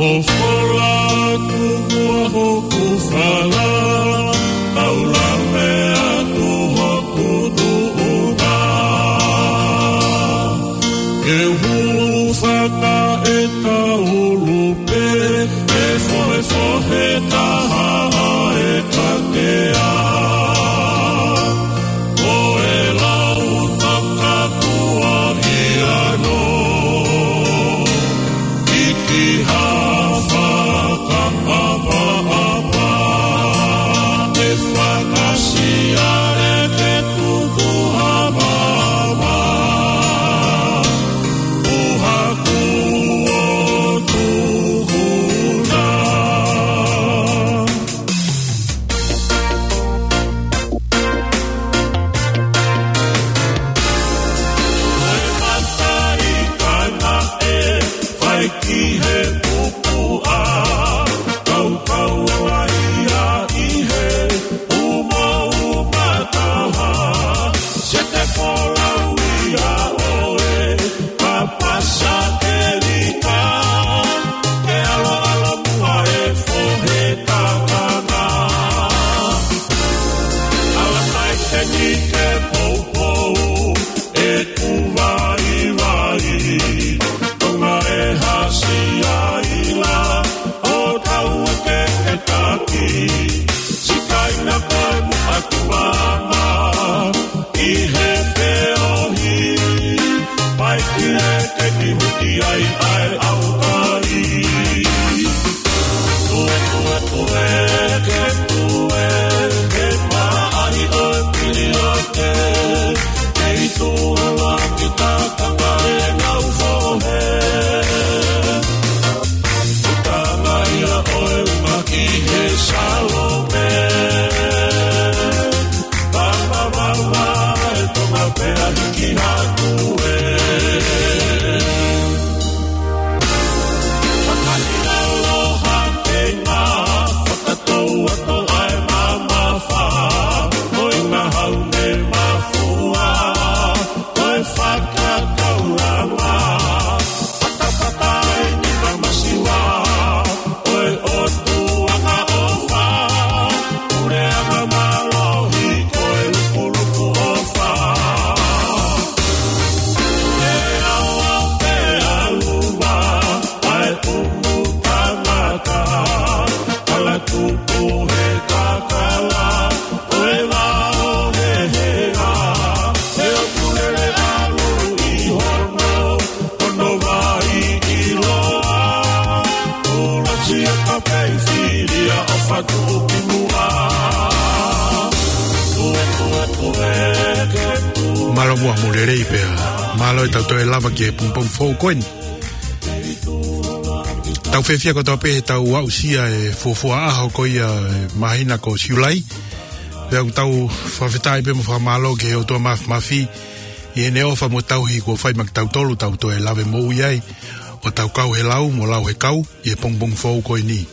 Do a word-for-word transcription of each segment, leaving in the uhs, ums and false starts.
ʻOku fola atu muʻa hoku fala, tau lave atu hoku tuʻunga. Ke hulu faka e taulu pē, ke fohefohe taha e katea. Ko e lau takatua ia no, ʻi ki ha fakaʻapaʻapa, ʻe fakasiale ke tuku ha mama, ʻo haku ʻo tuku na. Ko e mataʻi kaina ʻe fai ki he pupuʻa, kaukau ala ia ʻi he umauma taha, se te folau ia ʻoe, ka pasa ke lika, ke ʻaloʻalo muʻa e fohe kakanga. Ala mai ke ni ke poupou, ʻeku vaivai, Tonga e hasi ai la, ʻo tau ke ke taki, sikaina koe mo ʻaku mama, ʻi he feohi, pai ki he ke ni huti ai ʻa e ʻaukai. Tue, tue, tue, ke tue, ke maʻali ʻo e pili ʻo ke, ke i tuala ki takanga e ngau fohe. Utanga ia ʻo e uma ki he Salome. Vavavava e Tonga pea hiki hatu e. Fakahina aloha ke ngā fakatou atu ai mamafa, ʻo e ngahau ne mafua, ʻo e fakakaulanga. Fatafata e ni mamasiwa, ʻo e ʻotu anga ʻofa, pule anga mālohi, ko e lupulupu ʻofa. E awa pe aluva, ʻa e pumu tangata, kala tupu he kakala, ʻo e vao he hea, he ʻoku lele ʻalu ʻi hono, hono vai ʻiloa, ʻuluaki a ka pei filia ʻo fatu ki muʻa. Tue, tue, tue, ke tue. Mālō muʻa mo e lelei pea. Mālō e tau toe lava ki he pongipongi foʻou ko eni. Tau fiefia kotoa pē he tau aʻusia e fuofua ʻaho ko ia e māhina ko Siulai. Pea ʻoku tau fakafetaʻi pē mo fakamālō ki he ʻOtua Māfimafi ʻi heʻene ʻofa mo e tauhi kuo fai maʻa kitautolu, tau toe lave moʻui ai, ʻo tau kau he lau mo lau he kau ʻi he pongipongi foʻou ko eni.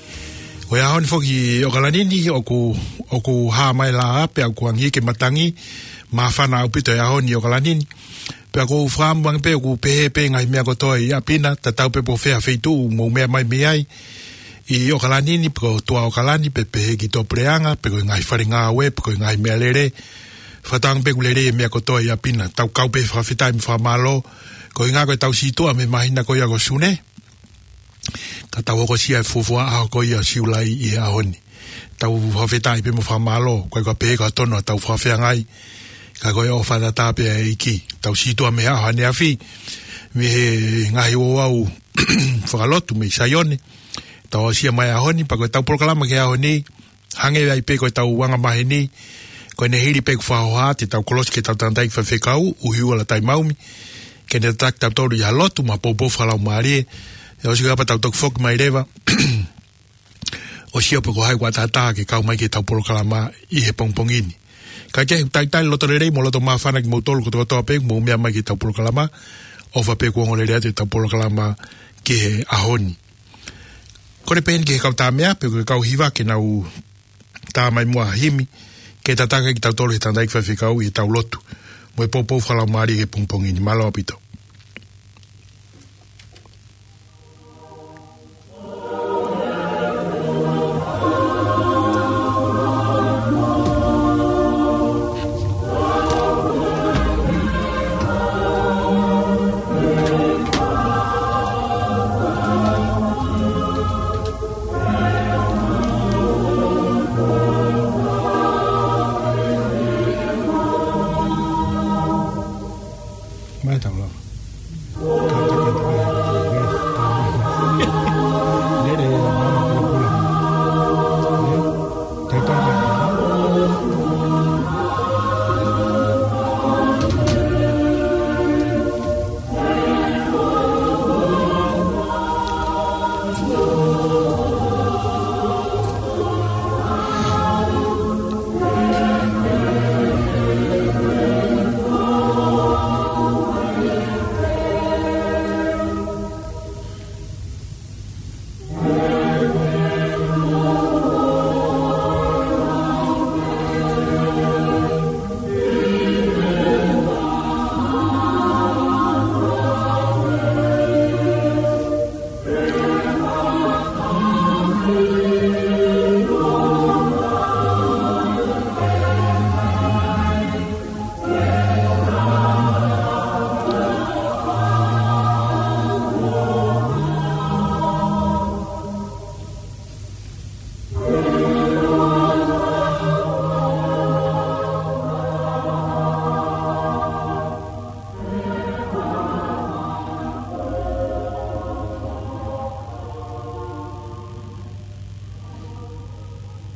Ko e ʻaho ni foki ʻi ʻOkalani ni, ʻoku, ʻoku hā mai e laʻā pea ʻoku angi ke matangi, māfana ʻaupito e ʻaho ni ʻi ʻOkalani ni. Pea ʻoku ou fakaʻamu ange pē ʻoku pehē pē ngaahi meʻa kotoa ʻi ʻapi na, tatau pē pe ko fē ha feituʻu ʻoku mou meʻa mai mei ai. ʻI ʻOkalani ni, pe ko Tuʻa ʻOkalani, pe pehē ki Tuʻapuleʻanga, pe ko e ngaahi fale ngāue, pe ko e ngaahi meʻalele. Fakatauange pē ʻoku lelei e meʻa kotoa ʻi ʻapi na. Tau kau pē fakafetaʻi mo fakamālō. Ko e ʻuhinga ko e tau sītuʻa mei he māhina ko ia ko Sune. Ka tau hokosia e fuofua ʻaho ko ia Siulai ʻi he ʻaho ni. Tau fakafetaʻi pē mo fakamālō, ʻikai ko e pehē ka tonu ʻa e tau fakafeangai, ka ko e ʻofa tatau pē ʻa e ʻEiki. Tau sītuʻa mei he ʻaho ʻaneafi, mei he ngaahi ouau fakalotu mei Saione. Tau aʻusia mai e ʻaho ni, pea ko e tau polokalama ki he ʻaho ni, hangē ai pē ko e tau anga maheni, ko ʻene hili pē kuo fakahoha atu e tau kolosi ki he tau tangataʻeiki faifekau, ʻUhiʻuala Taimaumi, ke ne tataki kitautolu ʻi ha lotu mo ha poupou fakalaumālie, ʻe ʻosi ko ia pea tau toki foki mai leva, ʻo sio pe ko hai kuo ʻatā ke kau mai ki he tau polokalama ʻi he pongipongi ni. Kae kehe, talitali loto lelei mo loto māfana kimoutolu kotokotoa pē ʻoku mou meʻa mai ki he tau polokalama, ʻofa pē kuo ongo lelei atu e tau polokalama ki he ʻaho ni. Kole pē heni ki he kau tā meʻa, pe ko e kau hiva ke nau tā mai muʻa ha himi, ke tataki kitautolu he tangataʻeiki faifekau ʻi he tau lotu mo e poupou fakalaumālie ki he pongipongi ni. Mālō ʻaupito.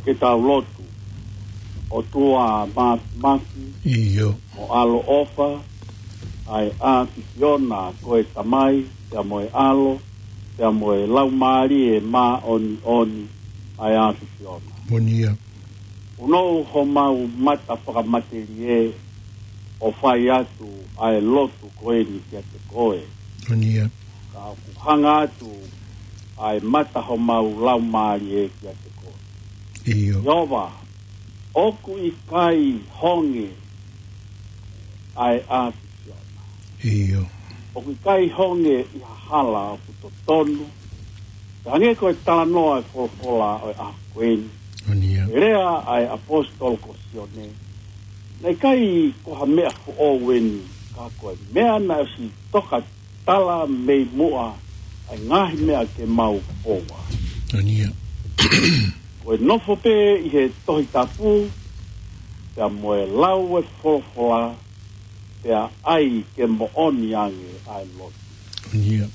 Ke tau lotu. ʻOtua Māfimafi, ʻio, mo ʻaloʻofa, ʻa e ʻAfiona, ko e Tamai, pea mo e ʻAlo, pea mo e Laumālie Māʻoniʻoni, ʻa e ʻAfiona. Moʻoni ia. Unou homau mata fakamatelie ʻo fai atu ʻa e lotu ko eni kiate koe. Moʻoni ia. Ka ʻoku hanga atu ʻa e mata homau laumālie kiate koe. ʻIo. Sihova, ʻoku ʻikai honge ʻa e ʻAfiona. ʻIo. ʻOku ʻikai honge ʻi ha hala ʻoku totonu. Hangē ko e talanoa e folofola ʻo e ʻaho ko eni. Moʻoni ia. Lea ʻa e ʻaposetolo ko Sione. Naʻe ʻikai ko ha meʻa foʻou eni, ka ko e meʻa naʻe ʻosi toka tala mei muʻa ʻa e ngaahi meʻa ke mau foua. Moʻoni ia. Ko e nofo pē ʻi he Tohi Tapu, pea mo e lau e folofola, pea ʻai ke moʻoni ange ʻa e lotu. Moʻoni ia.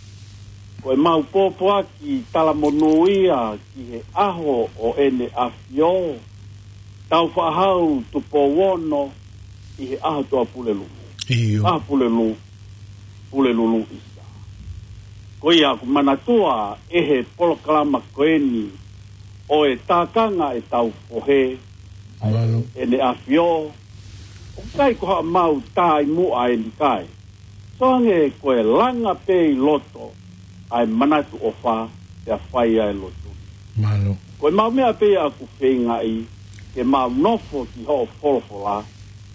Ko e mau pōpoaki talamonū ia ki he ʻaho ʻo ʻEne ʻAfio, Taufaʻāhau Tupou Ono, ʻi he ʻaho Tuʻapulelulu. ʻIo. ʻAho Pulelulu, Pulelulu ʻisa. Ko ia ʻoku manatua ʻe he polokalama ko eni ʻo e tākanga ʻetau fohe, Mālō. ʻEne ʻAfio, ʻoku ʻikai ko haʻamau tā ʻi muʻa eni kae. Soange ko e langa pē ʻi loto ʻa e manatu ʻofa pea fai ʻa e lotu. Mālō. Ko e mau meʻa pē ia ʻoku feingaʻi ke mau nofo ki hoʻo folofola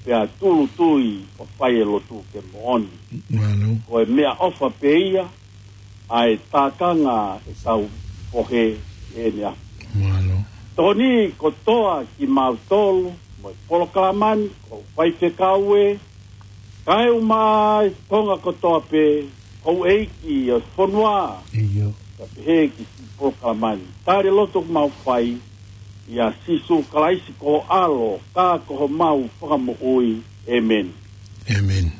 pea tūʻulutui ʻo fai e lotu ke moʻoni. Mālō. Ko e meʻaʻofa pē ia ʻa e tākanga ʻetau fohe ʻEne ʻAfio. Mālō. Tokoni kotoa kimautolu mo e polokalama ni, ko e faifekau ē, kae ʻumaʻā e Tonga kotoa pē, houʻeiki ʻo e fonua. ʻIo. Ka pehē ki he polokalama ni. Tali e lotu ʻoku mau fai, ʻia Sīsū Kalaisi ko ho ʻAlo, ka ko homau Fakamoʻui. ʻĒmeni. ʻĒmeni.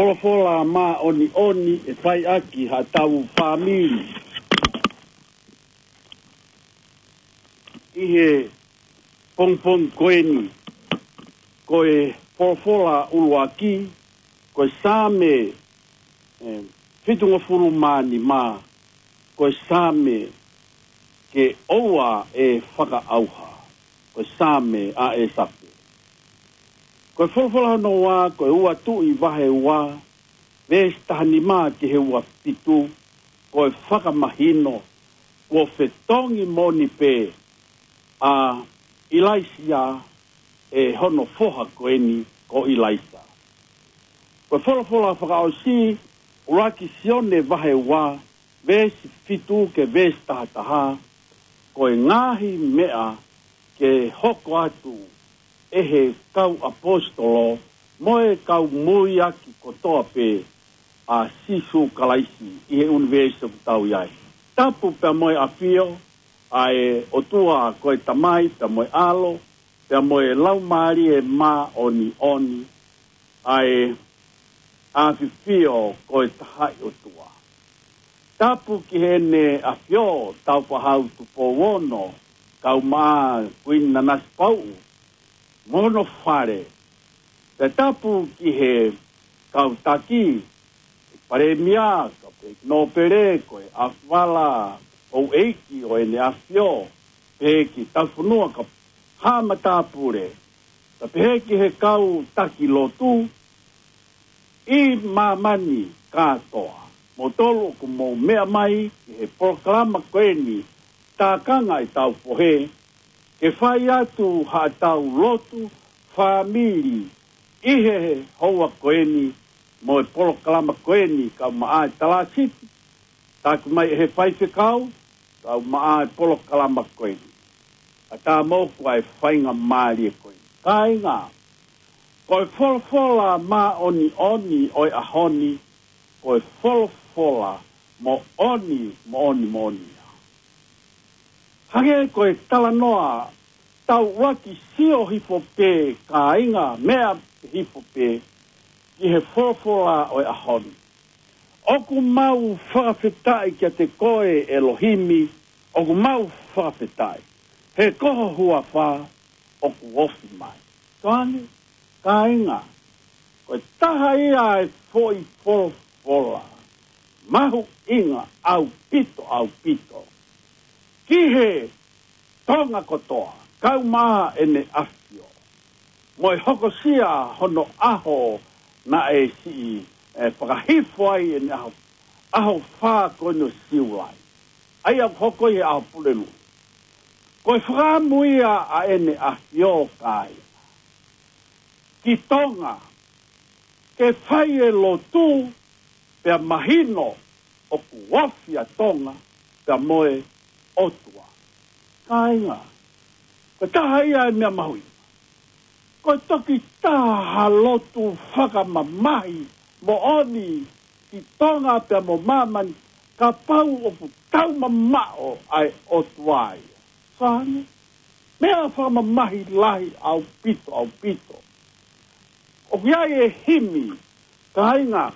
Folofola māʻoniʻoni ʻe fai ʻaki haʻatau fāmili. ʻI he pongipongi ko eni, ko e folofola ʻuluaki, ko e Saame, e, fitungofulu mā nima, ko e Saame ke ʻoua ʻe fakaʻauha, ko e Saame ʻa ʻĒsafe. Ko e folofola hono ua, ko e Ua Tuʻi vahe ua, veesi taha nima ki he ua fitu, ko e fakamahino, kuo fetongi moʻoni pē ʻa ʻIlaisiā ʻe hono foha ko eni ko ʻIlaisa. Ko e folofola fakaʻosi, ʻuluaki Sione vahe ua, veesi fitu ki he veesi taha taha, ko e ngaahi meʻa ke hoko atu ʻe he kau ʻaposetolo mo e kau muiaki kotoa pē ʻa Sīsū Kalaisi ʻi he ʻunivēsi ʻoku tau ʻi ai. Tapu pea mo e ʻafio ʻa e ʻOtua ko e Tamai pea mo e ʻAlo, pea mo e Laumālie Māʻoniʻoni, ʻa e ʻAfifio ko e Tahaʻi ʻOtua. Tapu ki heʻene ʻAfio Tāufaʻāhau Tupou Ono, kaumaʻā Kuini Nanasipauʻu mo hono fale. Pea tapu ki he kau taki, Palēmia, kau pehē ki Nōpele, ko e ʻAfala, houʻeiki ʻo ʻEne ʻAfio, pehē ki Taufunua, kau haʻa matāpule, pea pehē ki he kau taki lotu ʻi māmani kātoa. Moutolu ʻoku mou meʻa mai ki he polokalama ko eni, Tākanga ʻi Taupohe, ke fai atu haʻatau lotu fāmili ʻi he houa ko eni mo e polokalama ko eni, kaumaʻā e Talāsiti, taki mai ʻe he faifekau, kaumaʻā e polokalama ko eni. ʻAtā moʻoku ʻa e faingamālie ko eni. Kāinga, ko e folofola māʻoniʻoni ʻo e ʻaho ni, ko e folofola moʻoni, moʻoni, moʻoni ia. Hangē ko e talanoa, tau ʻuluaki sio hifo pē, kāinga, meʻa hifo pē ki he folofola ʻo e ʻaho ni. ʻOku mau fakafetaʻi kiate koe ʻElohimi, ʻoku mau fakafetaʻi. He ko ho huafa ʻoku ofi mai. Toane, kāinga, ko e taha ia e foʻi folofola mahuʻinga ʻaupito, ʻaupito ki he Tonga kotoa, kaumaʻā ʻEne ʻAfio. Mo e hokosia hono ʻaho naʻe siʻi, e, fakahifo ai ʻEne ʻaho, ʻaho fā ko eni ʻo Siulai. ʻA ia ʻoku hoko ʻi he ʻaho Pulelulu. Ko e fakaʻamu ia ʻa ʻEne ʻAfio, kāinga, ki Tonga, ke fai e lotu, pea mahino ʻoku ofi ʻa Tonga pea mo e ʻOtua. Kāinga, ko e taha ia e meʻa mahuʻinga. Ko e toki taha ha lotu fakamamahi moʻoni ki Tonga pea mo māmani, kapau ʻoku tau mamaʻo ʻa e ʻOtua ia. Fānau, meʻa fakamamahi lahi ʻaupito, ʻaupito. ʻOku ʻi ai e himi, kāinga,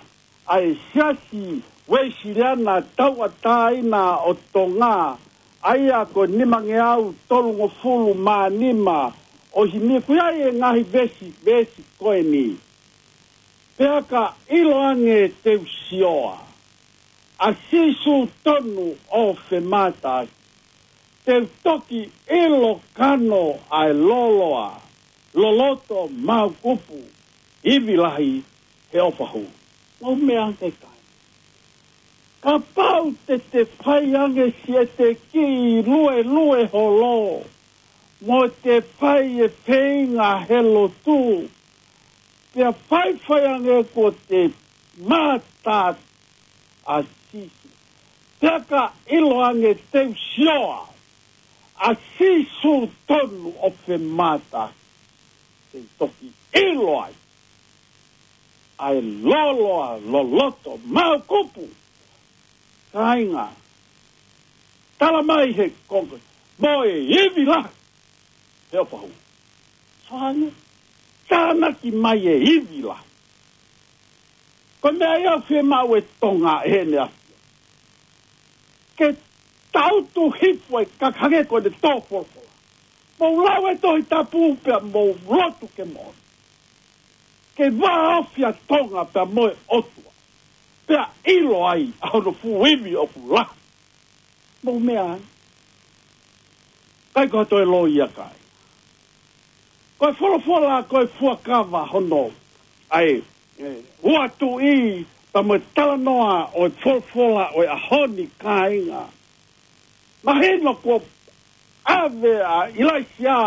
ʻa e Siasi Uēsiliana Tauʻatāina ʻo Tonga, ʻa ia ko e nimangeau tolungofulu mā nima ʻo e himi, ʻoku ʻi ai e ngaahi veesi, veesi ko eni. Pea ka ʻilo ange te u sioa ʻa Sīsū tonu ʻo femātaaki, te u toki ʻilo kano ʻa e lōloa, loloto, māukupu, ivi lahi he ʻofa hulu. Mou meʻa ange, kāinga. Kapau te te fai ange siʻete kiʻi luelue holo, mo te fai e feinga he lotu, pea faifai ange kuo te mātā ʻa Sīsū. Pea ka ʻilo ange te u sioa ʻa Sīsū tonu ʻo femātaaki, te u toki ʻilo ai ʻa e lōloa, loloto, māukupu, kāinga, tala mai he konga, mo e ivi lahi he ʻofa hulu. Soane, tānaki mai e ivi lahi. Ko e meʻa ia ʻoku fiemaʻu ʻe Tonga ʻe heʻene ʻAfio. Ke tautu hifo e kaka hangē ko ʻene tō folofola. Mou lau e Tohi Tapu pea mou lotu ke moʻoni. Ke vāofi ʻa Tonga pea mo e ʻOtua. Pea ʻilo ai ʻa hono fuʻu ivi ʻoku lahi. Mou meʻa ai. ʻIkai ko ha toe loi ia kai. Ko e folofola, ko e fuakava hono ʻa e, e, uatuʻi, pea mo e talanoa ʻo e folofola ʻo e ʻaho ni, kāinga. Mahino kuo ʻave ʻa ʻIlaisiā,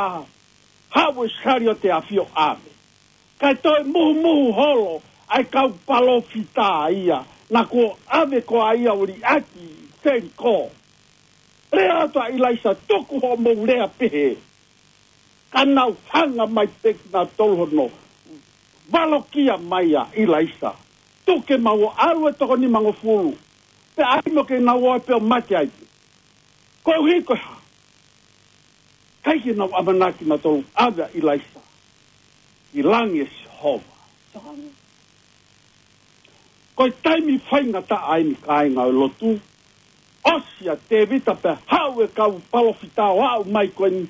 haʻu e saliote ʻo ʻafio ʻave. Kae toe muhumuhu holo ʻa e kau palōfita ia, naʻa kuo ʻave ko ia ʻo liʻaki Selikō. Lea atu ʻa ʻIlaisa, tuku hoʻomou lea pehē. Ka nau hanga mai pē kinautolu hono valokia mai ʻa ʻIlaisa. Tuku ke mau ō ʻalu e toko nimangofulu. Pea ʻai mo ke nau ō ai pē ʻo mate ai pē. Koeʻuhi ko e hā? ʻIkai ke nau ʻamanaki nautolu ʻave ʻa ʻIlaisa ki langi ʻe Sihova. Ko e taimi faingataʻa eni, kāinga ʻo e lotu. ʻOsi ʻa Tēvita pea haʻu e kau palōfita ʻo aʻu mai ko eni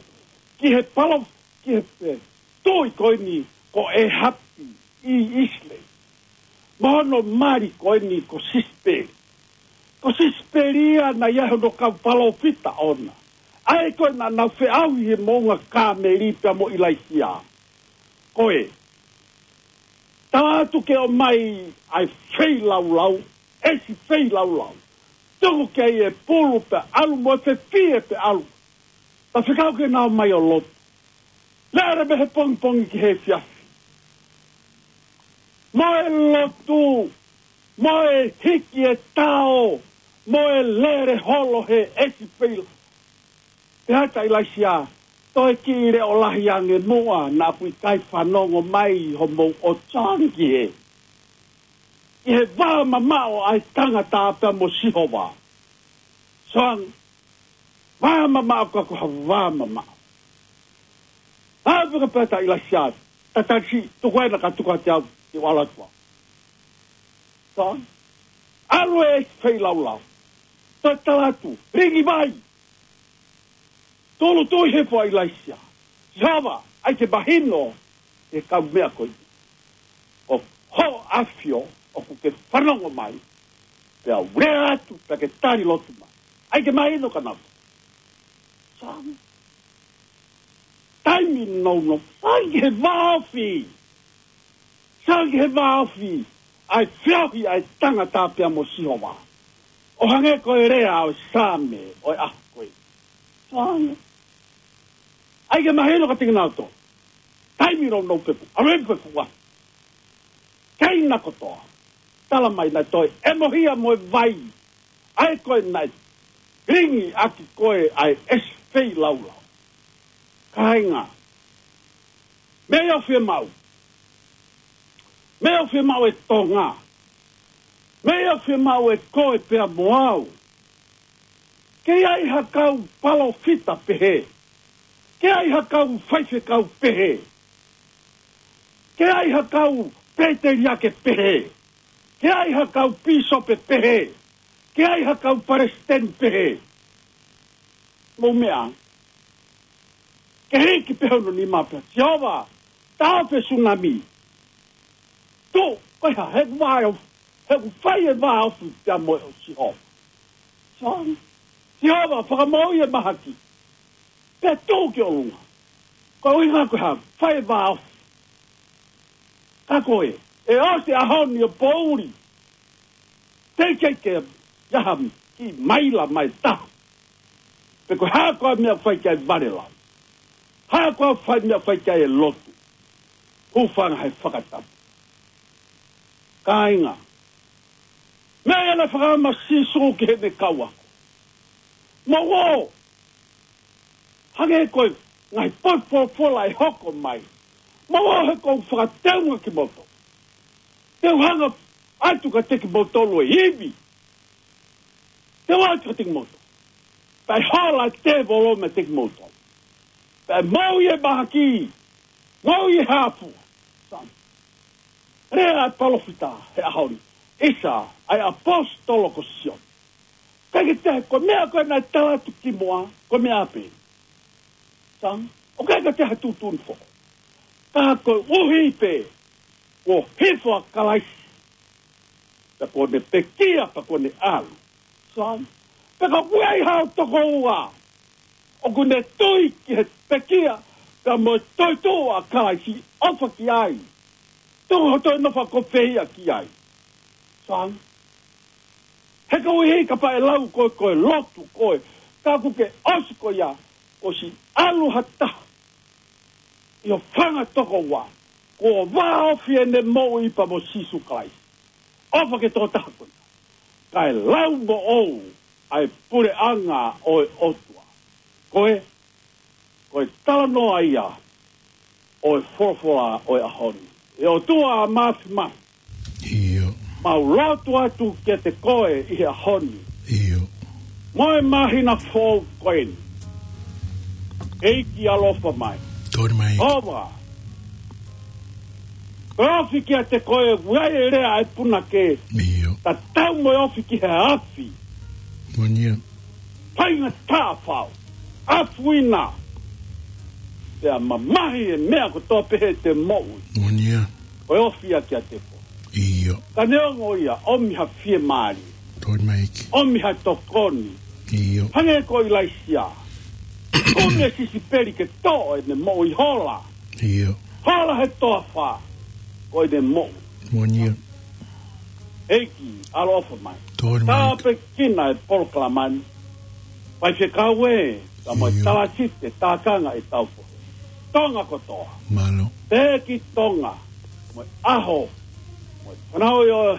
ki he palo-, ki he, e, tuʻi ko eni ko ʻĒhapi ʻi ʻIsileli. Mo hono mali ko eni ko Sisipeli. Ko Sisipeli ia naʻe ʻi ai hono kau palōfita ʻoʻona. ʻA ē ko ē naʻa nau feʻauhi he moʻunga Kāmeli pea mo ʻIlaisiā. Ko e tala atu ke ʻomai ʻa e feilaulau, ʻesi feilaulau. Tuku ki ai e pulu pea ʻalu mo e fefie pea ʻalu. Ta fekau ke nau ō mai ʻo lotu. Lele mei he pongipongi ki he efiafi. Mo e lotu, mo e hiki e tao, mo e lele holo he ʻesi feilaulau. Pehē atu ʻa ʻIlaisiā, toe kiʻi leʻo lahi ange muʻa, naʻa ku ʻikai fanongo mai hoʻomou ʻosi ange ki he, ki he vā mamaʻo ʻa e tangata pea mo Sihova. Soang, vā mamaʻo ka ko ha vā mamaʻo. ʻA peka pehē atu ʻa ʻIlaisiā, tatali siʻi, tuku ena ka tuku atu au, ke u ʻalu atu au. Soang, ʻalu e feilaulau. Toe tala atu, lingi vai. Tūʻulutui hifo ʻa ʻIlaisiā. Sihova, ʻai ke mahino, ʻe kau meʻa ko ē. ʻO hoʻo ʻAfio, ʻoku ke fanongo mai. Pea u lea atu, pea ke tali lotu mai. ʻAi ke mahino ka nau. Soang. Taimi nounou. Soang ki he vāofi. Soang ki he vāofi. ʻA e feohi ʻa e tangata pea mo Sihova. ʻO hangē ko e lea ʻo e Saame ʻo e ʻaho ko ē. Soang. ʻAi ke mahino ka tiki nau tō. Taimi nounou peku. ʻAlu eni peku ua. Kei na kotoa. Tala mai naʻe toe ʻemohia mo e vai. ʻA ē ko ē naʻe lingi ʻaki ko ē ʻa e ʻesi feilaulau. Kāinga. Meʻa ʻoku fiemaʻu. Meʻa ʻoku fiemaʻu ʻe Tonga. Meʻa ʻoku fiemaʻu ʻe koe pea mo au. Ke ʻi ai ha kau palōfita pehē. Ke ʻi ai ha kau faifekau pehē. Ke ʻi ai ha kau pēteliake pehē. Ke ʻi ai ha kau pīsope pehē. Ke ʻi ai ha kau palesiteni pehē. Mou meʻa. Ke hiki pē hono nima pea, Sihova, taʻofi e sunami. Tō, ko e hā, he ʻoku vāofi, he ʻoku fai e vāofi pea mo e ʻo Sihova. Soang. Sihova, fakamoʻui e mahaki. Pea tō ki ʻolunga. Ko e ʻuhinga ko e hā, fai e vāofi. Ka ko ē, ʻe ʻosi e ʻaho ni ʻo poʻuli. Teʻeki ke ʻi ai ha kiʻi maila mai taha. Pe ko e hā koā e meʻa ʻoku fai ki ai e valelau. Hā koā e fai meʻa ʻoku fai ki ai e lotu. Hūfanga he fakatapu. Kāinga. Meʻa ia naʻe fakaʻamu ʻa Sīsū ki heʻene kau ako. Mou ō. Hangē ko e ngaahi potu folofola ʻe hoko mai. Mou ō he ʻoku ou fakateunga kimoutolu. Te u hanga atu kiate kimoutolu e ivi. Te u ʻatu kiate kimoutolu. Pea ʻe hola e tēvolo meiate kimoutolu. Pea ʻe moʻui e mahaki. Moʻui e hā fua. Soang. Lea ʻa e palōfita he ʻaho ni. ʻisa, ʻa e ʻaposetolo ko Sione. ʻIkai ke toe, ko e meʻa ko ē naʻe tala atu kimuʻa, ko e meʻa pē. Sai, ʻoku ʻikai ke toe ha tuʻutuʻuni foʻou. Ka koeʻuhi pē kuo hifo ʻa Kalaisi, pea kuo ne pekia, pea kuo ne ʻalu. Sai, pea ka ʻoku ʻi ai haʻo tokoua ʻoku ne tui ki he pekia, pea mo e toetuʻu ʻa Kalaisi, ʻofa ki ai. Tuku hoʻo toe nofo ʻo fehiʻa ki ai. Sai, he koeʻuhi kapau ʻe lau ko e, ko e lotu ko ē, ka ʻoku ke ʻosi ko ia, ʻosi ʻalu ha taha ʻi ho fanga tokoua kuo vāofi ʻene moʻui pea mo Sīsū Kalaisi. ʻOfa ki he tokotaha ko ia, kae lau moʻou ʻa e puleʻanga ʻo e ʻOtua. Ko e, ko e talanoa ia ʻo e folofola ʻo e ʻaho ni. ʻE ʻOtua Māfimafi, ʻio, mau lotu atu kiate koe ʻi he ʻaho ni, ʻio, mo e māhina foʻou ko eni. ʻEiki ʻaloʻofa mai. Tō mai. ʻOfa, ko e ofi kiate koe, ʻoku ʻi ai e lea ʻa e punake, ʻio, tatau mo e ofi ki he afi. Moʻoni ia. Faingataʻa fau, afuina, pea mamahi e meʻa kotoa pē heʻete moʻui. Moʻoni ia. Ko e ofi ia kiate koe. ʻIo. Ka neongo ia, ʻomi ha fiemālie. Tō mai ʻEiki. ʻOmi ha tokoni. ʻIo. Hangē ko ʻIlaisiā. ʻOmi e sisipeli ke toʻo ʻene moʻui, hola. ʻIo. Hola he toafa, ko ʻene moʻui. Moʻoni ia. ʻEiki ʻaloʻofa mai. Tō mai. Tāpuekina e polokalama ni. Faifekau ē, ka mo e, ʻio, talatite, tākanga ʻetau fohe. Tonga kotoa. Mālō. Pē ki Tonga, mo e ʻaho, mo e fanauʻi ʻo e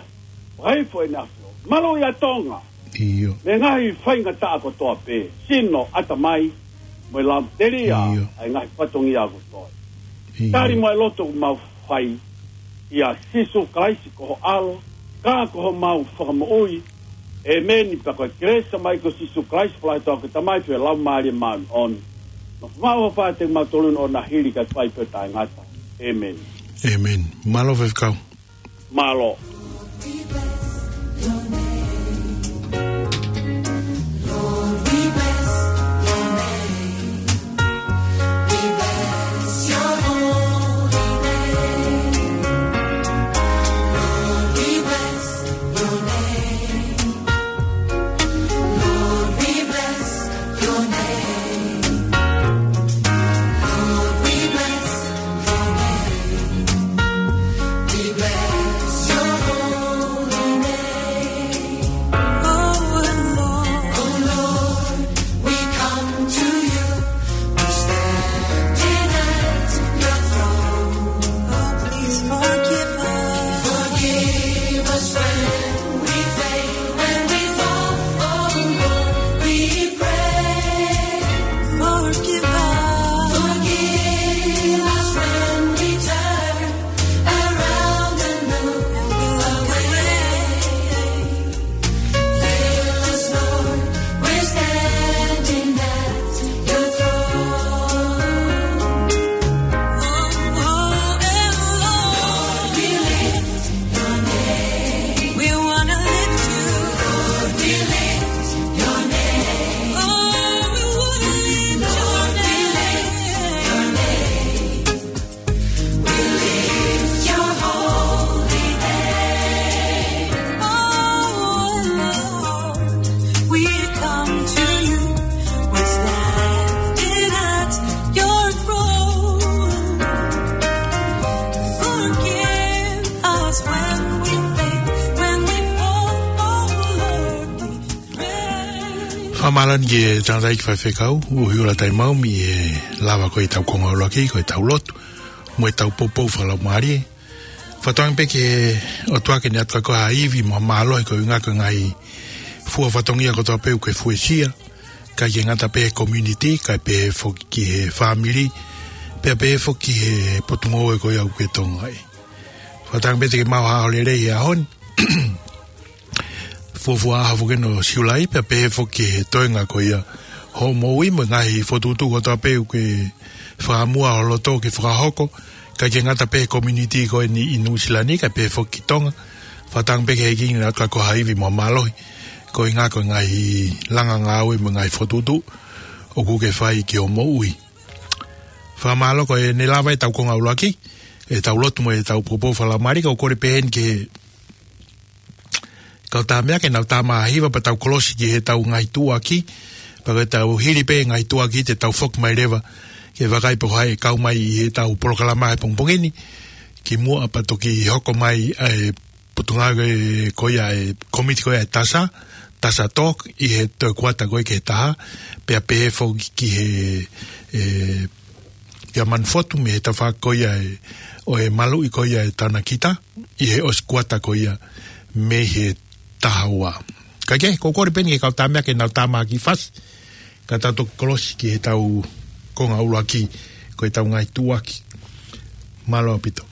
vaifo ʻene ʻAfio. Mālō ʻia Tonga. ʻIo. Mei he ngaahi faingataʻa kotoa pē, sino, ʻatamai, mo e laumatelie, ʻio, ʻa e ngaahi fatongia kotoa. ʻIo. Tali mo e lotu ʻoku mau fai, ʻia Sīsū Kalaisi ko ho ʻAlo, ka ko homau Fakamoʻui. ʻĒmeni. Pea ko e kelesi ʻa e ʻEiki ko Sīsū Kalaisi, fakahinohino ʻa e Tamai, pea mo e Laumālie Māʻoniʻoni, nofomaʻu ʻi ho vahaʻa kiate kimautolu ni ʻo na hili kae fai pē ʻo taʻengata. ʻĒmeni. ʻĒmeni. Mālō faifekau. Mālō. We come to you, we're standing at your throne. Oh, please forgive us. Forgive us when we fail, when we fall. Oh, Lord, we pray. Forgive us. Forgive us when we turn around and look away. Fill us, Lord, we're standing at your throne. Oh, and Lord, we lift your name. We wanna lift you. Lord, we lift your name. Oh, we wanna lift your name. We lift your holy name. Oh, Lord, we come to you. We're standing at your throne. Forgive us when we fail, when we fall. Oh, Lord, we pray. Fakamālō ʻeni ki he tangataʻeiki faifekau, ʻUhiʻula Taimau, mei he lava ko ē ʻetau konga ʻuluaki, ko ʻetau lotu mo ʻetau poupou fakalaumālie. Fakatauange pē ki he ʻOtua ke ne ʻoatu kiate koe ha ivi mo ha mālohi koeʻuhi ko e ngaahi fua fatongia kotoa pē ʻoku ke fuesia, ʻikai ke ngata pē he community, kae pehē foki ki he fāmili, pea pehē foki ki he potungāue ko ia ʻoku ke tokangaʻi. Fakatauange pē te ke maʻu ha ʻaho lelei he ʻaho ni. Fuofua ʻaho foki ʻeni ʻo Siulai, pea pehē foki ki he toenga ko ia hoʻo moʻui mo e ngaahi fokotuʻutuʻu kotoa pē ʻoku ke fakaʻamua ho loto ke fakahoko, ʻikai ke ngata pē he community ko eni ʻi Nuʻusila ni, kae pehē foki ki Tonga. Fakatauange pē ke hiki ʻi he ʻaho ko ha ivi mo mālohi, koeʻuhi ko e ngaahi langa ngāue mo e ngaahi fokotuʻutuʻu ʻoku ke fai ki hoʻo moʻui. Fakamālō ko ʻene lava ʻetau konga ʻuluaki, ʻetau lotu mo ʻetau poupou fakalaumālie, ka ʻoku ou kole pē heni ki he kau tamaiki ke nau tama hiva pea tau kolosi ki heʻetau ngaahi tuʻuaki, pea ko ʻetau hili pē ngaahi tuʻuaki te tau foki mai leva ke vakai pe ko hai ʻe kau mai ʻi heʻetau polokalama he pongipongi ni, kimuʻa pea toki hoko mai ʻa e potungāue ko ia ʻa e kōmiti ko ia ʻa e TASA, TASA Talk, ʻi he toe kuata ko ia ki he taha, pea pehē foki ki he, ʻe, kia Manufotu mei he tafaʻaki ko ia ʻe, ʻo e maluʻi ko ia ʻe Tanakita, ʻi he ʻosi kuata ko ia mei he taha ua. Kae kehe, ʻoku ou kole pē heni ki he kau tamaiki ke nau tama ki fasi, ka tau toki kolosi ki heʻetau konga ʻuluaki, ko ʻetau ngaahi tuʻuaki. Mālō ʻaupito.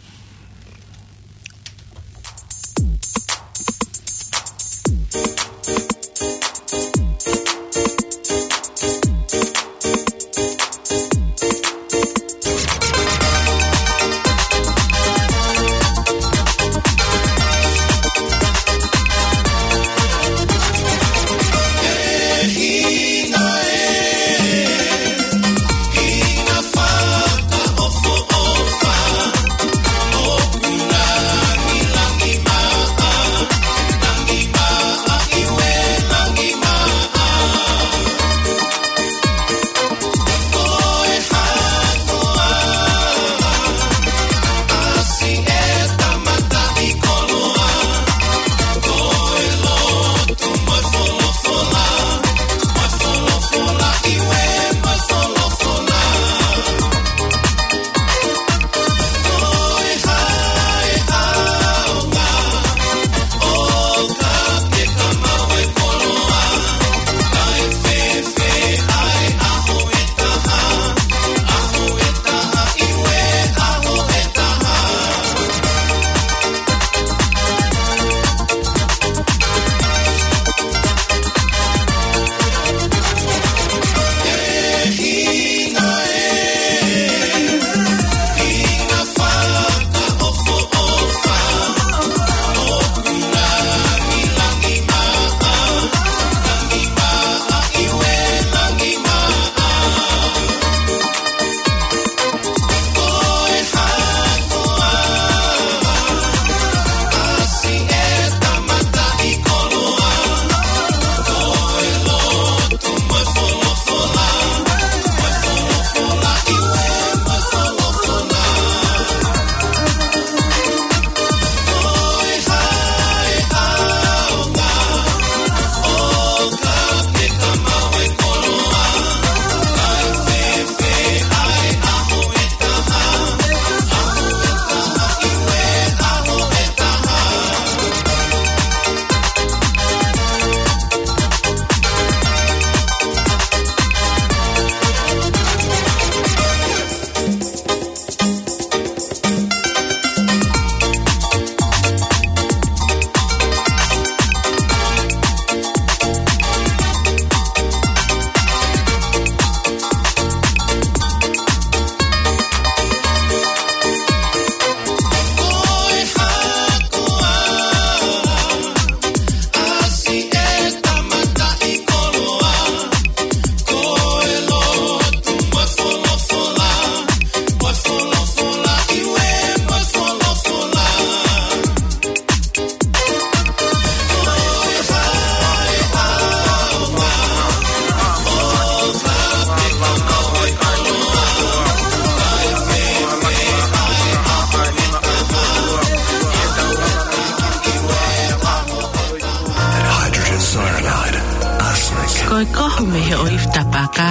Hydrogen cyanide, arsenic. Ko e kohu mei he ʻoifi tapaka,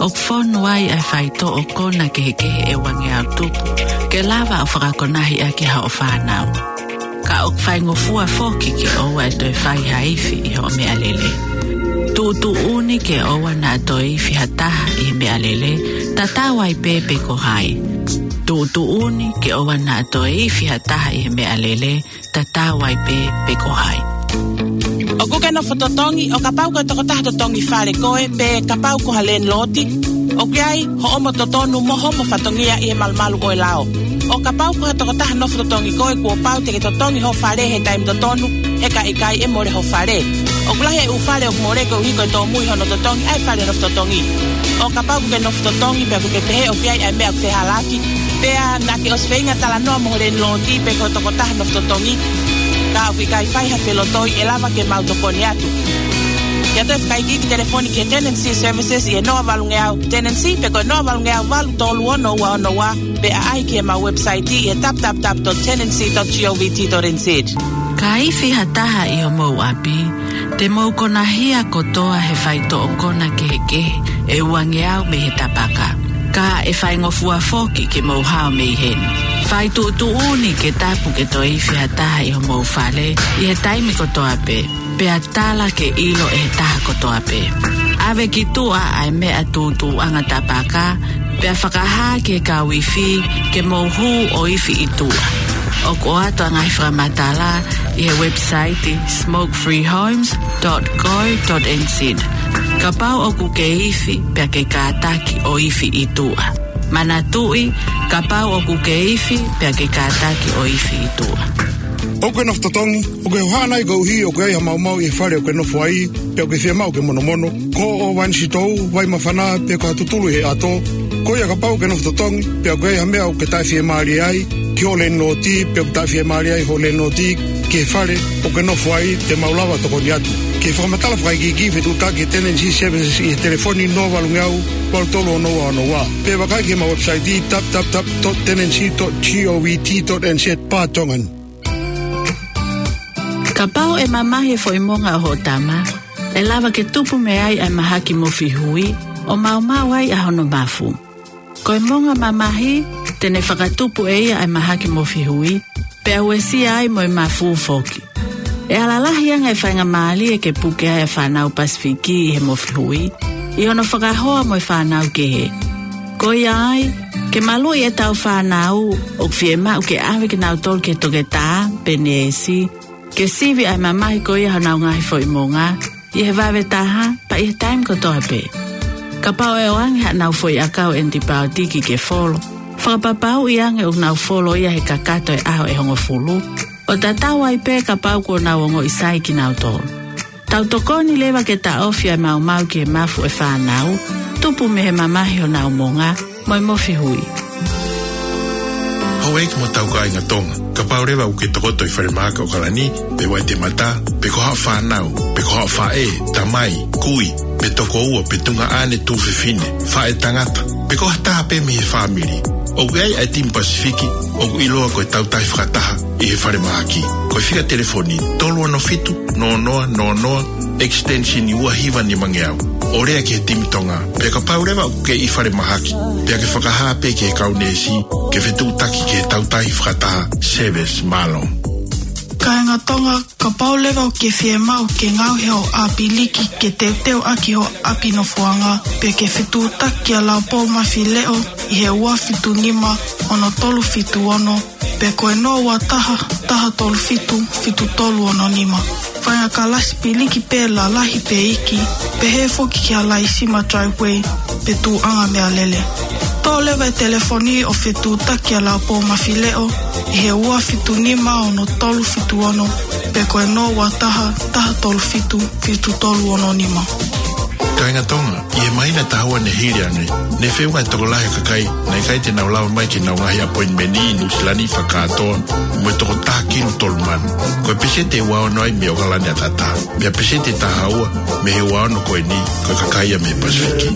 ʻoku fonu ai ʻa e faitoʻo kona kehekehe ʻe uangeau tupu, ke lava ʻo fakakonahi ʻaki haʻo fānau. Ka ʻoku faingofua foki ke ʻoua ʻe toe fai ha ifi ʻi hoʻo meʻalele. Tuʻutuʻuni ke ʻoua naʻa toe ifi ha taha ʻi he meʻalele, tatau ai pē pe ko hai. Tuʻutuʻuni ke ʻoua naʻa toe ifi ha taha ʻi he meʻalele, tatau ai pē pe ko hai. ʻOku ke nofo totongi, ʻo kapau ko e tokotaha totongi fale koe, pe kapau ko ha landlord, ʻoku ʻi ai hoʻomo totonu mo homo fatongia ʻi he malumalu ʻo e lao. ʻO kapau ko ha tokotaha nofo totongi koe, kuo pau te ke totongi ho fale he taimi totonu, he ka ʻikai ʻe mole ho fale. ʻOku lahi e ʻū fale ʻoku mole koeʻuhi ko e tōmui hono totongi ʻa e fale nofo totongi. ʻO kapau ʻoku ke nofo totongi pea ʻoku ke pehē ʻoku ʻi ai ʻa e meʻa ʻoku fehālaaki, pea naʻa ke ʻosi feinga talanoa mo ho lēniloti pe ko e tokotaha nofo totongi, ka ʻoku ʻikai fai ha felotoi, ʻe lava ke mau tokoni atu. Ke ʻoatu e fakaikiiki telefoni ki he Tenancy Services ʻi he noa valungeau Tenancy pe ko e noa valungeau valu tolu ono ua ono ua, pe ʻaʻahi ki heʻemau website ʻi he w w w dot tenancy dot govt dot n z. Ka ifi ha taha ʻi homou ʻapi, te mou konahia kotoa he faitoʻo kona kehekehe ʻe uangeau mei he tapaka. Ka ʻe faingofua foki ke mou hao mei heni. Fai tuʻutuʻuni ke tapu ke toe ifi ha taha ʻi homou fale ʻi he taimi kotoa pē, pea tala ke ʻilo ʻe he taha kotoa pē. ʻAve ki tuʻa ʻa e meʻa tūtuuʻanga tapaka, pea fakahā ki he kau ifi ke mou hū ʻo ifi ʻi tuʻa. ʻOku ʻoatu ʻa e ngaahi fakamatala ʻi he website smoke free homes dot co dot n z. Kapau ʻoku ke ifi pea ke kātaki ʻo ifi ʻi tuʻa. Manatuʻi, kapau ʻoku ke ifi pea ke kātaki ʻo ifi ʻi tuʻa. ʻOku ke nofo totongi, ʻoku ke hohaʻa nai koeʻuhi ʻoku ʻi ai ha maumau ʻi he fale ʻoku ke nofo ai, pea ʻoku ke fiemaʻu ke monomono, ko hoʻo vainisitou, vai māfana, pe ko ha tutulu ʻi he ʻato? Ko ia, kapau ʻoku ke nofo totongi pea ʻoku ʻi ai ha meʻa ʻoku ke taʻefiemālie ai ki hoʻo lēniloti pe ʻoku taʻefiemālie ai hoʻo lēniloti ki he fale ʻoku ke nofo ai, te mau lava tokoni atu. Ke fakamatala fakaikiiki, fetuʻutaki ki he Tenancy Services ʻi he telefoni noa valungeau valu tolu ono ua ono ua, pe vakai ki heʻemau website w w w dot tenancy dot govt dot n z. Pātongan. Kapau ʻe mamahi e foʻi monga ʻo hoʻo tama, ʻe lava ke tupu mei ai ʻa e mahaki mofi hui, ʻo maumau ai ʻa hono mafu. Ko e monga mamahi, te ne fakatupu ʻe ia ʻa e mahaki mofi hui, pea uesia ai mo e mafu foki. ʻE ala lahi ange e faingamālie ke puke ai ʻa e fānau Pasifiki ʻi he mofi hui, ʻi hono fakahoa mo e fānau kehe. Ko ia ai, ke maluʻi ʻetau fānau, ʻoku fiemaʻu ke ʻave kinautolu ki he toketā pe neesi, ke sivi ʻa e mamahi ko ia honau ngaahi foʻi monga, ʻi he vave taha, pea ʻi he taimi kotoa pē. Kapau ʻe ʻoange haʻanau foʻi ʻakau ʻenipaotiki ke folo, fakapapauʻi ange ʻoku nau folo ia he kakato e ʻaho ʻe hongofulu, ʻo tatau ai pē kapau kuo nau ongoʻi sai kinautolu. Tau tokoni leva ke taʻofi ʻa e maumau ki he mafu ʻo e fānau, tupu mei he mamahi honau monga, mo e mofi hui. Houʻeiki mo hotau kāinga Tonga, kapau leva ʻoku ke tokoto ʻi falemahaki ʻOkalani, pe Waitemata, pe ko haʻo fānau, pe ko haʻo faʻē, tamai, kui, pe tokoua, pe tuongaʻane, tuofefine, faʻētangata, pe ko ha taha pē mei he fāmili, ʻoku ʻi ai ʻa e timi Pasifiki ʻoku ʻiloa ko e Tautahi Fakataha ʻi he falemahaki. Ko e fika telefoni tolu ono fitu noa noa noa noa, extension ua hiva nima ngeau, ʻo lea ki he timi Tonga. Pea kapau leva ʻoku ke ʻi falemahaki, pea ke fakahā pē ki he kau neesi ke fetuʻutaki ki he Tautahi Fakataha Service. Mālō. Kāinga Tonga, kapau leva ʻoku ke fiemaʻu ke ngaohi hoʻo ʻāpiliki ke teuteu ʻaki hoʻo ʻapi nofoʻanga, pea ke fetuʻutaki kia Laupou Mafileʻo ʻi he ua fitu nima ono tolu fitu ono, pe ko e noa ua taha, taha tolu fitu, fitu tolu ono nima. Faʻahinga kalasi piliki pē, lalahi pe iiki, pehē foki kia Laisima Driveway pe Tuʻuʻanga Meʻalele. Toʻo leva e telefoni ʻo fetuʻutaki kia Laupou Mafileʻo ʻi he ua fitu nima ono tolu fitu ono, pe ko e noa ua taha, taha tolu fitu, fitu tolu ono nima. Kāinga Tonga, ʻi he māhina ʻe taha ua ne hili ange, ne feʻunga e tokolahi ʻo e kakai naʻe ʻikai te nau lava mai ki heʻenau ngaahi appointment ʻi Nuʻusila ni fakakātoa mo e toko taha kilu tolu mano. Ko e peseti ʻe ua ono ai mei ʻOkalani ʻataʻatā, pea peseti ʻe taha ua mei he ua ono ko eni, ko e kakai ia mei Pasifiki.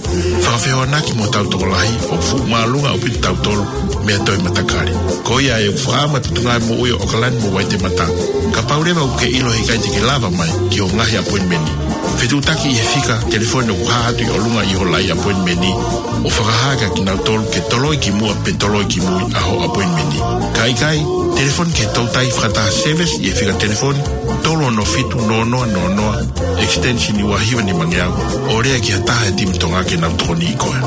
Fakafehoanaki mo hotau tokolahi, ʻoku fuʻu māʻolunga ʻaupito kitautolu mei ha toe matakali. Ko ia ai ʻoku fakaʻamu ʻa e Potungāue Moʻui ʻo ʻOkalani mo Waitemata, kapau leva ʻoku ke ʻilo he ʻikai te ke lava mai ki hoʻo ngaahi appointment, fetuʻutaki ʻi he fika telefoni ʻoku hā atu ʻi ʻolunga ʻi hoʻo laʻi appointment, ʻo fakahā kia kinautolu ke toloi ki muʻa pe toloi ki mui ʻa hoʻo appointment. Ka ʻikai, telefoni ki he Tautahi Fakataha Service ʻi he fika telefoni tolu ono fitu noa noa noa noa, extension ua hiva nima ngeau, ʻo lea ki ha taha he timi Tonga ke nau tokoniʻi koe.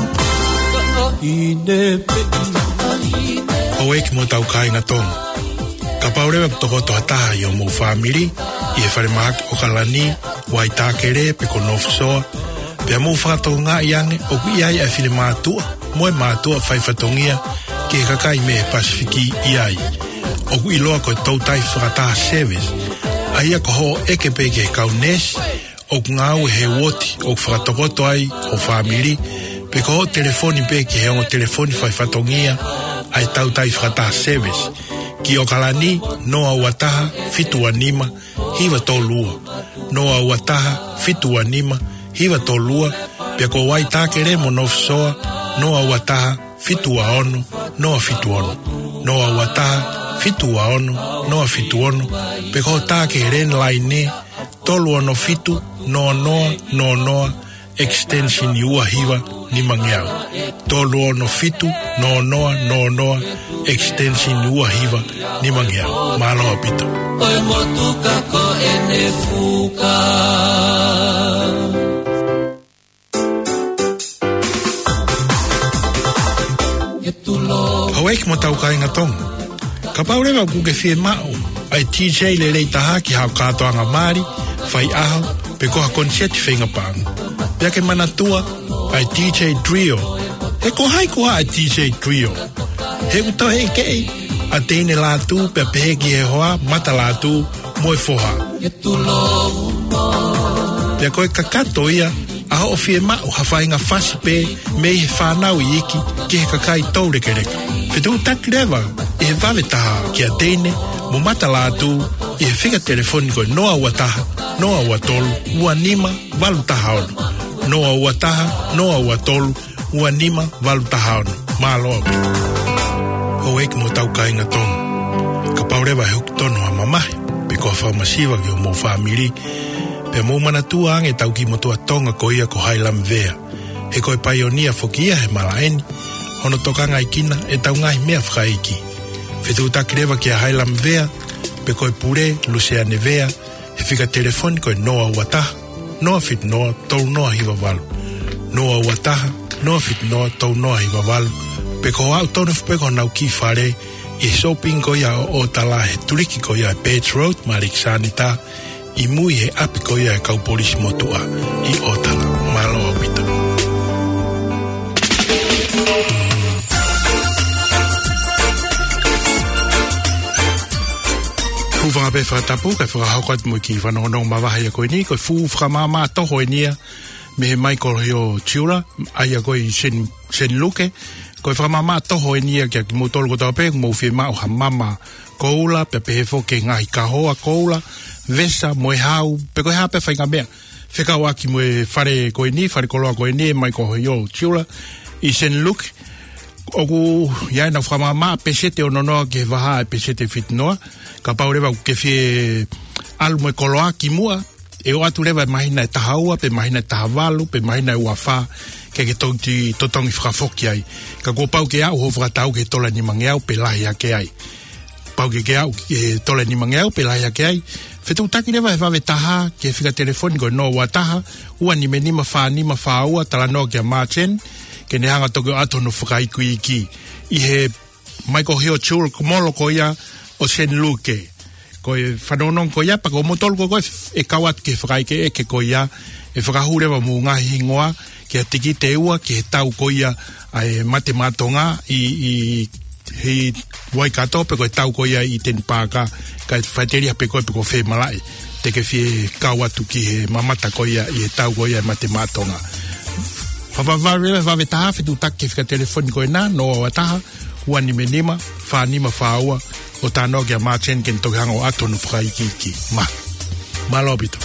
Houʻeiki mo hotau kāinga Tonga, kapau leva ʻoku tokoto ha taha ʻi homou fāmili ʻi he falemahaki ʻOkalani, Waitakere pe ko North Shore, pea mou fakatokangaʻi ange ʻoku ʻi ai ʻa e finemātuʻa mo e mātuʻa faifatongia ki he kakai mei he Pasifiki ʻi ai. ʻOku ʻiloa ko e Toutai Fakataha Service, ʻa ia ko hoʻo ʻeke pē ki he kau neesi ʻoku ngāue he uooti ʻoku fakatokoto ai ho fāmili, pe ko hoʻo telefoni pē ki he ongo telefoni faifatongia ʻa e Toutai Fakataha Service, ki ʻOkalani, noa ua taha, fitu ua nima, hiva tolu ua, noa ua taha, fitu ua nima, hiva tolu ua, pea ko Waitākele mo North Shore, noa ua taha, fitu ua ono, noa fitu ono, noa ua taha, fitu ua ono, noa fitu ono, pe ko e tā ki he landline, tolu ono fitu, noa noa, noa noa, extension ua hiva nima ngeau. Tolu ono fitu, noa noa, noa noa, extension ua hiva nima ngeau. Mālō ʻaupito. Ko e motuka ko ʻene fuka. Houʻeiki mo e kau kāinga Tonga. Kapau leva ʻoku ke fiemaʻu ʻa e DJ lelei taha ki haʻo kātoanga mali, faiʻaho, pe ko ha koniseti feinga paʻanga, pea ke manatua ʻa e DJ Trio. He ko hai koā ʻa e DJ Trio? He ʻoku toe ʻeke ʻa Teine Lātū pea pehē ki he hoa, Mata Lātū, mo e foha. Pea ko e kakato ia ʻa hoʻo fiemaʻu ha faʻahinga fasi pē mei he fānau iiki ki he kakai toulekeleka. Fetuʻutaki leva ʻi he vave taha kia Teine mo Mata Lātū ʻi he fika telefoni ko e noa ua taha, noa ua tolu, ua nima, valu taha ono. Noa ua taha, noa ua tolu, ua nima, valu taha ono. Mālō ʻaupito. Houʻeiki mo e kau kāinga Tonga. Kapau leva ʻe hoko tonu ha mamahi, pe ko ha fakamasiva ki homou fāmili, pea mou manatua ange ʻetau kiʻi motuʻa Tonga ko ia ko Hailamvea. He ko e paionia foki ia he malaʻe ni, hono tokangaʻekina ʻetau ngaahi meʻa fakaʻeiki. Fetuʻutaki leva kia Hailamvea, pe ko e pule, Luseane Vea, he fika telefoni ko e noa ua taha, noa fitu noa, tolu noa hiva valu. Noa ua taha, noa fitu noa, tolu noa hiva valu. Pe ko e aʻu tonu foki pē ki honau kiʻi fale ʻi he shopping ko ia ʻo ʻOtala he tuliki ko ia ʻa e Birch Road, Maliki Sanita, ʻi mui he ʻapi ko ia ʻa e kau polisi motuʻa ʻi ʻOtala. Mālō ʻaupito. Hūfanga pē fakatapu, kae fakahoko atu mo e kiʻi fanongonongo mavahe ia ko eni, ko e fuʻu fakamaʻamaʻa toho eni ia mei he Michael Hill Jeweller, ʻa ia ko ē ʻi Sen, Sen Luke. Ko e fakamaʻamaʻa toho eni ia kia kimoutolu kotoa pē ʻoku mou fiemaʻu ha mama koula, pea pehē foki ki he ngaahi kahoa koula, vesa mo e hau, pe ko e hā pē faʻahinga meʻa fekauʻaki mo e fale ko eni, fale koloa ko eni, ʻa e Michael Hill Jeweller ʻi Sen Luke. ʻOku ʻi ai ʻenau fakamaʻamaʻa peseti ono noa ki he vahaʻa ʻe peseti fitu noa. Kapau leva ʻoku ke fie ʻalu mo e koloa kimuʻa, ʻe ʻoatu leva ʻi he māhina ʻe taha ua, pe māhina ʻe taha valu, pe māhina ʻe ua fā, ke ke toki totongi fakafoki ai. Ka kuo pau ke aʻu hoʻo fakatau ki he tola nima ngeau pe lahi hake ai. Pau ke ke aʻu ki he tola nima ngeau pe lahi hake ai. Fetuʻutaki leva he vave taha ki he fika telefoni ko e noa ua taha, ua nima nima, fā nima fā ua, talanoa kia Martin, ke ne hanga toki ʻoatu hono fakaikiiki ʻi he Michael Hill Jeweller ko e molo ko ia ʻo Sen Luke. Ko e fanongonongo ko ia, pea ko moutolu ko ē ʻe kau atu ki he fakaʻekeʻeke ko ia, ʻe fakahū leva homou ngaahi hingoa ki ha tikite ʻe ua ki he tau ko ia ʻa e Mate Maʻa Tonga ʻi, ʻi, ʻi Waikato, pe ko e tau ko ia ʻi Eden Park, kae faʻiteliha pē koe pe ko fē malaʻe te ke fie kau atu ki he mamata ko ia ʻi he tau ko ia ʻa e Mate Maʻa Tonga. Fakavavevave, vave taha, fetuʻutaki ki he fika telefoni ko ena, noa ua taha, ua nima nima, fā nima fā ua, ʻo talanoa kia Martin ke ne toki hanga ʻo ʻoatu hono fakaikiiki. Mā. Mālō ʻaupito.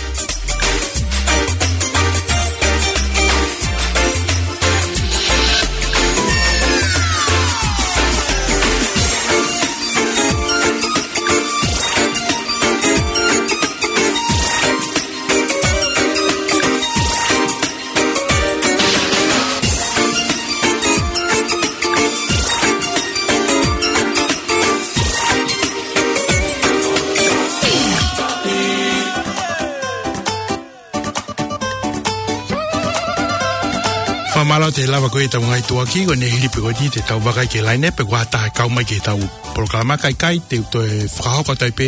Fakamālō atu he lava ko ē ʻetau ngaahi tuʻuaki, ko ʻene hili pē ko eni te tau vakai ki he laine pe ko ha taha ʻe kau mai ki heʻetau polokalama. Kae ʻikai, te u toe fakahoko atu ai pē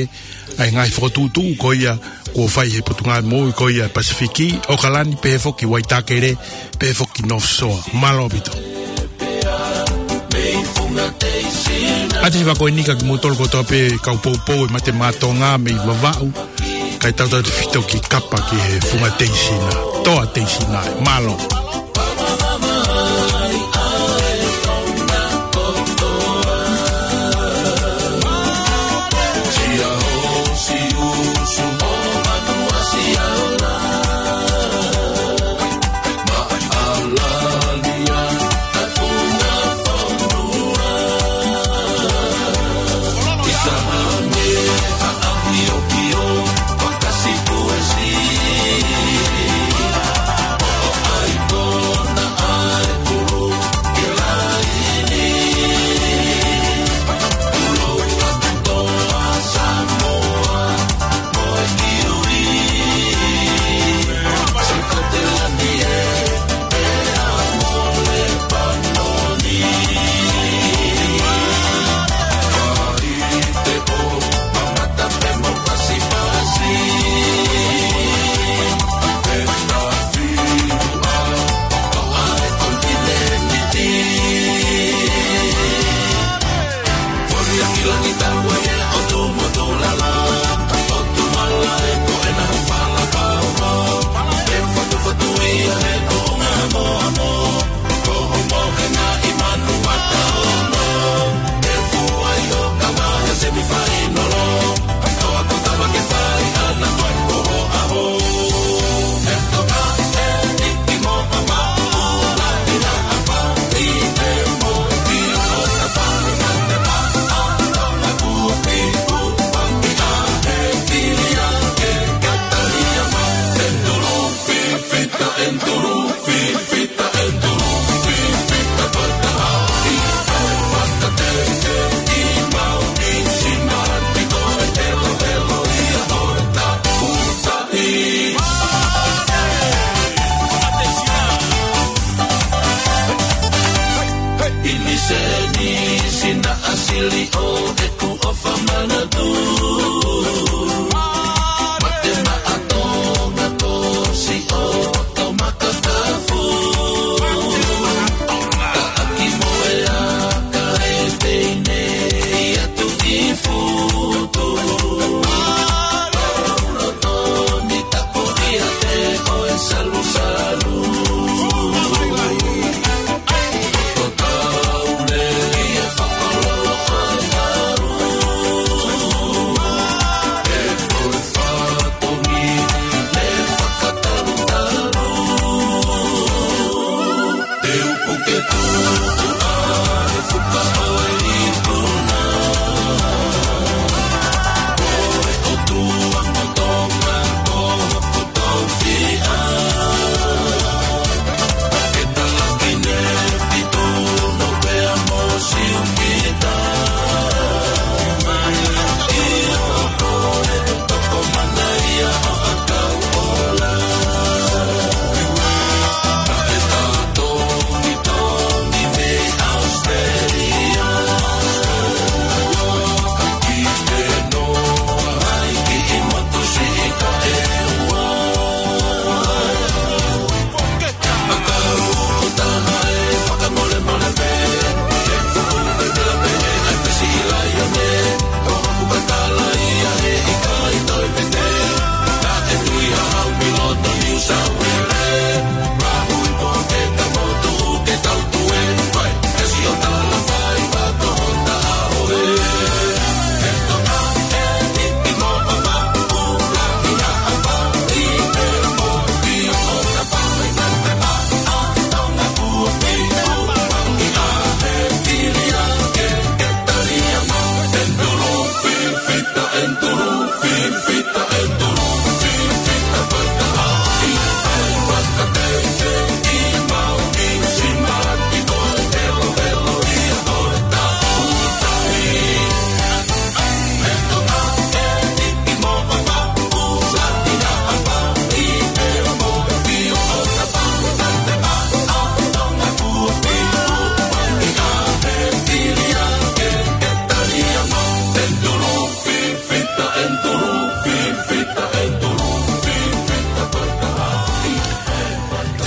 ʻa e ngaahi fokotuʻutuʻu ko ia kuo fai ʻe he Potungāue Moʻui ko ia ʻa e Pasifiki, ʻOkalani, pehē foki Waitākele, pehē foki North Shore. Mālō ʻaupito. ʻAtesi fakaʻofoʻofa eni kia kimoutolu kotoa pē kau poupou ʻi Mate Maʻa Tonga mei Vavaʻu. Kae tautautefito ki Kapa ki he funga teisina. Toa teisina ē. Mālō.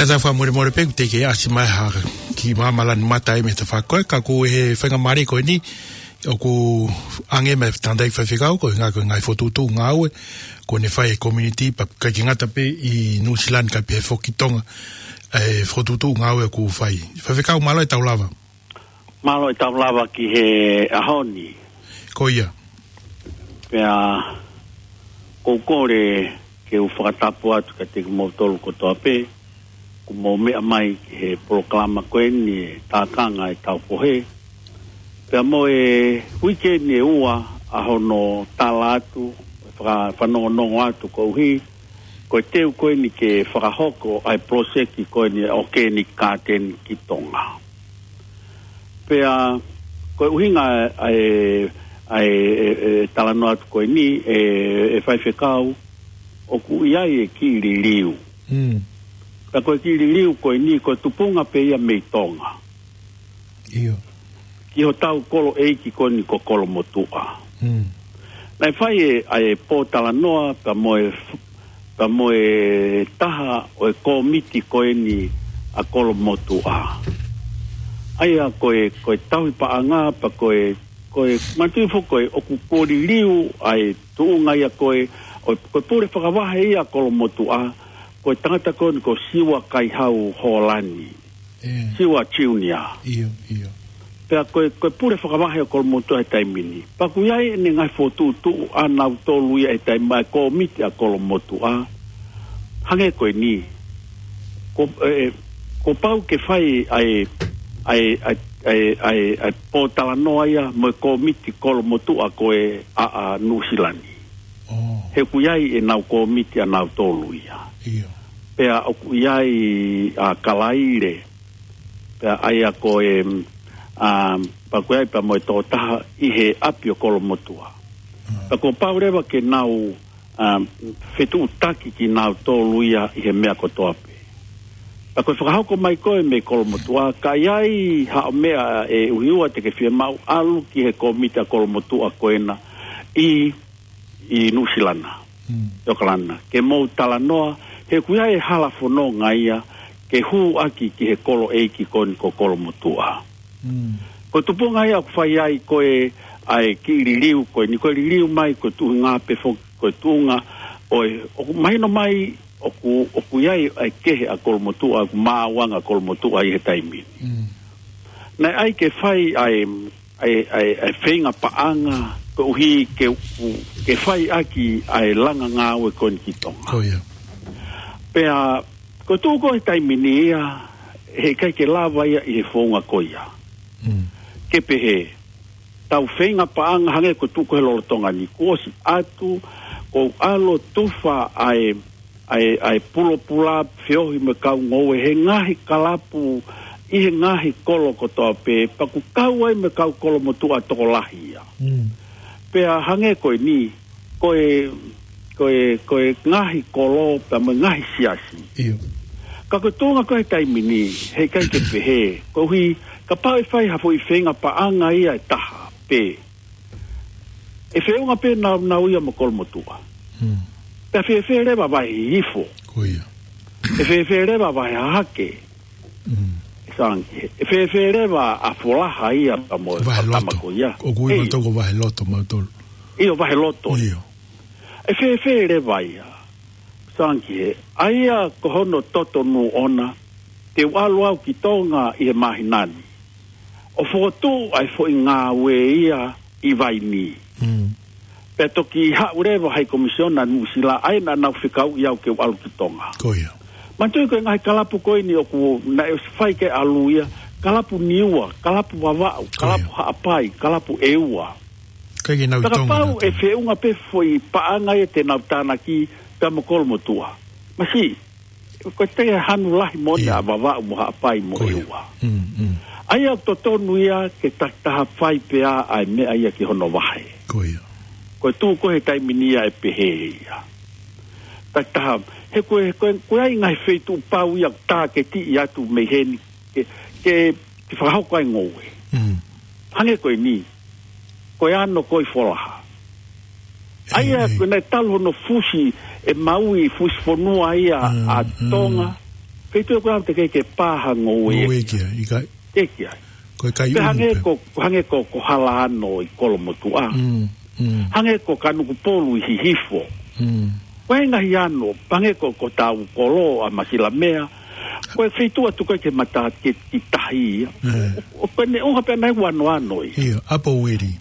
Tata fakamolemole pē, ʻoku teʻeki ai ʻasi mai ha ki māmani lanu mata ai mei he tafaʻaki ko ē, ka ko e faingamālie ko eni, ʻoku ʻange mai e tangataʻeiki faifekau, ko e ngaahi, ko e ngaahi fokotuʻutuʻu ngāue, ko ʻene fai e community, pea ʻikai ke ngata pē ʻi Nuʻusila ka pehē foki Tonga, e fokotuʻutuʻu ngāue ʻoku fai. Faifekau mālō e tau lava. Mālō e tau lava ki he ʻaho ni. Ko ia. Pea, ʻoku ou kole ke u fakatapu atu kiate kimoutolu kotoa pē, kuo mou meʻa mai ki he polokalama ko eni e Tākanga e Taupohe. Pea mo e uike ni ʻe ua ʻa hono tala atu, faka-, fanongonongo atu koeʻuhi, ko e teu ko eni ke fakahoko ʻa e poloseki ko eni ʻo e Organic Garden ki Tonga. Pea, ko e ʻuhinga ʻa e, ʻa e, e, e talanoa atu ko eni, e, e faifekau, ʻoku ʻi ai e kiʻi liliu. Mm. Ka ko e kiʻi liliu ko eni, ko e tupunga pē ia mei Tonga. ʻIo. Ki hotau kolo ʻeiki ko eni ko Kolomotuʻa. Mm. Naʻe fai e, ʻa e pōtalanoa, pea mo e f-, pea mo e taha ʻo e kōmiti ko eni ʻa Kolomotuʻa. ʻA ia ko e, ko e tauhi paʻanga, pea ko e, ko e, manatuʻi foki ko e, ʻoku kuo liliu ʻa e tuʻunga ia ko e, ʻo, ko e pule fakavahe ia ʻa Kolomotuʻa, ko e tangata ko eni ko Siua Kaihau Hōlani. ʻE. Siua Junior. ʻIo, ʻio. Pea ko e, ko e pule fakavahe ʻo Kolomotuʻa he taimi ni. Pea ʻoku ʻi ai ʻene ngaahi fokotuʻutuʻu ʻanautolu ia he taimi ʻa e kōmiti ʻa Kolomotuʻa. Hangē ko eni. Ko, e, e, kuo pau ke fai ʻa e, ʻa e, ʻa e, ʻa e, ʻa e, ʻa e pōtalanoa ia mo e kōmiti Kolomotuʻa ko ē ʻa, ʻa Nuʻusila ni. Oh. He ʻoku ʻi ai ʻenau kōmiti ʻanautolu ia. ʻIo. Pea ʻoku ʻi ai ʻa Kalaile. Pea ʻa ia ko e, um, pea ʻoku ʻi ai pea mo e tokotaha ʻi he ʻapi ʻo Kolomotuʻa. Mm. Pea kuo pau leva ke nau, um, fetuʻutaki kinautolu ia ʻi he meʻa kotoa pē. Pea ko e fakahoko mai ko ē mei Kolomotuʻa, ka ʻi ai haʻo meʻa ʻe ʻuhiua te ke fiemaʻu ʻalu ki he kōmiti ʻa Kolomotuʻa ko ena ʻi ʻi Nuʻusila na, Mm. ʻi ʻOkalani, ke mou talanoa, he ʻoku ʻi ai e hala fononga ia, ke hū ʻaki ki he kolo ʻeiki ko eni ko Kolomotuʻa. Mm. Ko e tupunga ia ʻoku fai ai ko e, ʻa e kiʻi liliu ko eni, ko e liliu mai, ko e tuʻunga pē foki, ko e tuʻunga, ʻo e, ʻoku mahino mai, ʻoku, ʻoku ʻi ai ʻa e kehe ʻa Kolomotuʻa, ʻoku maʻuʻanga Kolomotuʻa ʻi he taimi ni. Mm. Naʻe ʻai ke fai ʻa e ʻa e, ʻa e, ʻa e feinga paʻanga, koeʻuhi ke, ke fai ʻaki ʻa e langa ngāue ko eni ki Tonga. Ko ia. Pea, ko e tuʻu ko ē he taimi ni ia, heʻikai ke lava ia ʻi he founga ko ia. Mm. Ke pehē, tau feinga paʻanga hangē ko e tuʻu ko ē he lolotonga ni, kuo ʻosi atu, kuo u ʻalu ʻo tufa ʻa e ʻa e, ʻa e pulopula feohi mo e kau ngoue he ngaahi kalapu ʻi he ngaahi kolo kotoa pē, pea ʻoku kau ai mo e kau Kolomotuʻa tokolahi ia. Mm. Pea hangē ko eni, ko e, ko e, ko e ngaahi kolo pea mo e ngaahi siasi. ʻIo. Ka ko e tuʻunga ko ē he taimi ni, heʻikai ke pehē, koeʻuhi, kapau ʻe fai ha foʻi feinga paʻanga ia ʻe taha pē. ʻE feʻunga pē naunau ia mo Kolomotuʻa. Mm. Pea fēfē leva vahe hihifo. Ko ia. ʻE fēfē leva vahe hahake. Mm. ʻE Sangi, ʻe fēfē leva ʻa Folaha ia pea mo e Vahe Fakatama loto. Ko ia. ʻOku ui ʻEi. Mautolu ko vahe loto mautolu. ʻIo, vahe loto. ʻIo. ʻE fēfē leva ia. Sangi he, ʻa ia ko hono totonu ʻona, te u ʻalu au ki Tonga ʻi he māhina ni. ʻO fokotuʻu ʻa e foʻi ngāue ia ʻi Vaini. Mm. Pea toki haʻu leva High Commissioner Nuʻusila, ʻa ia naʻa nau fekauʻi au ke u ʻalu ki Tonga. Ko ia. Manatuʻi ko e ngaahi kalapu ko eni ʻoku naʻe ʻosi fai ke ʻalu ia, kalapu Niua, kalapu Vavaʻu, Ko ia. Kalapu Haʻapai, kalapu ʻEua. Kai ke nau Tonga Kapau nau e Tonga. Feʻunga pē foʻi paʻanga ia te nau tānaki pea mo Kolomotuʻa. Masiʻi, ko e te hanu lahi mo Ia. ʻa Vavaʻu mo Haʻapai mo Ko ia. ʻEua. Mm, mm. ʻA ia ʻoku totonu ia ke takitaha fai pē ʻa e meʻa ia ki hono vahe. Ko ia. Ko e tuʻu ko ē he taimi ni ia ʻe pehē ia. Takitaha, he ko e, ko e, ko e ʻi ai ngaahi feituʻu pau ia ʻoku tāketiʻi atu mei heni, ke, ke, ke fakahoko ai ngoue. Mm. Hangē ko eni, ko e ano ko ē Folaha. ʻA ia, ʻEi, ʻei. Ko e naʻe talu hono fusi, ʻe Maui fusi fonua ia Mm, ʻa mm. Tonga. Feituʻu ʻoku ʻalu teʻeki ke pā ha ngoue. Ngoue ki ai, ʻikai. ʻIkai. Ko e kai Pe uhu hangē pē. ko, hangē ko, ko Halaano ʻi Kolomotuʻa. Mm, mm. Hangē ko Kanukupolu ʻi Hihifo. Mm. Ko e ngaahi ano, hangē ko, ko Taukolo ʻa Masilamea. Ko e feituʻu ʻoku tuku ai ke mata ke, ki tahi ia. Eh. ʻO, ʻo, ko ʻene ʻuha pē ʻa e ʻū anoano ia. ʻIo, ʻapo uili.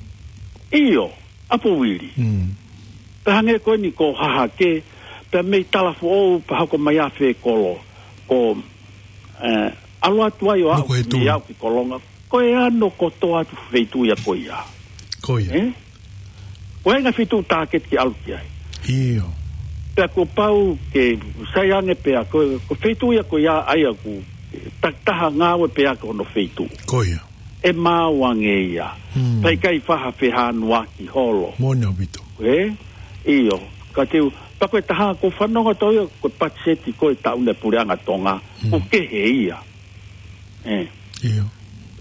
ʻIo, ʻapo uili. Mm. Pea hangē ko eni ko Hahake, pea mei Talafoʻou, pea hoko mai ʻa Fekolo, ko, eh, ʻalu atu ai ʻo Nuku aʻu he mei tui. aʻu ki Kolonga, ko e ano kotoa atu feituʻu ia ko ia. Ko ia. Eh? Ko e ngaahi feituʻu tāketi ke ʻalu ki ai. ʻIo. Pea kuo pau ke sai ange pea ko, ko e feituʻu ia ko ia ʻa ia ʻoku takitaha ngāue pea ko hono feituʻu. Ko ia. ʻE maau ange ia. Hmm. Pea ʻikai faʻa fehānuaki holo. Moʻoni ʻaupito. Ē? ʻIo. Ka te u, pea ko e taha ʻoku fanongo atu ia ko e patiseti ko e taʻu ni ʻa e Puleʻanga Tonga. Hmm. ʻOku kehe ia. Ē. ʻIo.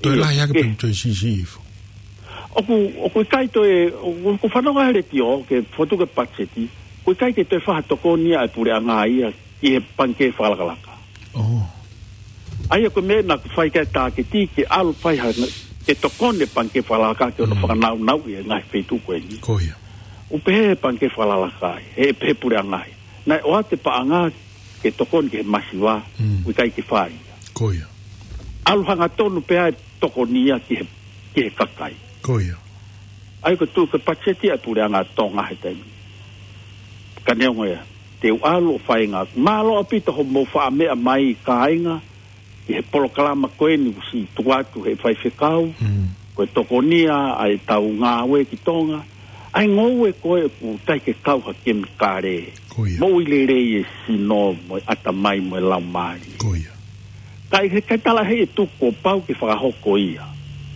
Toe ʻIo, lahi hake ke- pē toe siʻisiʻi hifo. ʻOku, ʻoku ʻikai toe, ʻoku, ʻoku fanongo he letiō ke fotu ke patiseti. ʻOku ʻikai ke toe faʻa tokoni ʻa e Puleʻanga ia ki he pangikē fakalakalaka. Oh. ʻA ia ko e meʻa naʻa ku fai ki ai e tāketi ke ʻalu fai ha, ke tokoni e pangikē fakalakalaka ke ono Mm. fakanāunauʻi e ngaahi feituʻu ko eni. Ko ia. ʻOku pehē he pangikē fakalakalaka ai, he pehē Puleʻanga ai. Naʻe ʻoatu e paʻanga ke tokoni ki he masiva, Mm. ʻoku ʻikai ke fai. Ko ia. ʻAlu hangatonu pē ʻa e tokoni ia ki he, ki he kakai. Ko ia. ʻA ia ko e tuʻu ko e patiseti ʻa e Puleʻanga Tonga he taimi. Ka neongo ia, te u ʻalu ʻo fai ngāue. Mālō ʻaupito hoʻomou faʻa meʻa mai kāinga, ki he polokalama ko eni kuo ʻosi tuku atu he faifekau, Mm. ko e tokoni ia ʻa e tau ngāue ki Tonga, ʻa e ngoue ko ē ʻoku teʻeki ke kau ha kemikale. Ko ia. Moʻui lelei e sino, mo e ʻatamai, mo e laumālie. Ko ia. Ka ʻi he kai tala he e tuku kuo pau ke fakahoko ia.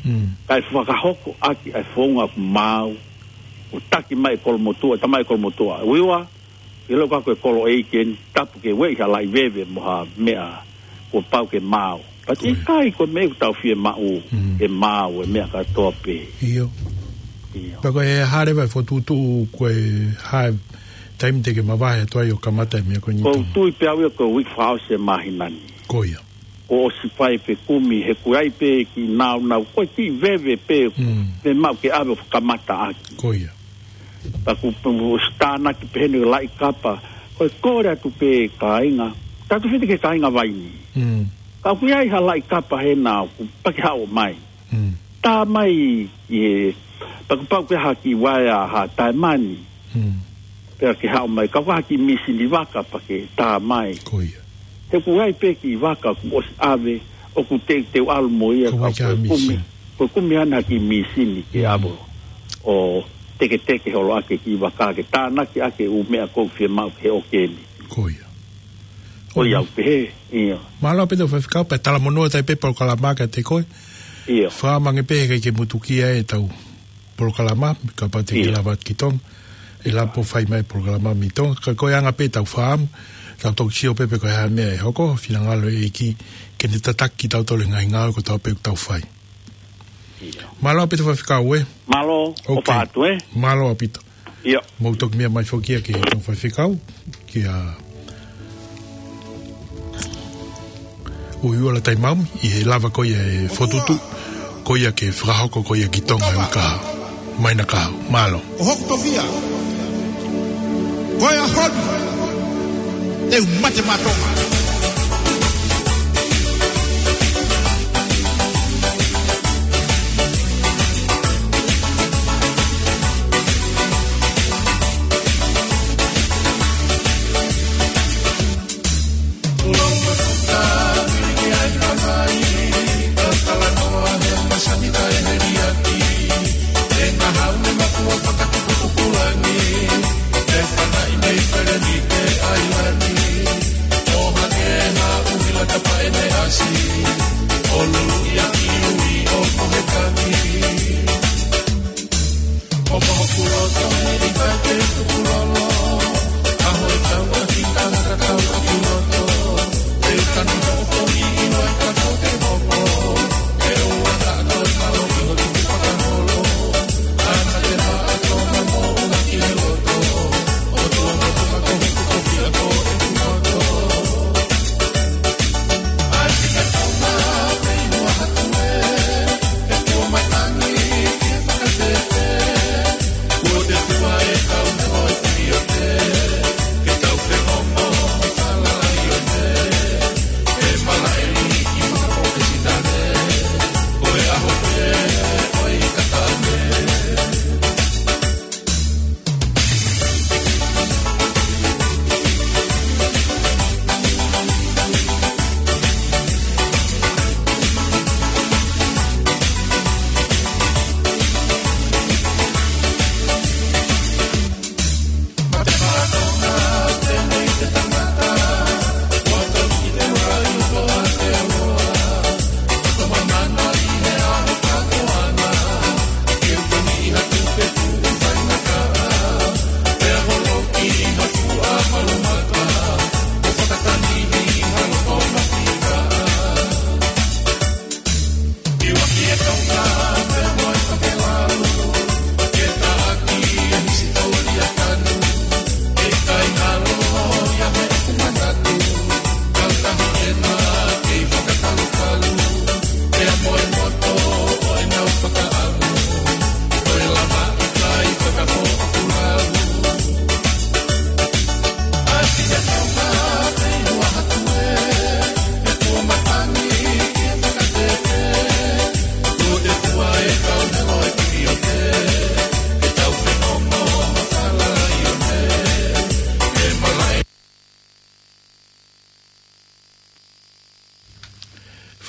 Mm. Kae fakahoko ʻaki ʻa e founga ʻoku maau, ʻo taki mai e Kolomotuʻa, tamai e Kolomotuʻa. Uiua, ʻi loto ko e kolo ʻeiki eni, tapu ke ueʻi ha laʻi veve mo ha meʻa kuo pau ke maau. But Ko ia. ʻikai ko e meʻa ʻoku tau fiemaʻu, Mm. ke maau e meʻa kātoa pē. ʻIo. ʻIo. Pea ko e hā leva e fokotuʻutuʻu ko e hā e taimi te ke mavahe atu ai ʻo kamata e meʻa ko eni Ko u tonu. tui pē au ia ko e uike fakaʻosi e māhina ni. Ko ia. Kuo ʻosi fai e fekumi he ʻoku ʻi ai pē kiʻi nāunau, ko e kiʻi veve pē, Mm. pē maʻu ke ʻave ʻo kamata ʻaki. Ko ia. Pea kuo ʻosi tānaki pē heni laʻi kapa, ko e kole atu pē kāinga, tatu fiti ki he kāinga Vaini. Mm. Ka ʻoku ʻi ai ha laʻi kapa hena ʻoku pau ke haʻu mai. Mm. Tā mai ʻi he, pea kuo pau ke ha kiʻi vaea ha taimani. Mm. Pea ke haʻu mai, ka ʻoku ʻi ai ha kiʻi mīsini vaka pea ke tā mai. Ko ia. He ʻoku ʻi ai pē kiʻi vaka kuo ʻosi ʻave, ʻoku te, te u ʻalu mo ia Ko ka ʻikai ko ha e kumi, mīsini. ko e kumi ʻana ha kiʻi mīsini ke Mm. ʻave ʻo teketeke holo ʻaki e kiʻi vaka ke tānaki ʻaki e ʻū meʻa ʻoku fiemaʻu ke ʻoke ni. Ko ia. Ko ia ʻoku pehē, ia. Mālō ʻaupito faifekau, pea talamonū atu ai pē polokalama kiate koe. Ia. Fakamange pē he ʻikai ke mutukia e tau polokalama, kapau te ke Ia. lava ki Tonga. ʻE lava ʻo fai mai polokalama mei Tonga. Ka ko e anga pē tau fakaʻamu, tau toki sio pē pe ko e hā e meʻa ʻe hoko, finangalo e ʻEiki, ke ne tataki kitautolu he ngaahi ngāue kotoa pē ʻoku tau fai. Ia. Mālō ʻaupito faifekau ē. Mālō, ʻo Okay. pātu ē. Mālō ʻaupito. Ia. Mou toki meʻa mai foki ia ki he tau faifekau, kia Uiuala Taimaomi, ʻi he lava ko ia e fokotuʻutuʻu, ko ia ke fakahoko ko ia ki Tonga ʻi he kahaʻu. Mai na kahaʻu, mālō. ʻO hoku tofiʻa. Ko e ʻaho ni. Te u mate maʻa Tonga.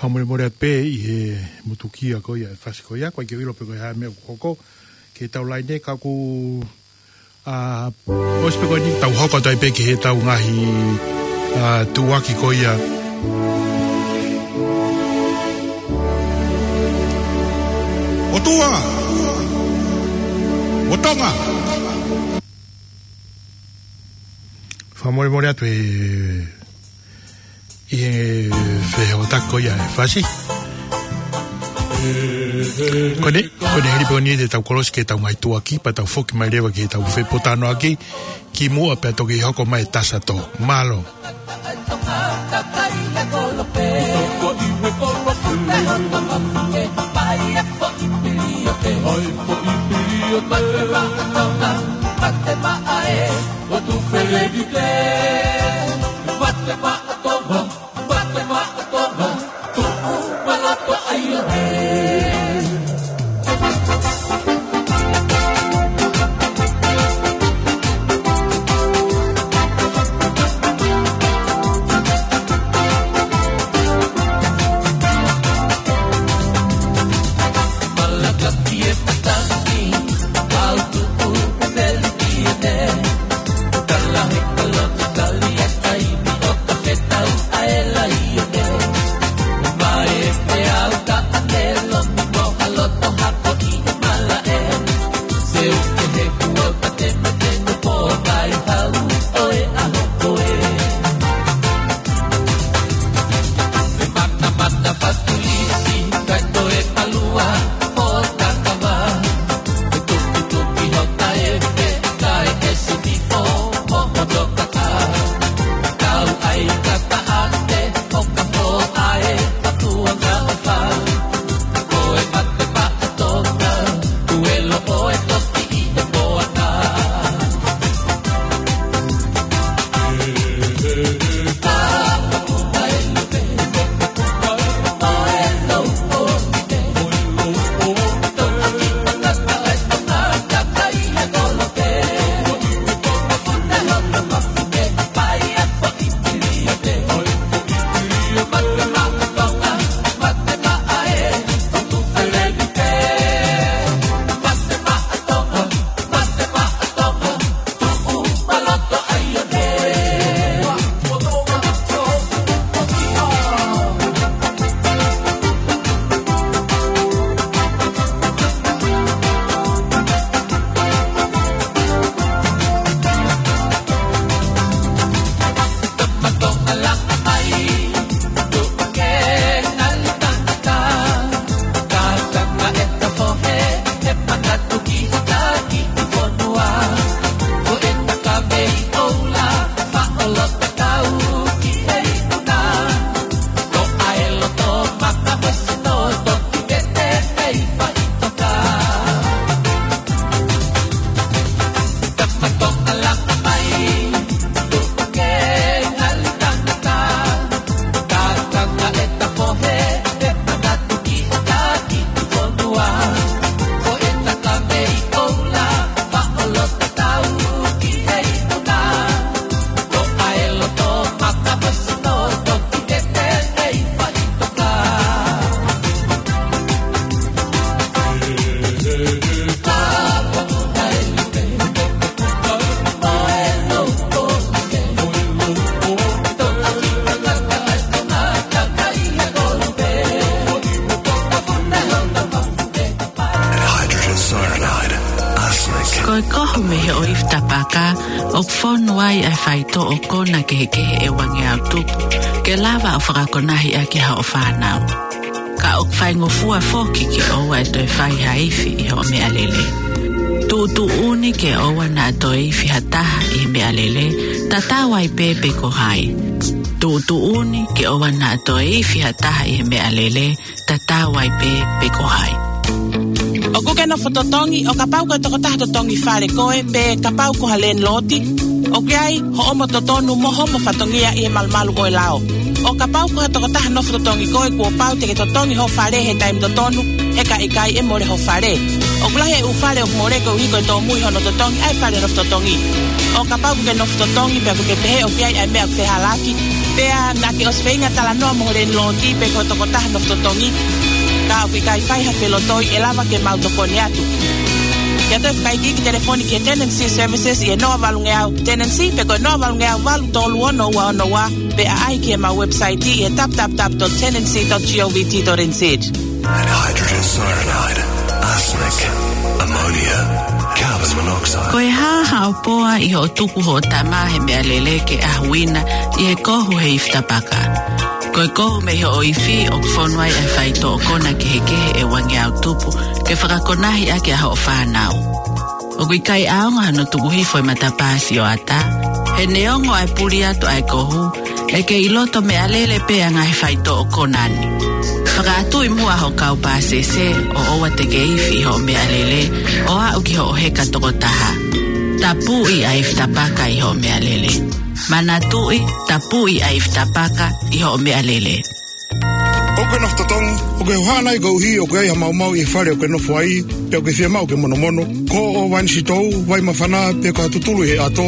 Fakamolemole atu pē ʻi he mutukia ko ia e fasi ko ia, ko e ke ʻilo pe ko e hā e meʻa ʻoku hoko ki he tau laine ka ʻoku, ʻa, ʻosi pē ko eni tau hoko atu ai pē ki he tau ngaahi, ʻa, tuʻuaki ko ia. ʻOtua! ʻO Tonga! Fakamolemole atu e ʻi he fehokotaki ko ia e fasi. Ko eni, ko eni hili pē eni te tau kolosi ki he tau ngaahi tuʻuaki, pea tau foki mai leva ki he tau fepōtalanoaʻaki, kimuʻa pea toki hoko mai e Tasato. Mālō. Hydrogen cyanide, arsenic. Ko e kohu mei he ʻoifi tapaka, ʻoku fonu ai ʻa e faitoʻo kona kehekehe ʻe uangeau tupu, ke lava ʻo fakakonahi ʻaki hoʻo fānau. Ka ʻoku faingofua foki ke ʻoua ʻe toe fai ha ifi ʻi hoʻo meʻalele. Tuʻutuʻuni ke ʻoua naʻa toe ifi ha taha ʻi he meʻalele, tatau ai pē pe ko hai. Tuʻutuʻuni ke ʻoua naʻa toe ifi ha taha ʻi he meʻalele, tatau ai pē pe ko hai. ʻOku ke nofo totongi, ʻo kapau ko e tokotaha totongi fale koe, pe kapau ko ha landlord, ʻoku ʻi ai hoʻomo totonu mo hoʻomo fatongia ʻi he malumalu ʻo e lao. ʻO kapau ko ha tokotaha nofo totongi koe, kuo pau te ke totongi ho fale he taimi totonu, he ka ʻikai ʻe mole ho fale. ʻOku lahi e ʻū fale ʻoku mole koeʻuhi ko e tōmui hono totongi ʻa e fale nofo totongi. ʻO kapau ʻoku ke nofo totongi pea ʻoku ke pehē ʻoku ʻi ai ʻa e meʻa ʻoku fehālaaki, Pea naʻa ke ʻosi feinga talanoa mo ho landlord pe ko e tokotaha nofo totongi, ka ʻoku ʻikai fai ha felotoi, ʻe lava ke mau tokoni atu. Ke ʻoatu e fakaikiiki telefoni ki he Tenancy Services ʻi he noa valungeau Tenancy pe ko e noa valungeau valu tolu ono ua ono ua, pe ʻaʻahi ki heʻemau website ʻi he www dot tenancy dot govt dot nz. Hydrogen cyanide, arsenic, ammonia, carbon monoxide. Ko e hā haʻo poa ʻi hoʻo tuku hoʻo tama he meʻalele ke ʻahuina ʻi he kohu he ifi tapaka? Ko e kohu mei hoʻo ifi ʻoku fonu ai ʻa e faitoʻo kona kehekehe ʻe uangeau tupu ke fakakonahi ʻaki ʻa hoʻo fānau. ʻOku ʻikai ʻaonga hono tuku hifo e matapā sioʻata. He neongo ʻa e puli atu ʻa e kohu, ʻe kei ʻi loto meʻalele pē ʻa e ngaahi faitoʻo kona ni. Fakaʻatuʻi muʻa hoʻo kau pāsese ʻo ʻoua te ke ifi ʻi hoʻo meʻalele ʻo aʻu ki hoʻo heka tokotaha. Tapuʻi ʻa e ifi tapaka ʻi hoʻo meʻalele. Manatuʻi, tapuʻi ʻa e ifi tapaka ʻi hoʻo meʻalele. ʻOku ke nofo totongi? ʻOku ke hohaʻa nai koeʻuhi ʻoku ʻi ai ha maumau ʻi he fale ʻoku ke nofo ai, pe ʻoku ke fiemaʻu ke monomono? Ko hoʻo vai sitou, vai māfana, pe ko ha tutulu ʻi he ʻato?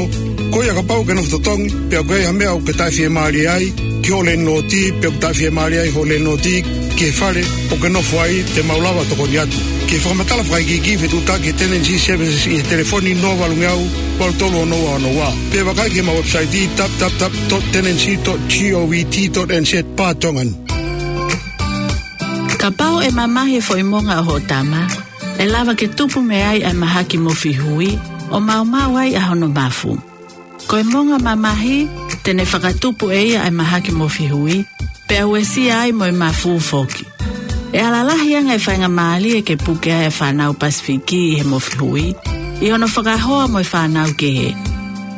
Ko ia, kapau ʻoku ke nofo totongi, pe ʻoku ʻi ai ha meʻa ʻoku ke taʻefiemālie ai ki ho landlord, pe ʻoku taʻefiemālie ai ho landlord ki he fale ʻoku ke nofo ai, te mau lava tokoni atu. Ke fakamatala fakaikiiki, fetuʻutaki ki he Tenancy Services ʻi he telefoni noa valungeau valu tolu ono ua ono ua, pe vakai ki heʻemau website www dot tenancy dot govt dot nz barra Tongan. Kapau ʻe mamahi e foʻi monga ʻo hoʻo tama, ʻe lava ke tupu mei ai ʻa e mahaki mofi hui ʻo maumau ai ʻa hono mafu. Ko e monga mamahi, te ne fakatupu ʻe ia ʻa e mahaki mofi hui, pea uesia ai mo e mafu foki. ʻE ala lahi ange e faingamālie ke puke ai ʻa e fānau Pasifiki ʻi he mofi hui, ʻi hono fakahoa mo e fānau kehe.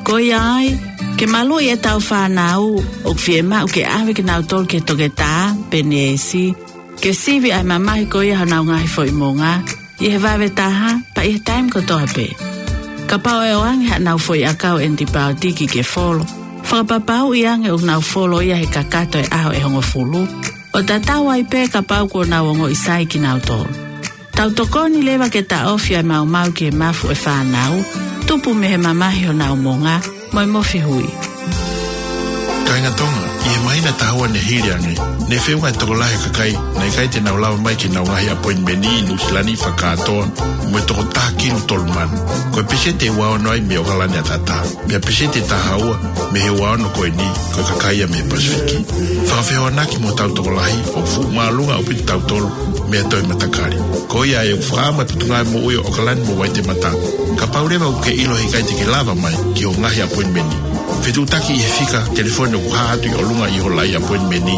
Ko ia ai, ke maluʻi ʻetau fānau, ʻoku fiemaʻu ke ʻave kinautolu ki he toketā pe neesi, ke sivi ʻa e mamahi ko ia honau ngaahi foʻi monga, ʻi he vave taha, pea ʻi he taimi kotoa pē. Kapau ʻe ʻoange haʻanau foʻi ʻakau ʻenitipaotiki ke folo, fakapapauʻi ange ʻoku nau folo ia he kakato e ʻaho ʻe hongofulu, ʻo tatau ai pē kapau kuo nau ongoʻi sai kinautolu. Tau tokoni leva ke taʻofi ʻa e maumau ki he mafu ʻo e fānau, tupu mei he mamahi honau monga mo e mofi hui. Kāinga Tonga, ʻi he māhina ʻe taha ua ne hili ange, ne feʻunga e tokolahi e kakai naʻe ʻikai te nau lava mai ki heʻenau ngaahi appointment ʻi Nuʻusila ni fakakātoa mo e toko taha kilu tolu mano. Ko e peseti ʻe ua ono ai mei ʻAokalani ʻAtatā, pea peseti ʻe taha ua mei he ua ono ko eni ko e kakai ia mei he Pasifiki. Fakafehoanaki mo hotau tokolahi, ʻoku fuʻu māʻolunga ʻaupito kitautolu mei ha toe matakali. Ko ia ai ʻoku fakaʻamu ʻa e Potungāue Moʻui ʻo ʻAokalani mo Waitemata, kapau leva ʻoku ke ʻilo he ʻikai te ke lava mai ki hoʻo ngaahi appointment, fetuʻutaki ʻi he fika telefoni ʻoku hā atu ʻi ʻolunga ʻi ho laʻi appointment,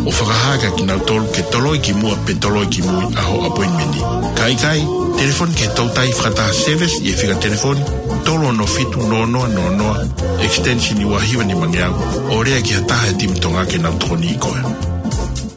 ʻo fakahā kia kinautolu ke toloi ki muʻa pe toloi ki mui ʻa hoʻo appointment. Ka ʻikai, telefoni ki he toutai fakataha service ʻi he fika telefoni tolu ono fitu noa noa noa noa, extension ua hiva nimangeau, ʻo lea ki ha taha he timi Tonga ke nau tokoniʻi koe.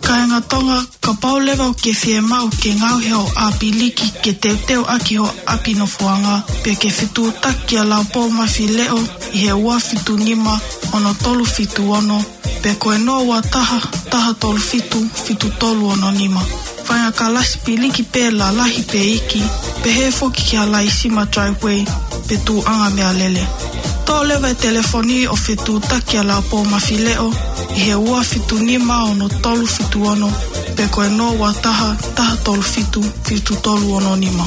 Kāinga Tonga, kapau leva ʻoku ke fiemaʻu ke ngaohi hoʻo ʻapi liki ke teuteu ʻaki hoʻo ʻapi nofoʻanga, pe ke fetuʻutaki kia Laupou Mafileʻo ʻi he ua fitu nima ono tolu fitu ono, pe ko e noa ua taha, taha tolu fitu, fitu tolu ono nima. Fainga kalasi piliki pē lalahi pe iiki, pehē foki ki ha laisima driveway pe tuʻuʻanga meʻalele. Toʻo leva e telefoni ʻo fetuʻutaki kia Laupou Mafileʻo ʻi he ua fitu nima ono tolu fitu ono, pe ko e noa ua taha, taha tolu fitu, fitu tolu ono nima.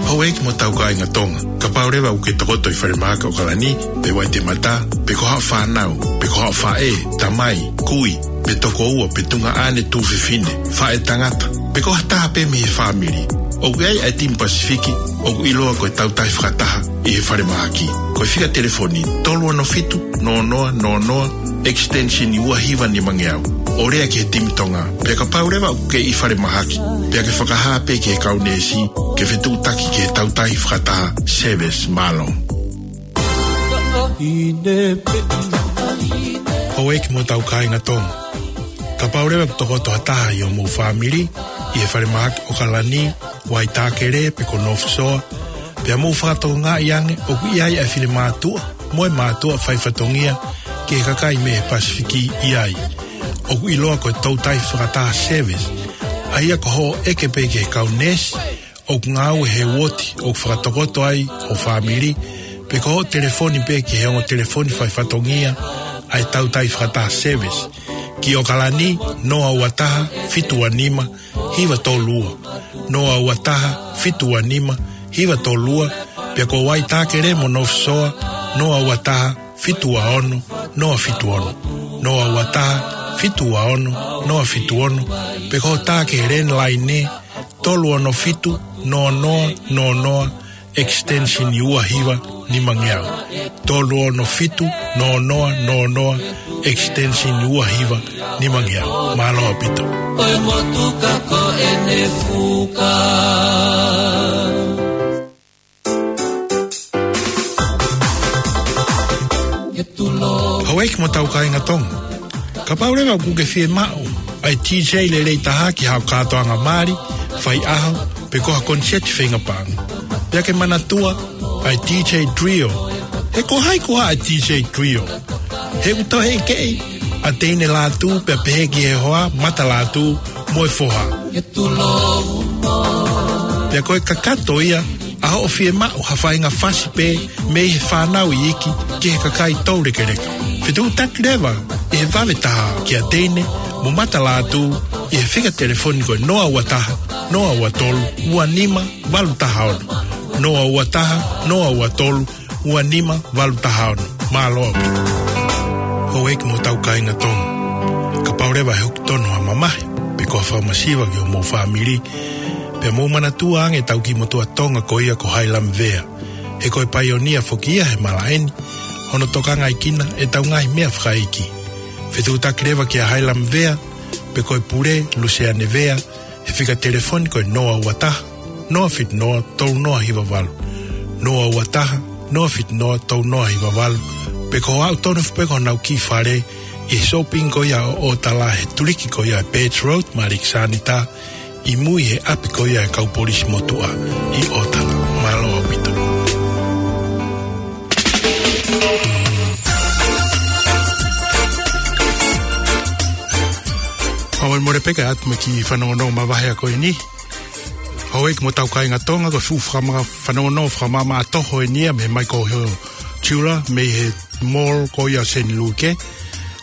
Houʻeiki mo hotau kāinga Tonga, kapau leva ʻoku ke tokoto ʻi falemahaki ʻAokalani pe Waitemata, pe ko haʻo fānau, pe ko haʻo faʻē, tamai, kui, pe tokoua, pe tuongaʻane, tuofefine, faʻētangata, pe ko ha taha pē mei he fāmili, ʻoku ʻi ai ʻa e timi Pasifiki ʻoku ʻiloa ko e Tautahi Fakataha ʻi he falemahaki. Ko e fika telefoni tolu ono fitu noa noa noa noa, extension ua hiva nimangeau, ʻo lea ki he timi Tonga. Pea kapau leva ʻoku ke ʻi falemahaki, pea ke fakahā pē ki he kau neesi ke fetuʻutaki ki he Tautahi Fakataha service. Mālō. Houʻeiki mo hotau kāinga Tonga, kapau leva ʻoku tokoto ha taha ʻi homou fāmili ʻi he falemahaki ʻAokalani, Waitākele pe ko North Shore, pea mou fakatokangaʻi ange ʻoku ʻi ai ʻa e finemātuʻa mo e mātuʻa faifatongia ki he kakai mei he Pasifiki ʻi ai, ʻoku ʻiloa ko e Tautahi Fakataha service, ʻa ia ko hoʻo ʻeke pē ki he kau neesi ʻoku ngāue he uooti ʻoku fakatokoto ai ho fāmili, pe ko hoʻo telefoni pē ki he ongo telefoni faifatongia ʻa e tautai fakataha service. Ki ʻOkalani, noa ua taha, fitu ua nima, hiva tolu ua. Noa ua taha, fitu ua nima, hiva tolu ua, pea ko Waitakere mo North Shore, noa ua taha, fitu ua ono, noa fitu ono. Noa ua taha, fitu ua ono, noa fitu ono, pe ko e tā ki he landline, tolu ono fitu, noa noa, noa noa, extension ua hiva nimangeau. Tolu ono fitu, noa noa, noa noa, extension ua hiva nimangeau. Mālō ʻaupito. Ko e motuka ko ʻene fuka. Houʻeiki mo e tau kāinga Tonga. Kapau leva ʻoku ke fiemaʻu ʻa e D J lelei taha ki haʻo kātoanga mali, faiʻaho, pe ko ha koniseti feinga paʻanga. Pea ke manatua ʻa e D J Trio. He ko hai koā ʻa e D J Trio? He ʻoku tauhi ʻe he ʻEiki ʻa Teine Lātū, pea pehē ki he hoa, Mata Lātū, mo e foha. Pea ko e kakato ia ʻa hoʻo fiemaʻu ha faʻahinga fasi pē mei he fānau iiki ki he kakai toulekeleka. Fetuʻutaki leva ʻi he vave taha kia Teine mo Mata Lātū ʻi he fika telefoni ko e noa ua taha, noa ua tolu, ua nima, valu taha ono. Noa ua taha, noa ua tolu, ua nima, valu taha ono. Mālō ʻaupito. Houʻeiki mo e tau kāinga Tonga. Kapau leva ʻe hoki tonu ha mamahi, pe ko ha fakamasiva ki homou fāmili, pea mou manatua ange ʻetau kiʻi motuʻa Tonga ko ia ko Hailam Vea. He ko e paionia foki ia he malaʻe ni, hono tokangaʻi kinautolu ʻe heʻetau ngaahi meʻa fakaʻeiki. Fetuʻutaki leva kia Hailam Vea, pe ko e pule, Luseane Vea, he fika telefoni ko e noa ua taha, noa fitu noa, tolu noa hiva valu. Noa ua taha, noa fitu noa, tolu noa hiva valu. Pe ko e aʻu tonu foki pē ki honau kiʻi fale, ʻi he shopping ko ia ʻo ʻOtala, he tuliki ko ia ʻa e Birch Road, Maliki Sanita, ʻi mui he ʻapi ko ia ʻa e kau polisi motuʻa ʻi ʻOtala. Mālō ʻaupito. Pea mou mole pē kae ʻatu mo e kiʻi fanongonongo mavahe ko eni. Houʻeiki mo e tau kāinga Tonga, ko e fuʻu fakama-, fanongonongo fakamaʻamaʻa toho eni ia mei he Michael Hill Jeweller, mei he mall ko ia Saint Luke.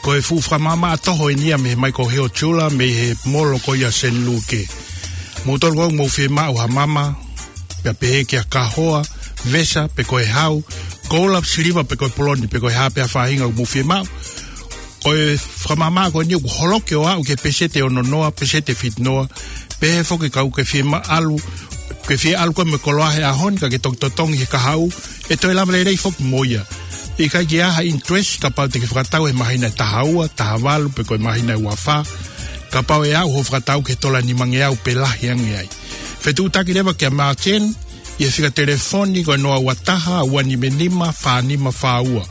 Ko e fuʻu fakamaʻamaʻa toho eni ia mei he Michael Hill Jeweller, mei he mall ko ia Saint Luke. Moutolu ʻoku mou fiemaʻu ha mama, pea pehē ki ha kahoa, vesa, pe ko e hau, koula, siliva, pe ko e poloni, pe ko e hā pē ha faʻahinga ʻoku mou fiemaʻu. Ko e fakamaʻamaʻa ko eni ʻoku holoki ʻo aʻu ki he peseti ʻe ono noa, peseti ʻe fitu noa, pehē foki kapau ʻoku ke fiemaʻu, ke fie ʻalu koe mo e koloa he ʻaho ni ka ke toki totongi he kahaʻu, ʻe toe lava lelei foki mo ia. ʻIkai ke ʻi ai ha interest kapau te ke fakatau he māhina ʻe taha ua, taha valu, pe ko e māhina ʻe ua fā, kapau ʻe aʻu hoʻo fakatau ki he tola nimangeau pe lahi ange ai. Fetuʻutaki leva kia Martin, ʻi he fika telefoni ko e noa ua taha, ua nima nima, fā nima fā ua.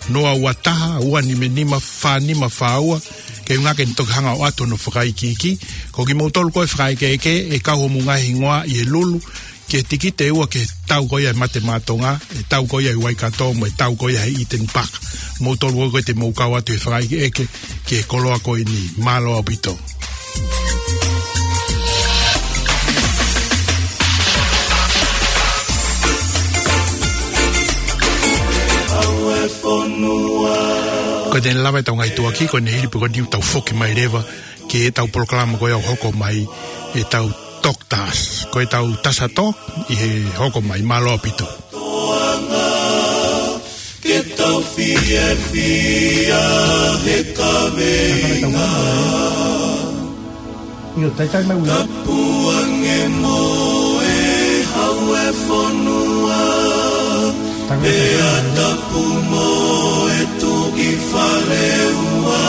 Noa ua taha, ua nima nima, fā nima fā ua. Ke ʻuhinga ke ne toki hanga ʻo ʻoatu hono fakaikiiki. Ko kimoutolu ko ē fakaʻekeʻeke, ʻe kau homou ngaahi hingoa ʻi he lulu, ki he tikite ʻe ua ki he tau ko ia ʻa e Mate Maʻa Tonga, ʻa e tau ko ia ʻi Waikato, mo e tau ko ia ʻi Eden Park. Moutolu ko ē te mou kau atu he fakaʻekeʻeke ki he koloa ko eni. Mālō ʻaupito. Ko ʻene lava ʻetau ngaahi tuʻuaki ko eni, hili pē ko eni ʻoku tau foki mai leva ki heʻetau polokalama ko ia ʻoku hoko mai, ʻetau Talk to Us. Ko ʻetau Tasa Talk ʻi he hoko mai. Mālō ʻaupito. Ke tau fiefia he kaveinga. Io, taitai mai ui. Tapu ange mo e hau e fonua. Pea tapu mo e tuʻi fale ua.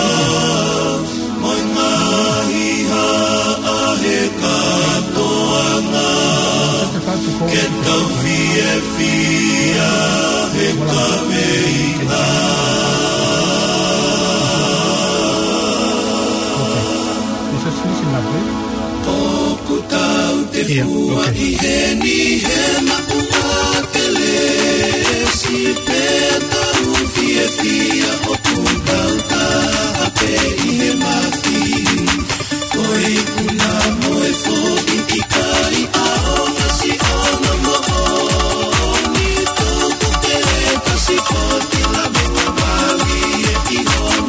Mo e ngaahi haʻa he kātoanga. Ke tau fiefia he kaveinga. ʻOku tau te fua ʻi heni he maʻu ʻa Kelesi, pea tau fiefia ʻoku tau taha pē ʻi he mafi. Ko e ikuna mo e foʻi ʻikai ʻaonga siʻona moʻoni, tuku ke kasi ko te lave ngā mali e ʻi hona.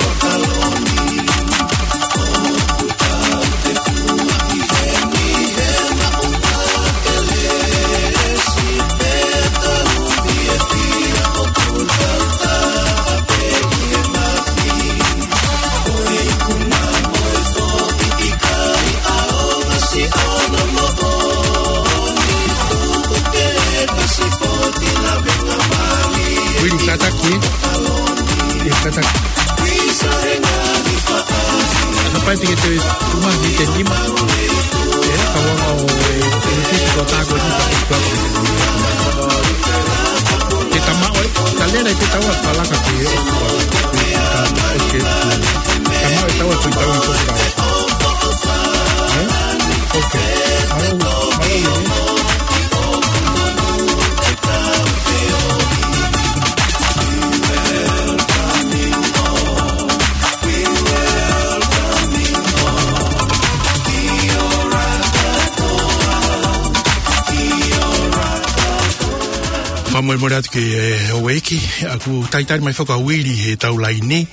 Asa pai te ke te tuma ni te nima. E, ka wanga o e, e, te ko tāko ni ka te tama o e, ka lena i te taua palaka ki e, okay. Tama o e taua ko i taua i ko. Eh? Okay. Malo, malo, eh? Fakamolemole atu ki he, eh, houʻeiki, ʻoku talitali mai foki ʻa Uili he tau laini,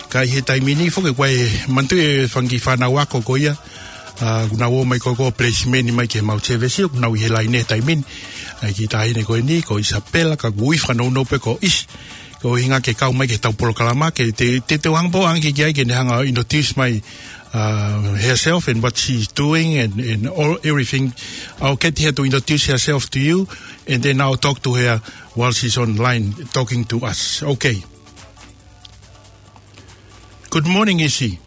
ka ʻi he taimi ni foki ʻoku ʻi ai e manatuʻi e fanga kiʻi fānau ako ko ia, ʻa, ʻoku nau ō mai ko e ko placement mai ki he Mount Sevesi, ʻoku nau ʻi he laini he taimi ni, ʻa e kiʻi taʻahine ko eni, ko Isapela, ka ʻoku ui fakanounou pē ko ʻIsi, ko e ʻuhinga ke kau mai ki he tau polokalama, ke te, te, te u hanga pē ʻo ʻange ki ai ke ne hanga ʻo introduce mai, uh, herself and what she's doing and, and all, everything. I'll get her to introduce herself to you, and then I'll talk to her while she's online talking to us. Okay. Good morning, ʻIsi.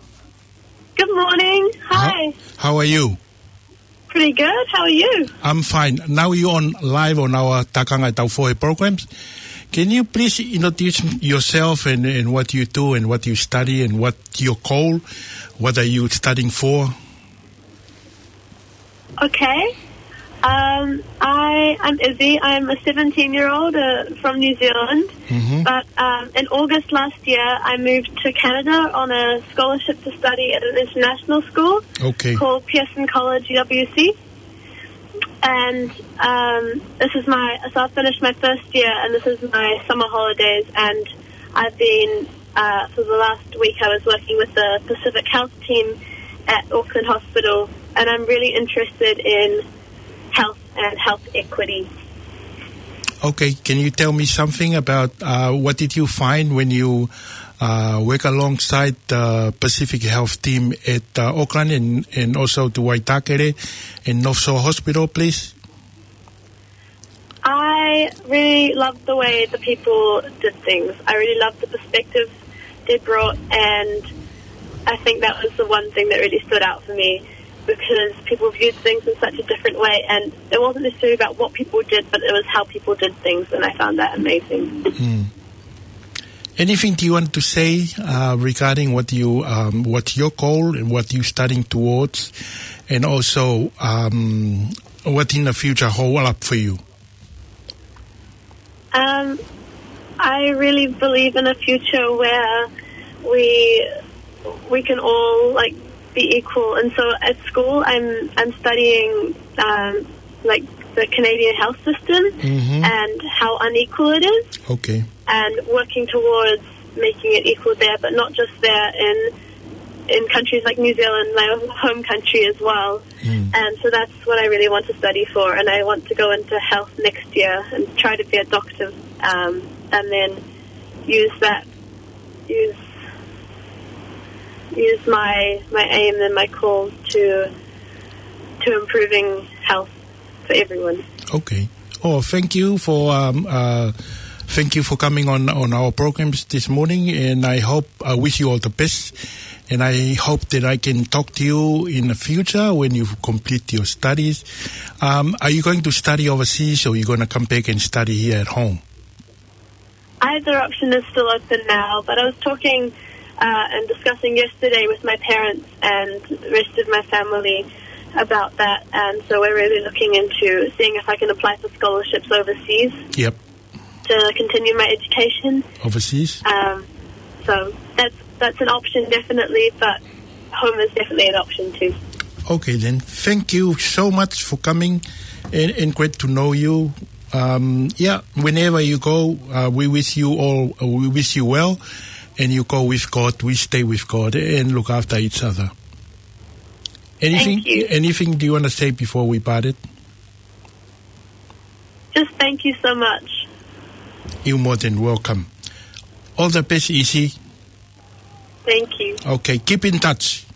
Good morning. Hi. How, how are you? Pretty good. How are you? I'm fine. Now you're on live on our Takanga Tau Fohe programs. Can you please introduce yourself and, and what you do and what you study and what your goal? What are you studying for? Okay. Um, I, I'm Izzy. I'm a seventeen-year-old, uh, from New Zealand. Mm-hmm. But, um, in August last year, I moved to Canada on a scholarship to study at an international school, okay, called Pearson College U W C. And, um, this is my, so I've finished my first year, and this is my summer holidays, and I've been, uh, for the last week, I was working with the Pacific Health team at Auckland Hospital, and I'm really interested in health and health equity. Okay, can you tell me something about, uh, what did you find when you, uh, work alongside the Pacific Health team at, uh, Auckland and, and also to Waitakere and North Shore Hospital, please? I really loved the way the people did things. I really loved the perspective they brought, and I think that was the one thing that really stood out for me, because people viewed things in such a different way, and it wasn't necessarily about what people did, but it was how people did things, and I found that amazing. Mm. Anything do you want to say, uh, regarding what you, um, what your goal and what you're studying towards, and also, um, what in the future hold up for you? Um, I really believe in a future where we, we can all, like, be equal. And so at school, I'm, I'm studying, um, like, the Canadian health system, mm-hmm, and how unequal it is. Okay. And working towards making it equal there, but not just there, in, in countries like New Zealand, my home country as well. Mm. And so that's what I really want to study for, and I want to go into health next year and try to be a doctor, um, and then use that, use, use my, my aim and my call to, to improving health for everyone. Okay. Oh, thank you for, um, uh, thank you for coming on, on our programs this morning, and I hope, I wish you all the best, and I hope that I can talk to you in the future when you complete your studies. Um, are you going to study overseas, or you gonna come back and study here at home? Either option is still open now, but I was talking, uh, and discussing yesterday with my parents and the rest of my family about that, and so we're really looking into seeing if I can apply for scholarships overseas, yep, to continue my education. Overseas? Um, so that's, that's an option, definitely, but home is definitely an option too. Okay, then. Thank you so much for coming, and, and great to know you. Um, yeah, whenever you go, uh, we wish you all, uh, we wish you well, and you go with God. We stay with God and look after each other. Anything, thank you, anything do you wanna say before we part it? Just thank you so much. You're more than welcome. All the best, ʻIsi. Thank you. Okay, keep in touch.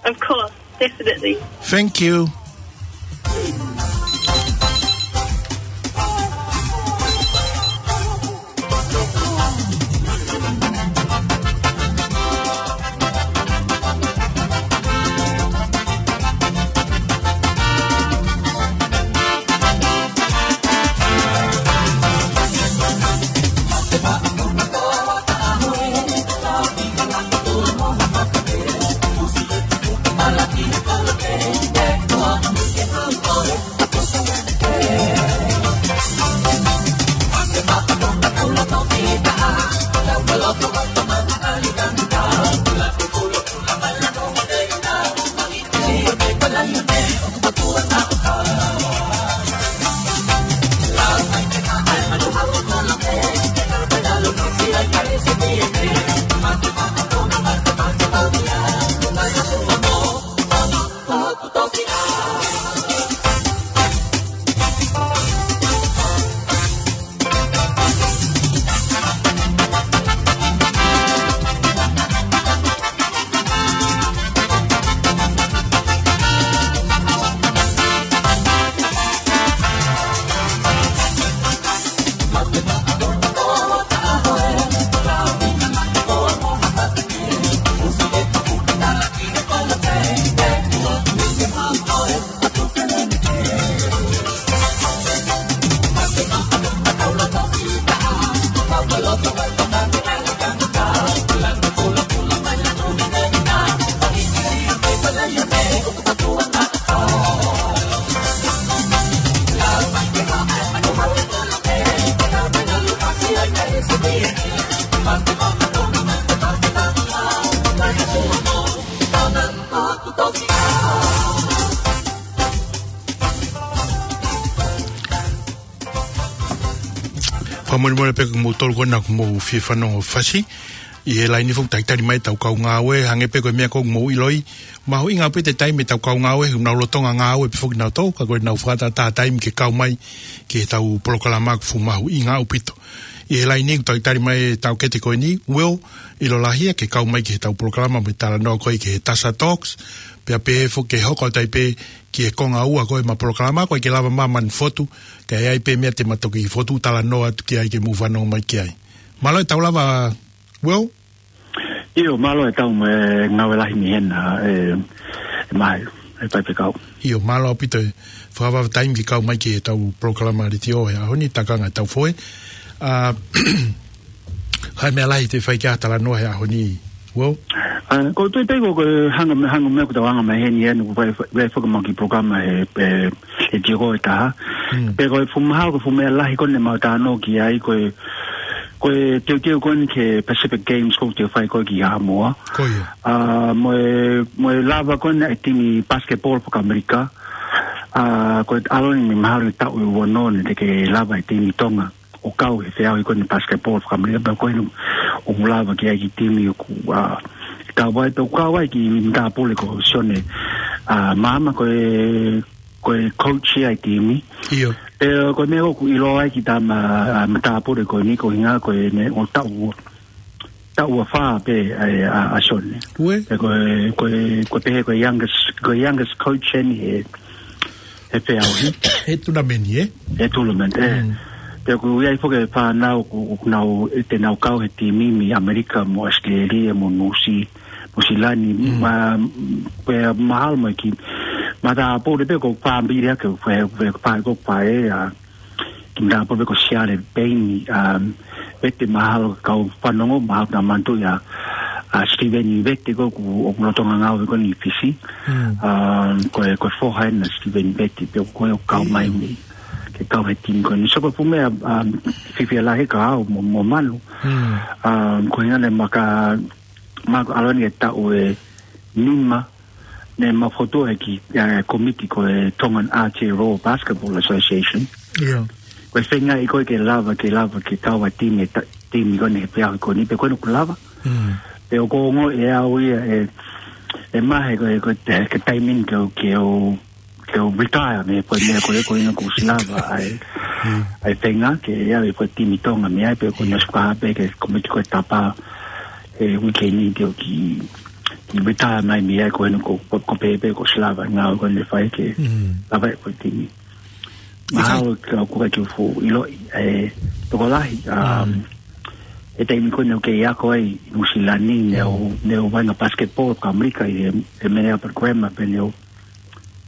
Of course, definitely. Thank you. Fakamolemole pē ko moutolu ko ena ʻoku mou fie fanongo fasi. ʻI he laine foki talitali mai ʻetau kau ngāue, hangē pē ko e meʻa ʻoku mou ʻiloʻi. Mahuʻinga ʻaupito e taimi ʻetau kau ngāue, he ʻoku nau lolotonga ngāue pē foki nautolu, ka ko ʻenau fakatātā taimi ke kau mai ki heʻetau polokalama ʻoku fuʻu mahuʻinga ʻaupito. ʻI he laine ʻoku talitali mai ʻetau kete ko eni, Will, ʻilo lahi ia ke kau mai ki heʻetau polokalama mo e talanoa ko ē ki he Tasa Talks, pea pehē foki ke hoko atu ai pē ki he konga ua ko ē ʻema polokalama, ʻoku ʻikai ke lava māmani fotu, ka ʻi ai pē meʻa te ma toki fotu talanoa atu ki ai ke mou fanongo mai ki ai. Mālō e tau lava, Will? ʻIo, mālō e tau mo e ngāue lahi mei hena, e, e mai, e faifekau. ʻIo, mālō ʻaupito e fakavavevave taimi ke kau mai ki heʻetau polokalama letiō he ʻaho ni, takanga ʻetau foʻi. ʻA, ʻikai meʻa lahi te u fai ki ai ha talanoa he ʻaho ni, Will? ʻA, ko e tui pē ko e hanga mei, hanga mei ʻoku tau hanga mei heni ʻa eni ʻoku fai, fai, fai foki ʻemau kiʻi polokalama he, he, he letiō ko ē ʻe taha. Mm. Pea ko e fuʻu mahalo ko e fuʻu meʻa lahi ko ē ne mau talanoa ki ai ko e, ko e teuteu ko eni ki he Pacific Games ʻoku toe fai ko ē ki Haʻamoa. Ko ia. ʻA, mo e, mo e lava ko ena e timi basketball faka-Amerika. ʻA, ko e ʻalu eni mahalo ʻe taʻu ʻe ua noa ne teʻeki lava e timi Tonga ʻo kau he feʻauhi ko eni basketball faka-Amerika, pea ko eni ʻoku lava ki ai e kiʻi timi ʻoku, ʻa, kau ai, pea ʻoku kau ai e kiʻi matāpule ko Sione, ʻa, Maama ko e, ko e coach ia e timi. ʻIo. Pea ko e meʻa ʻoku ʻiloa ai e kiʻi tama, ʻa, matāpule ko eni ko e ʻuhinga ko ʻene ʻo taʻu, taʻu ua fā pē ʻa, ʻa, ʻa Sione. Ue. Pea ko e, ko e, ko e pehē ko e youngest, ko e youngest coach eni he, he feʻauhi. He tournament, ē? He tournament, ē. Mm. Pea ʻoku ʻi ai foki e fānau ʻoku, ʻoku nau, ʻe te nau kau he timi mei ʻAmelika mo ʻAositelēlia mo Nuʻusi-, Nuʻusila ni, Mm. ma, pea mahalo mo e kiʻi matāpule pē ko e fāmili ʻa e, ko e, ko e, ko e, ko e, ʻa, kiʻi matāpule pē ko Siale Peini, um, Vete mahalo kau fanongo, mahalo naʻa manatu ia, ʻa, Steven Vete ko ē ʻoku, ʻoku lolotonga ngāue ko eni ʻi Fisi. Mm. Um, ko e, ko e foha ena ʻo Steven Vete, pea ko ē ʻoku kau mai Mm. mei, ke kau he timi ko eni. So ko e fuʻu meʻa, um, fiefia lahi ka au mo, mo Manu. Mm. Um, ko e ʻuhinga ne maka, maka ʻalu eni e taʻu ʻe nima, ne mau fokotuʻu e kiʻi, ʻa, kōmiti ko e Tongan Aotearoa Basketball Association. ʻIo. Ko e feinga ia ko ē ke lava, ke lava, ke kau ai e timi, e ta-, timi ko eni he feʻauhi ko eni, pea ko eni ʻoku lava. Mm. Pea ʻoku ou ongoʻi ʻe au ia e, e mahalo ko e, ko e, ke taimi ni ke u, ke u, ke u retire mei he foʻi meʻa ko ē, ko eni kuo ʻosi lava ai, Mm. ai e feinga ke ʻave e foʻi timi Tonga mei ai, pea ko eni ʻosi fakahā pē ki he kōmiti ko e Tapa he uike ni ke u kiʻi, kiʻi retire mai mei ai, ko eni ko, ko, ko e pehē pē kuo ʻosi lava e ngāue ko eni ne fai ke Mm. lava e foʻi timi. Mahalo ka ko e kiʻi fuʻu ʻiloʻi, e, tokolahi, um, Mm. he taimi ko ē ne u kei ako ai ʻi Nuʻusila ni, ne u, Mm. ne u vaʻinga basketball faka-Amerika ʻi he, he Minerva Grammar, pea ne u,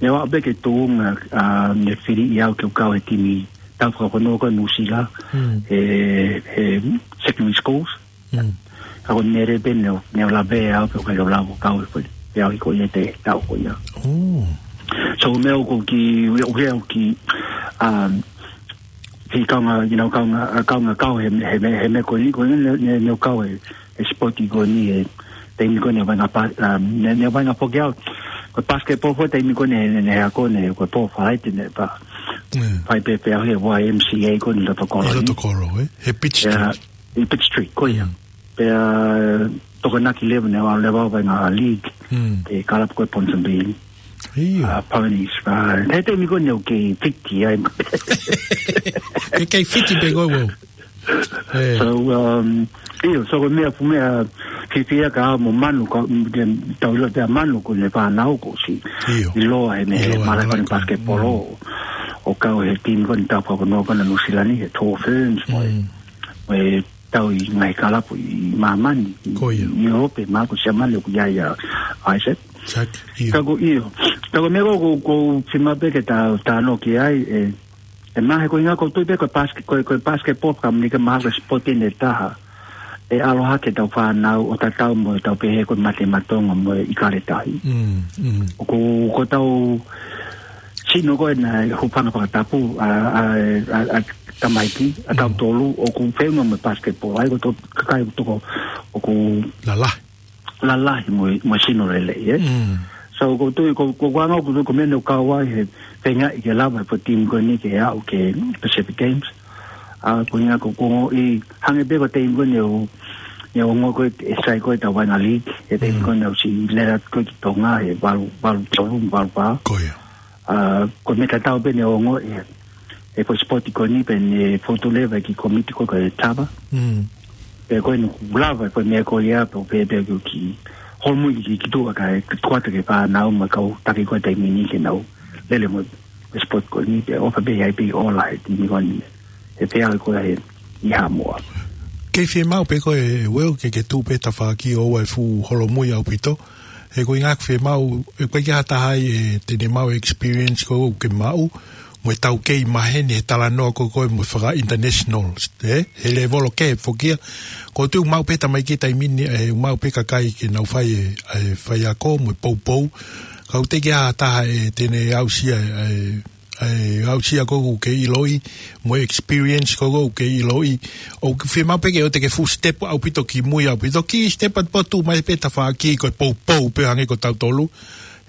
ne u aʻu pē ki he tuʻunga, um, ne fili au ke u kau he timi tau fakafonua ko ē ʻa Nuʻusila, Mm. he, he secondary schools. Mm. Ka ko e meʻa leva pē ne u, ne u lave au pē ʻo ʻikai ke u lava ʻo kau he foʻi feʻauhi ko ia he taʻu ko ia. Oh. So meʻa ʻoku ou kiʻi, ʻoku ou kiʻi, um, kiʻi kaunga, you know, kaunga, kaunga kau he, he, he, he meʻa ko eni, ko eni ne, ne, ne u kau he, he sipoti ko eni he taimi ko eni ne u vaʻinga pa-, um, ne, ne u vaʻinga foki au. Ko e basketball foki taimi ko eni ne, ne, ne u ako ne, ko e pō Falaite ne pa-, Mm. fai pē feʻauhi he Y M C A ko eni ʻi loto kolo ʻI ni. loto kolo, ē? He Pitt Street. Yeah. ʻI Pitt Street, ko ia. Mm. Pea, tokonaki leva ne u aʻu leva ʻo vaʻinga league, Mm. ki he kalapu ko ē Ponsonby. ʻIo. ʻA, Ponies, ʻa, he taimi ko ē ne u kei fiti ai. Ke kei fiti pē koe, Will. Ē. So, um, ʻio, so ko e meʻa fuʻu meʻa fiefia ka au mo Manu, ka, mm, ke tau ʻilo pē ʻa Manu ko ʻene fānau kuo ʻosi ʻIo. ʻiloa he meʻa ʻIloa he mala mala ko eni ko eni. basketball Mm. ʻo, ʻo kau he timi ko eni tau fakafonua ko eni ʻa Nuʻusila ni, he Tall Ferns, mo e, Mm. mo e tau ʻi he ngaahi kalapu ʻi māmani, ʻi, Ko ia. ʻi ʻIulope, mahalo ko Siamane ʻoku ʻi ai ʻa Isaac. Isaac, ʻio. Ka ko ʻio. Ka ko e meʻa ko, ko, ko e fiemaʻu pē ke ta, ta noki ai, e, e mahalo ko e ʻuhinga ko e tui pē ko e baske-, ko e, ko e basketball faka-Amerika mahalo ko e sipoti ʻe taha ʻe ʻalu hake ʻetau fānau ʻo tatau mo ʻetau pehē ko e mate maʻa Tonga mo e ʻIkale Tahi. Mm, mm. ʻOku, ko ʻetau sino ko ē naʻe hūfanga fakatapu ʻa, ʻa, ʻa, ʻa tamaiki, ʻa Mm. tautolu, ʻoku feʻunga mo e basketball. ʻA ia ko e toko kakai ʻoku toko, ʻoku Lalahi. lalahi mo e, mo e sino lelei, ē? Mm. So, ko e tui, ko, ko e anga ko e tui ko e meʻa ne u kau ai he feingaʻi ke lava e foʻi timi ko eni ke aʻu ki he Pacific Games. ʻA, ko ia ko, ko e ongoʻi, hangē pē ko e taimi ko ē naʻe ʻo, naʻe ʻo ongoʻi ko ē ʻe sai ko ē ʻetau vaʻinga league, he taimi ko ē naʻe ʻosi lele atu ko ē ki Tonga, he valu, valu tolu, valu fā. Ko ia. ʻA, ko e meʻa tatau pē naʻe ʻo ongoʻi, he, he foʻi sipoti ko eni pē naʻe fotu leva ki he kōmiti ko ē ko e Tava. Pea ko eni kuo lava, ko e meʻa ko ia, pea, pea, pea ko e kiʻi holomui ki, ki tuʻa kae, ke tuku atu ki he fānau mo e kau taki ko ē taimi ni ke nau lele mo e sipoti ko eni, pea ʻofa pē ai pē ʻo ola he timi ko eni. He pea ko ē he ʻi Haʻamoa. Kei fiemaʻu pē ko ē, Will, ke, ke tuʻu pē tafaʻaki ʻoua ʻe fuʻu holomui ʻaupito. He ko e ʻuhinga ʻoku fiemaʻu, ʻe ʻikai ke ʻi ai ha taha ai ʻe te ne maʻu e experience ko ē ʻoku ke maʻu, mo e taukei maheni he talanoa ko ē ko ē mo e faka-international, ē? He lēvolo kehe foki ia. ʻOku ou tui ʻoku maʻu pē tamaiki taimi ni, ʻe, ʻoku maʻu pē kakai ke nau fai e, e faiako mo e poupou. Ka ʻoku teʻeki ai ha taha ʻe te ne aʻusia e, e, aʻusia ko ē ʻoku ke ʻiloʻi, mo e experience ko ē ʻoku ke ʻiloʻi. ʻOku fiemaʻu pē ke ʻoua te ke fuʻu step ʻaupito ki mui ʻaupito, kiʻi step atu pē ʻo tuʻu mai pē tafaʻaki ko e poupou pē hangē ko tautolu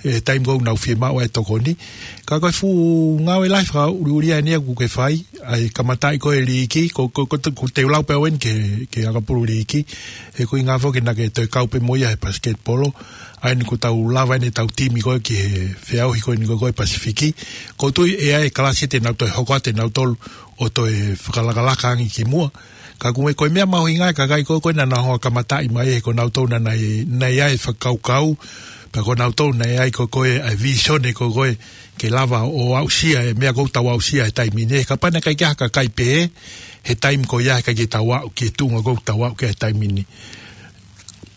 he taimi ko ē ʻoku nau fiemaʻu ai e tokoni. Ka ko e fuʻu ngāue lahi fakaʻuliʻulia eni ia ʻoku ke fai, ʻa e kamataʻi ko ē e liiki, ko, ko, ko, ko te u lau pē au eni ki he, ki he ʻakapulu liiki, he ko e ʻuhinga foki naʻa ke toe kau pē mo ia he pasiketipolo, ʻa eni kuo tau lava eni ʻetau timi ko ē ki he feʻauhi ko eni ko ē ko ē Pasifiki, ʻoku ou tui ʻe ʻi ai e kalasi te nau toe hoko atu ʻe nautolu ʻo toe fakalakalaka ange ki muʻa. Ka ko e, ko e meʻa mahuʻinga e kakai ko ē ko ē naʻa nau hanga ʻo kamataʻi mai he ko nautolu naʻa nau, naʻe ʻi ai e fakakaukau, pea ko nautolu naʻe ʻi ai ko ē ko ē e visone ko ē ko ē ke lava ʻo aʻusia e meʻa ko ē ʻoku tau aʻusia he taimi ni. Kapau naʻe ʻikai ke ʻi ai ha kakai pehē, he taimi ko ia he ʻikai ke tau aʻu ki he tuʻunga ko ē ʻoku tau aʻu ki ai he taimi ni.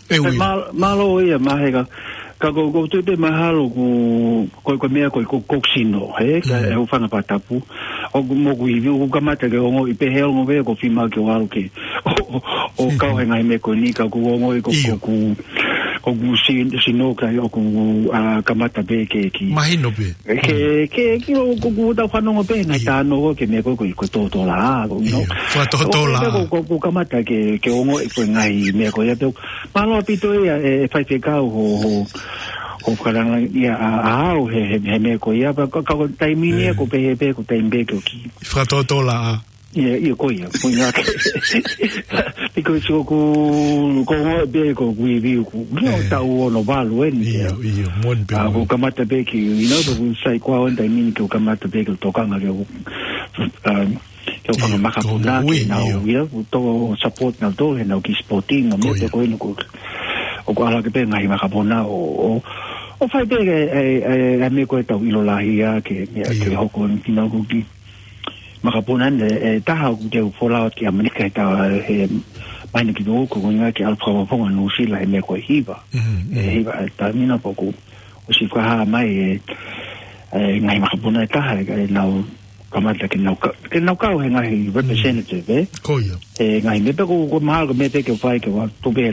ʻE, Will. Mā-, mālō ia, Maheka. Ka ko, ko e tui pē mahalo ko, ko, ko e meʻa ko ē ko, ko e sino, he, ka e hūfanga he fakatapu. ʻOku mo ku ivi, ʻoku kamata ke ongoʻi pē he ongo pē ʻoku fiemaʻu ke ʻalu ke, ʻo, ʻo, ʻo kau he ngaahi meʻa ko eni ka ʻoku ongoʻi ko, ko, ko, ko e si-, sino ka ʻoku, ʻa, kamata pē ke, ki. Mahino pē. Ke, ke, ki ʻoku, ʻoku tau fanongo pē, ngaahi tano ko ē ke meʻa ko ē ko, ko e tōtōlaʻā, ko, you know. Fakatōtōlaʻā. Ko, ko, ko kamata ke, ke ongoʻi ko e ngaahi meʻa ko ia pē. Mālō ʻaupito ia, e, e faifekau ho, ho, ho fakalanga ia ʻa, ʻa au he, he, he meʻa ko ia, pea ka, ka ko e taimi ni ia, ko e pehē pē, ko e taimi pē ke u ki. Fakatōtōlaʻā. Ia, ia ko ia, ko ia ke. Because ʻoku, ko e pē ko e ivi ʻoku, you know, tau ono valu eni. Ia, ia, moʻoni pē. ʻA, ko e kamata pē ki, you know, ko e sai ko au he taimi ni ke u kamata pē ke u tokanga ke u, um, ke u fanga makapuna ke nau, ia, ʻoku tau support nautolu he nau kiʻi sporting, mo e meʻa ko eni ʻoku, ʻoku ʻalu hake pē ngaahi makapuna ʻo, ʻo, ʻo fai pē e, e, e, e meʻa ko ē ʻoku tau ʻilo lahi ai ke, ia, ke hoko eni ki nau ko e kiʻi makapuna eni, e, e taha ʻoku te u folau ki ʻAmelika he taʻu, he mahino ki nau ko e ʻuhinga ke ʻalu fakafofonga Nuʻusila he meʻa ko e hiva. E hiva, e taimi naʻe ʻoku, ʻosi fakahā mai e, e ngaahi makapuna ʻe taha, e, e nau kamata ke nau ka-, ke nau kau he ngaahi representative, ē? Ko ia. He ngaahi meʻa pē ʻoku, ʻoku mahalo ko e meʻa pē ke fai ke ʻoua tuʻu pē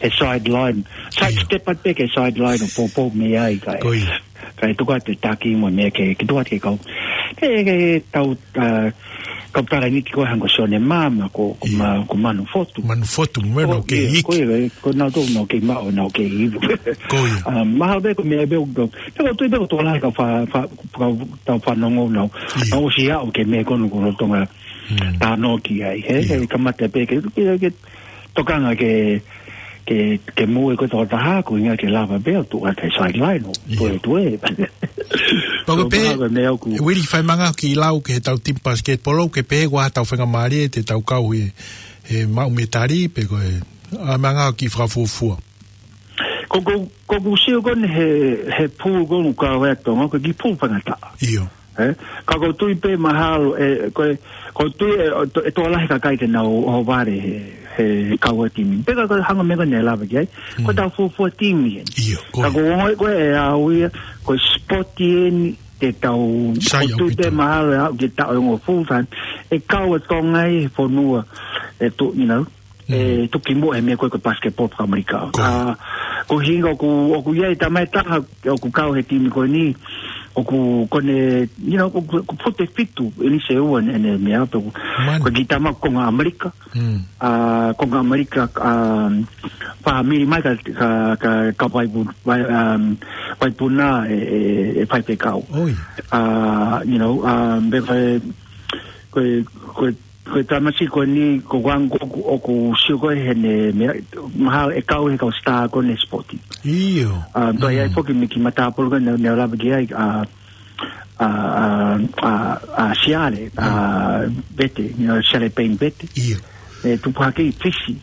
he sideline. Side step atu pē ki he sideline ʻo poupou mei ai kae. Ko ia. Kae tuku atu e taki mo e meʻa ke, ke tuku atu ke kau. Ke, ke tau, ʻa, kau tala ni ki ko e hangē ko Sione Mama ko, ko Ma-, ko Manu Fotu. Manu Fotu, mo e nau kei iki. Ko ia, ko nautolu nau kei maʻu, nau kei ivu. Ko ia. ʻA, mahalo pē ko e meʻa pē ʻoku, pē ʻoku ou tui pē ʻoku tokolahi kau fa-, fa-, kau tau fanongo nau. Ia. Nau ʻosi aʻu ki he meʻa ko eni ʻoku lolotonga tano ki ai. He, he kamata pē ke, ke, ke tokanga ke, ke, ke moʻui ko e tokotaha ko e ʻuhinga ke lava pē ʻo tuʻu atu he sideline ʻo tuetue. Pea ko e pē, meʻa ʻoku, Willie, fai mai ange ha kiʻi lau ki heʻetau timi pasiketipolo, ke pehē ko e hā hotau faingamālie te tau kau he, he maʻu metali, pe ko e, ʻomai ange ha kiʻi fakafuofua. Ko, ko, ko ʻeku sio ko eni he, he pulu ko eni ʻoku kau ai ʻa Tonga, ko e kiʻi pulu faingataʻa. ʻIo. Ē? Ka ʻoku ou tui pē mahalo, ē, ko e, ʻoku ou tui ē, ʻe to-, ʻe tokolahi kakai te nau ʻohovale he, he kau ʻa e timi. Pea ka, ka hangē ko e meʻa ko eni naʻe lave ki ai. Ko ʻetau fuofua timi eni. ʻIo, ko ia. Ka ʻoku ou ongoʻi ko e ʻe au ia, ko e sipoti eni te tau, ʻoku ou tui pē mahalo ʻe aʻu ki he taʻu ʻe ongo full time, ʻe kau ʻa Tonga ʻi he fonua, ʻe tu-, you know, ʻe tuki muʻa he meʻa ko ē ko e basketball fakaʻAmelika. Ko ia. ʻA, ko e ʻuhinga ʻoku, ʻoku ʻi ai e tama ʻe taha, ʻoku kau he timi ko eni, ʻoku, ko ʻene, you know, ʻoku, ʻoku foʻi fitu, eni se ua ʻene, ʻene meʻa, pe ʻoku, ko e kiʻi tama konga ʻAmelika. ʻA, konga ʻAmelika, ʻa, fāmili mai ka, ka, ka, ka vaipu-, vai-, um, vaipuna ʻe, ʻe, ʻe faifekau. ʻA, you know, um, pe ko e, ko e, ko e Ko e tamasiʻi ko eni, ko ʻeku anga ʻoku, ʻoku sio ko ē heʻene, meʻa, mahalo ʻe kau he kau star ko eni he sipoti. ʻIo. ʻA, toe ʻi ai foki mei ki matāpolo ko ē naʻa, naʻa ku lave ki ai, ʻa, ʻa, ʻa, ʻa, ʻa Siale, ʻa Pete, you know, Siale Payne Pete. ʻIo. ʻE tupu hake ʻi Fisi.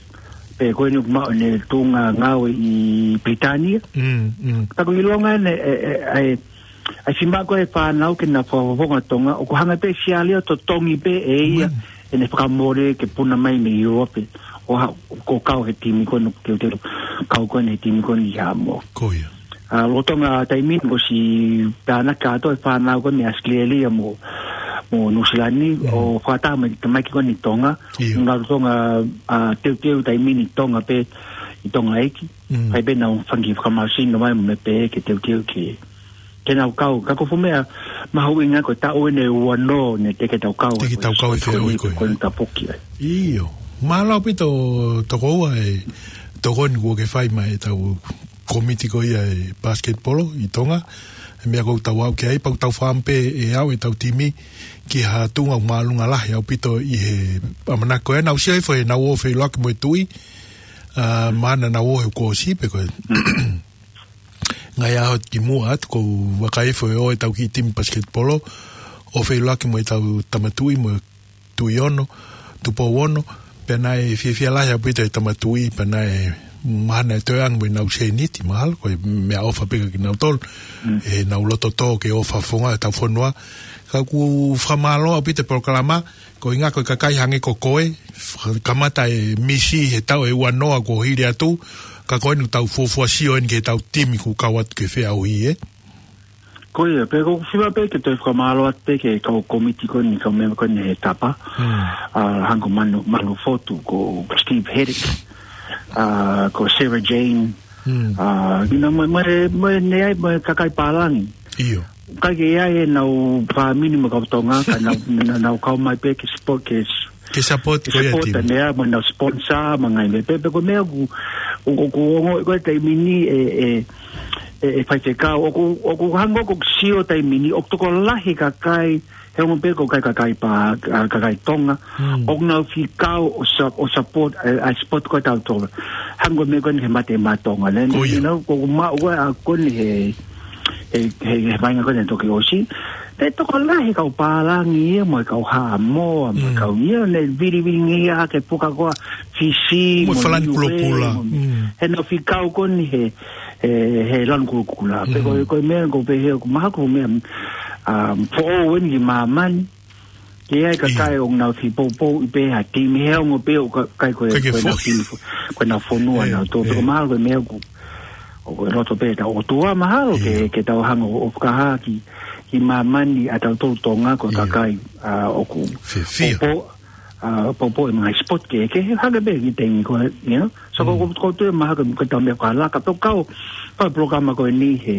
Pea ko eni ʻoku maʻu ʻene tuʻunga ngāue ʻi Pilitānia. Mm, mm. Ka ʻoku ʻilonga ʻene, ʻe, ʻe, ʻe, ʻa e fiemaʻu ko ē ʻe he fānau ke nau fakafofonga Tonga, ʻoku hanga pē ʻe Siale ʻo totongi pē ʻe ia ʻene fakamole ke puna mai mei ʻIulope, ʻo ha-, ʻo kau he timi ko eni, ke te kau ko eni he timi ko eni ʻi Haʻamoa. Ko ia. ʻA, lolotonga taimi ni kuo ʻosi tānaki kātoa e fānau ko eni mei ʻAositelēlia mo, mo Nuʻusila ni, ʻo fakataha mai, mai ki ko eni Tonga. ʻIo. Lolotonga, ʻa, teuteu taimi ni Tonga pē, ʻi Tonga ʻEiki. Mm. Pea pē nau fanga kiʻi fakamālohisino mai mo e meʻa pē ke teuteu ke, ke nau kau. Ka ko e fuʻu meʻa mahuʻinga ko e taʻu eni ʻe ua noa ne teʻeki ke tau kau. Teʻeki ke tau kau he feʻauhi ko ē. Ko eni tapuki ai. ʻIo. Mālō ʻaupito tokoua e tokoni kuo ke fai maʻa ʻetau kōmiti ko ia e basketball ʻi Tonga. He meʻa ʻoku tau aʻu ki ai, pea ʻoku tau fakaʻamu pē ʻe aʻu ʻetau timi ki ha tuʻunga ʻoku māʻolunga lahi ʻaupito ʻi he ʻamanaki ko ē. Naʻa ku sio hifo he naʻa nau ō ʻo feʻiloaki mo e Tuʻi, ʻa, mahalo naʻa nau ō he kuo ʻosi pe ko e ngaahi ʻaho kimuʻa atu, ʻoku ou vakai hifo ʻe ō ʻetau kiʻi timi basketball ʻo feʻiloaki mo ʻetau Tama Tuʻi mo e Tuʻi Ono, Tupou Ono, pea naʻe fiefia lahi ʻaupito e Tama Tuʻi, pea naʻe mahalo naʻe toe ʻoange mo ʻenau sēniti, mahalo, ko e meʻaʻofa pē kiate kinautolu, ʻenau loto tō ke ō fakafofonga ʻetau fonua. Ka ʻoku fakamālō ʻaupito e polokalama, koeʻuhinga ko e kakai hangē ko koe, kamata e misi he taʻu ʻe ua noa kuo hili atu, ka ko eni ʻoku tau fuofua sio eni ki heʻetau timi kuo kau atu ki he feʻauhi, ē? Ko ia, pea ʻoku ou fiemaʻu pē ke toe fakamālō atu pē ki he kau kōmiti ko eni, kau mēmipa ko eni he Tapa. Mm. ʻA, hangē ko Manu, Manu Fotu, ko Steve Hedrick, ʻa, ko Sarah Jane, ʻa, you know, mo e, mo e, mo e, ne ai, mo e kakai pālangi. ʻIo. ʻIkai ke ʻi ai ʻenau fāmili mo e kau Tonga, ka nau, nau, nau kau mai pē ke support, ke s-, ke support ke ko ia support timi. Ane ia, mo ʻenau sponsor, mo e ngaahi meʻa pē, pea ko e meʻa ʻoku, ʻoku, ʻoku ongo ko e taimi ni ʻe, ʻe, ʻe, ʻe faifekau, ʻoku, ʻoku hangē ʻoku sio taimi ni, ʻoku tokolahi kakai, he ongo pē ko e kakai pā, ʻa, kakai Tonga, ʻoku nau fie kau ʻo sa-, ʻo support, ʻa, ʻa support ko ē ʻa tautolu. Hangē ko e meʻa ko eni he Mate Maʻa Tonga, ne, ko ia, you know, ʻoku maʻu ko ē ʻa ko eni he, he, he, he vaʻinga ko eni toki ʻosi. Pea tokolahi kau pālangi ia, mo e kau Haʻamoa, mo e kau ia, ne vilivilingia hake puka ko ē Fisi, mo e mo Falani Niue, kulokula. Mo, he nau fie kau ko eni he, he, he lanu kulokula. Pea ko, ko e meʻa ʻoku ou pehē ʻoku mahalo ko e meʻa, um, foʻou eni ki māmani. Ke ʻi ai kakai ʻoku nau fie poupouʻi pē ha timi he ongo pē ʻoku ʻikai ko e, ʻikai ke ko ʻenau foʻi timi fo-, ko ʻenau fonua nautolu. Pea ko e mahalo ko e meʻa ʻoku, ʻoku ʻi loto pē ʻetau ʻOtua mahalo ke, ke tau hanga ʻo, ʻo fakahā ki, ki māmani ʻa tautolu Tonga ko e kakai, ʻa, ʻoku fiefia. Poupou, ʻa, poupou e ngaahi sport ke, ke hake pē ki he taimi ko ē, you know? So, ko, ko, ko e tuʻu mahalo ko e tau meʻa fakalaka, pea ʻoku kau, pea polokalama ko eni he,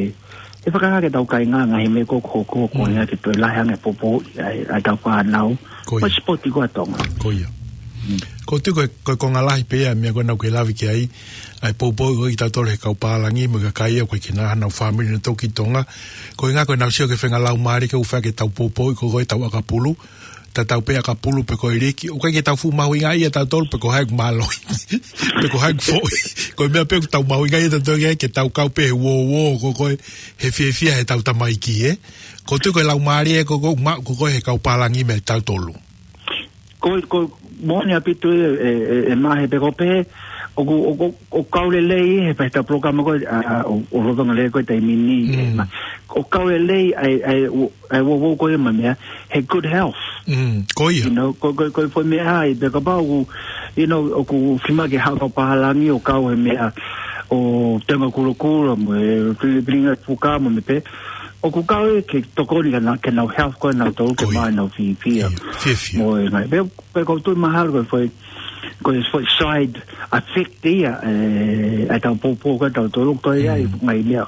he fakahā ki heʻetau kāinga ngaahi meʻa ʻoku hoko, ko ia ke toe lahi ange poupou ʻa, ʻa ʻetau fānau. Ko ia. Ko e sipoti ko ē ʻa Tonga. Ko ia. Ko e tuʻu ko e, ko e konga lahi pē ia meʻa ko ē naʻa ku lave ki ai, ʻa e poupou ko ē ʻa tautolu he kau pālangi, mo e kakai ia ko ē ʻoku ʻikai ke nau ʻi ai hanau fāmili nautolu ʻi Tonga. Koeʻuhinga ko ʻenau sio ki he faʻahinga laumālie ʻoku fai ke tau poupouʻi ko ē ʻetau ʻakapulu. Tatau pē ʻakapulu pe ko e liki. ʻOku ʻikai ke tau fuʻu mahuʻingaʻia ʻe tautolu pe ko hai ʻoku mālohi. Pe ko hai ʻoku foʻi. Ko e meʻa pē ʻoku tau mahuʻingaʻia ʻe tautolu ke, ke tau kau pē he uouo ko ē, he fiefia heʻetau tamaiki, ē. Ko e tuʻu ko e laumālie ko ē ʻoku maʻu ko ē he kau pālangi mei tautolu. Ko, ko, moʻoni ʻaupito e, e, e, e mahe pe ko pē, ʻoku, ʻoku, ʻoku kau lelei he pehē ʻetau polokalama ko ē, ʻa, ʻa, ʻo, ʻo lolotonga lelei ko ē taimi ni, e, ma-, ʻoku kau lelei ʻa e, ʻa e, ʻa e uouo ko ia mo e meʻa, he good health. Mm, ko ia. You know, ko, ko, ko e foʻi meʻa ai, pea kapau ʻoku, you know, ʻoku fiemaʻu ke haʻu kau pālangi ʻo kau he meʻa, ʻo tenga kulokula mo e fili-, filifilinga puka mo e meʻa pē, ʻoku kau ia ke tokoni ki heʻena-, ki heʻenau health ko ē ʻanautolu ke maʻu ʻenau fiefia. Ko ia. Fiefia. Mo e ngaahi, pea, pea ʻoku ou tui mahalo ko e foʻi, ko e foʻi side effect ia, e, ʻa ʻetau poupou ko ē ʻa tautolu, ko ia, ngaahi meʻa,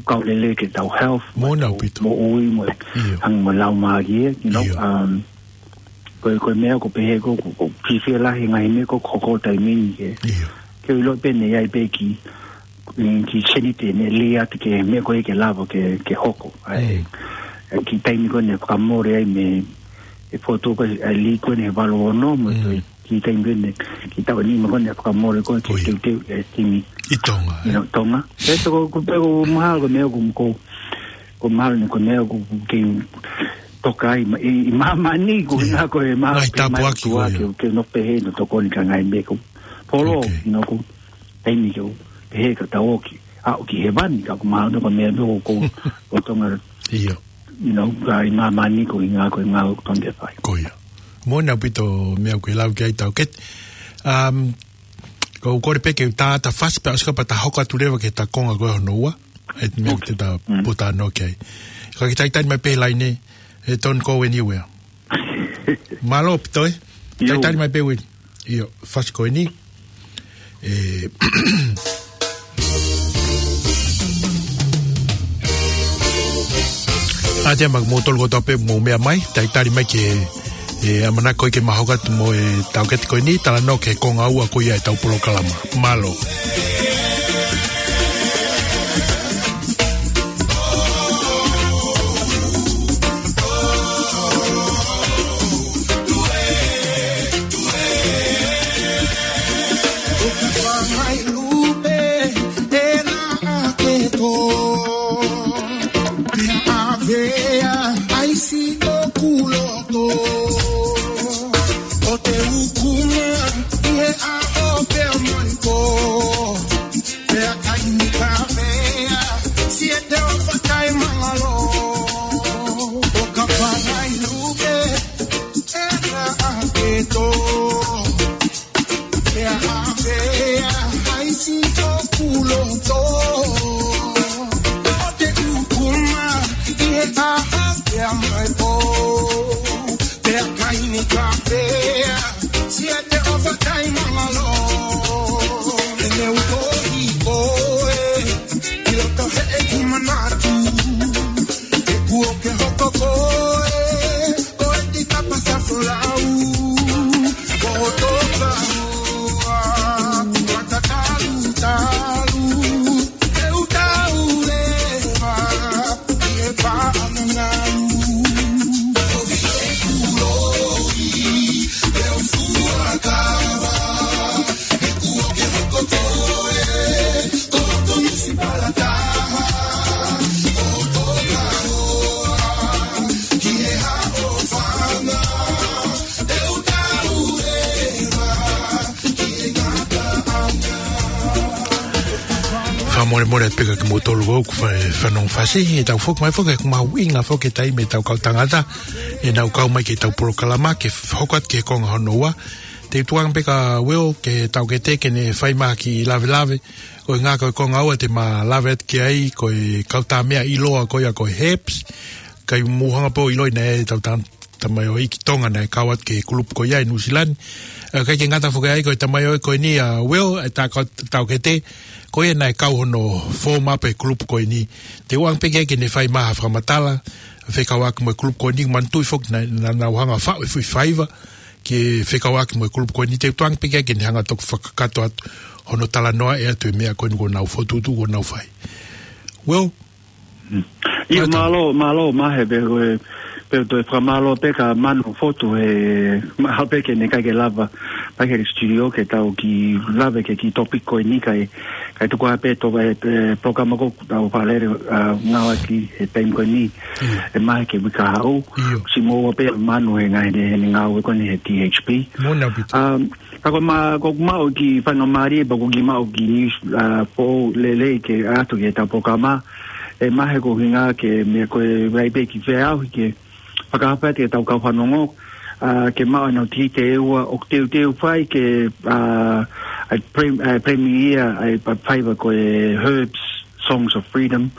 kau lelei ki heʻetau health, moʻoni ʻaupito. Moʻui mo e, hangē mo e laumālie, you know, um, ko e, ko e meʻa ʻoku pehē ko, ko, ʻoku fiefia lahi ngaahi meʻa ʻoku hoko taimi ni ke, ke ʻilo pē ne ʻi ai pē kiʻi, kiʻi sēniti ne lī atu ki he meʻa ko ē ke lava ke, ke hoko. ʻA e, e kiʻi taimi ko ē ne fakamole ai mei, ʻE fotu ko e lī ko eni he valu ono, mo e Mm. toe ki he taimi ko eni, ki he taʻu nima ko eni ʻa e fakamole ko e Ko ia. teuteu e timi ʻi Tonga, ʻi ē? Tonga. Pea ko, ko, pea ko e mahalo ko e meʻa ko, ko, ko e mahalo eni ko e meʻa ko, ko e kei toka ai, ma, ʻi, ʻi māmani ko ʻIo. ena ko e mahalo Ngaahi ke mai tāpuaki tua ko ia. ke, ke nofo pehē ʻo tokoni ki he ngaahi meʻa ko polo, Ok. ʻi he ko e taimi ko ē pehē ka tau ō ki, aʻu ki hēvani, ka ko e mahalo ko e meʻa ko, ko, ko Tonga. ʻIo. You know, ka ʻi māmani ko e ngaahi, ko e ngaahi ʻoku tau fai. Ko ia. Moʻoni ʻaupito e meʻa ʻoku ke lau ki ai Taukete. Um, ko u kole pē ke u tā atu ha fasi pea ʻosi ka pea ta hoko atu leva ki he ta konga ko hono ua. ʻE meʻa Ok. ke ta Mm. puta noa ki ai. Ka ke talitali mai pē he laine, ʻe Don't Go Anywhere. Mālō ʻaupito ē. ʻIo. Talitali mai pē Ueli. ʻIo, fasi ko eni. ʻE, ʻa te ma mo tolu kotoa pē mo meʻa mai, talitali mai ke, ʻe, ʻamanaki ko ē ke ma hoko atu mo e Taukete ko eni, talanoa ki he konga ua ko ia e tau polokalama. Mālō. Lupe, ena ake to. Pea avea, ʻaisi ʻoku loto. ʻO te ukuma, ʻi he ʻaho pea mai ko. Pea kai ni kavea, siete o fakai mangalo. ʻO ka pangai lupe, ena ake to. Pea avea, ʻaisi ʻoku loto. ʻO te ukuma, ʻi he ʻaho pea mai ko. Pea kai ni kavea, siete o fakai mangalo. ʻE ne uko i koe, ʻi loto heʻeku manatu. ʻE kuo ke hoko koe, ko e tita pasa folau. Ko toka hoa, mata talu talu, ʻe u tau leva, ʻi he paʻanga ngalu. Ko vi e kuloi, ʻe u fuakava, ʻe kuo ke hoko koe, ko toka munisipalitaha, ko toka hoa, ki he haʻofanga, ʻe u tau leva, ki he ngataʻanga. Fakamolemole atu pē kia kimoutolu ʻoku fa-, fanongo fasi, ʻe tau foki mai foki, ʻoku mahuʻinga foki e taimi ʻetau kau tangata, ʻenau kau mai ki heʻetau polokalama, ke f-, hoko atu ki he konga hono ua. Te u tukuange pē kia Will, ki he Taukete ke ne fai mai ha kiʻi lavelave, ʻo e ngaahi ko e konga ua te ma lave atu ki ai, ko e kau tā meʻa ʻiloa ko ia ko e Herbs, kai mou hanga pē ʻo ʻiloʻi naʻe ʻi ai ʻetau ta-, tamaioʻeiki Tonga naʻe kau atu ki he kulupu ko ia ʻi Nuʻusila ni. ʻE, ʻikai ke ngata foki ai ko e tamaioʻeiki ko eni ʻa Will, ʻe tā kau Taukete, ko ia naʻe kau hono fōma pē kulupu ko eni. Te u ʻoange pē ki ai ke ne fai mai ha fakamatala, fekauʻaki mo e kulupu ko eni, manatuʻi foki naʻa, naʻa nau hanga faʻu e foʻi faiva, ke fekauʻaki mo e kulupu ko eni. Te u tukuange pē ki ai ke ne hanga toki fakakakato atu hono talanoa ʻe ʻatu e meʻa ko eni kuo nau fokotuʻutuʻu kuo nau fai. Will, Mm. ʻIo, Mālō. mālō, mālō, Mahe, pea ko e, pea toe fakamālō pē kia Manu Fotu he, mahalo pē ke ne ʻikai ke lava, mai ki he studio ke tau kiʻi lave ki he kiʻi topic ko eni kae, kae tuku ā pē to, e, e, polokalama ko ē ʻoku tau fakalele, ʻa, ngāueʻaki he taimi ko eni, ʻIo. ʻe Mahe ki he uike kahaʻu. ʻIo. Siʻi moʻua pē Manu he ngaahi, he, he ngāue ko eni he T H P. Moʻoni ʻaupito. Um, Ka ko ma, ko ma o ki faingamālie, pea ko ki ma o ki news, ʻa, foʻou lelei ke ʻatu ki heʻetau polokalama. ʻE Mahe ko e ʻuhinga ke meʻa ko e vai pē ki feau ke fakahā atu ki heʻetau kau fanongo, ʻa, ke maʻu ʻenau tikite ʻe ua ʻoku teuteu fai ke, ʻa, ʻa, prem-, ʻa, premiere, ʻa, ʻa, faiva ko e Herbs Songs of Freedom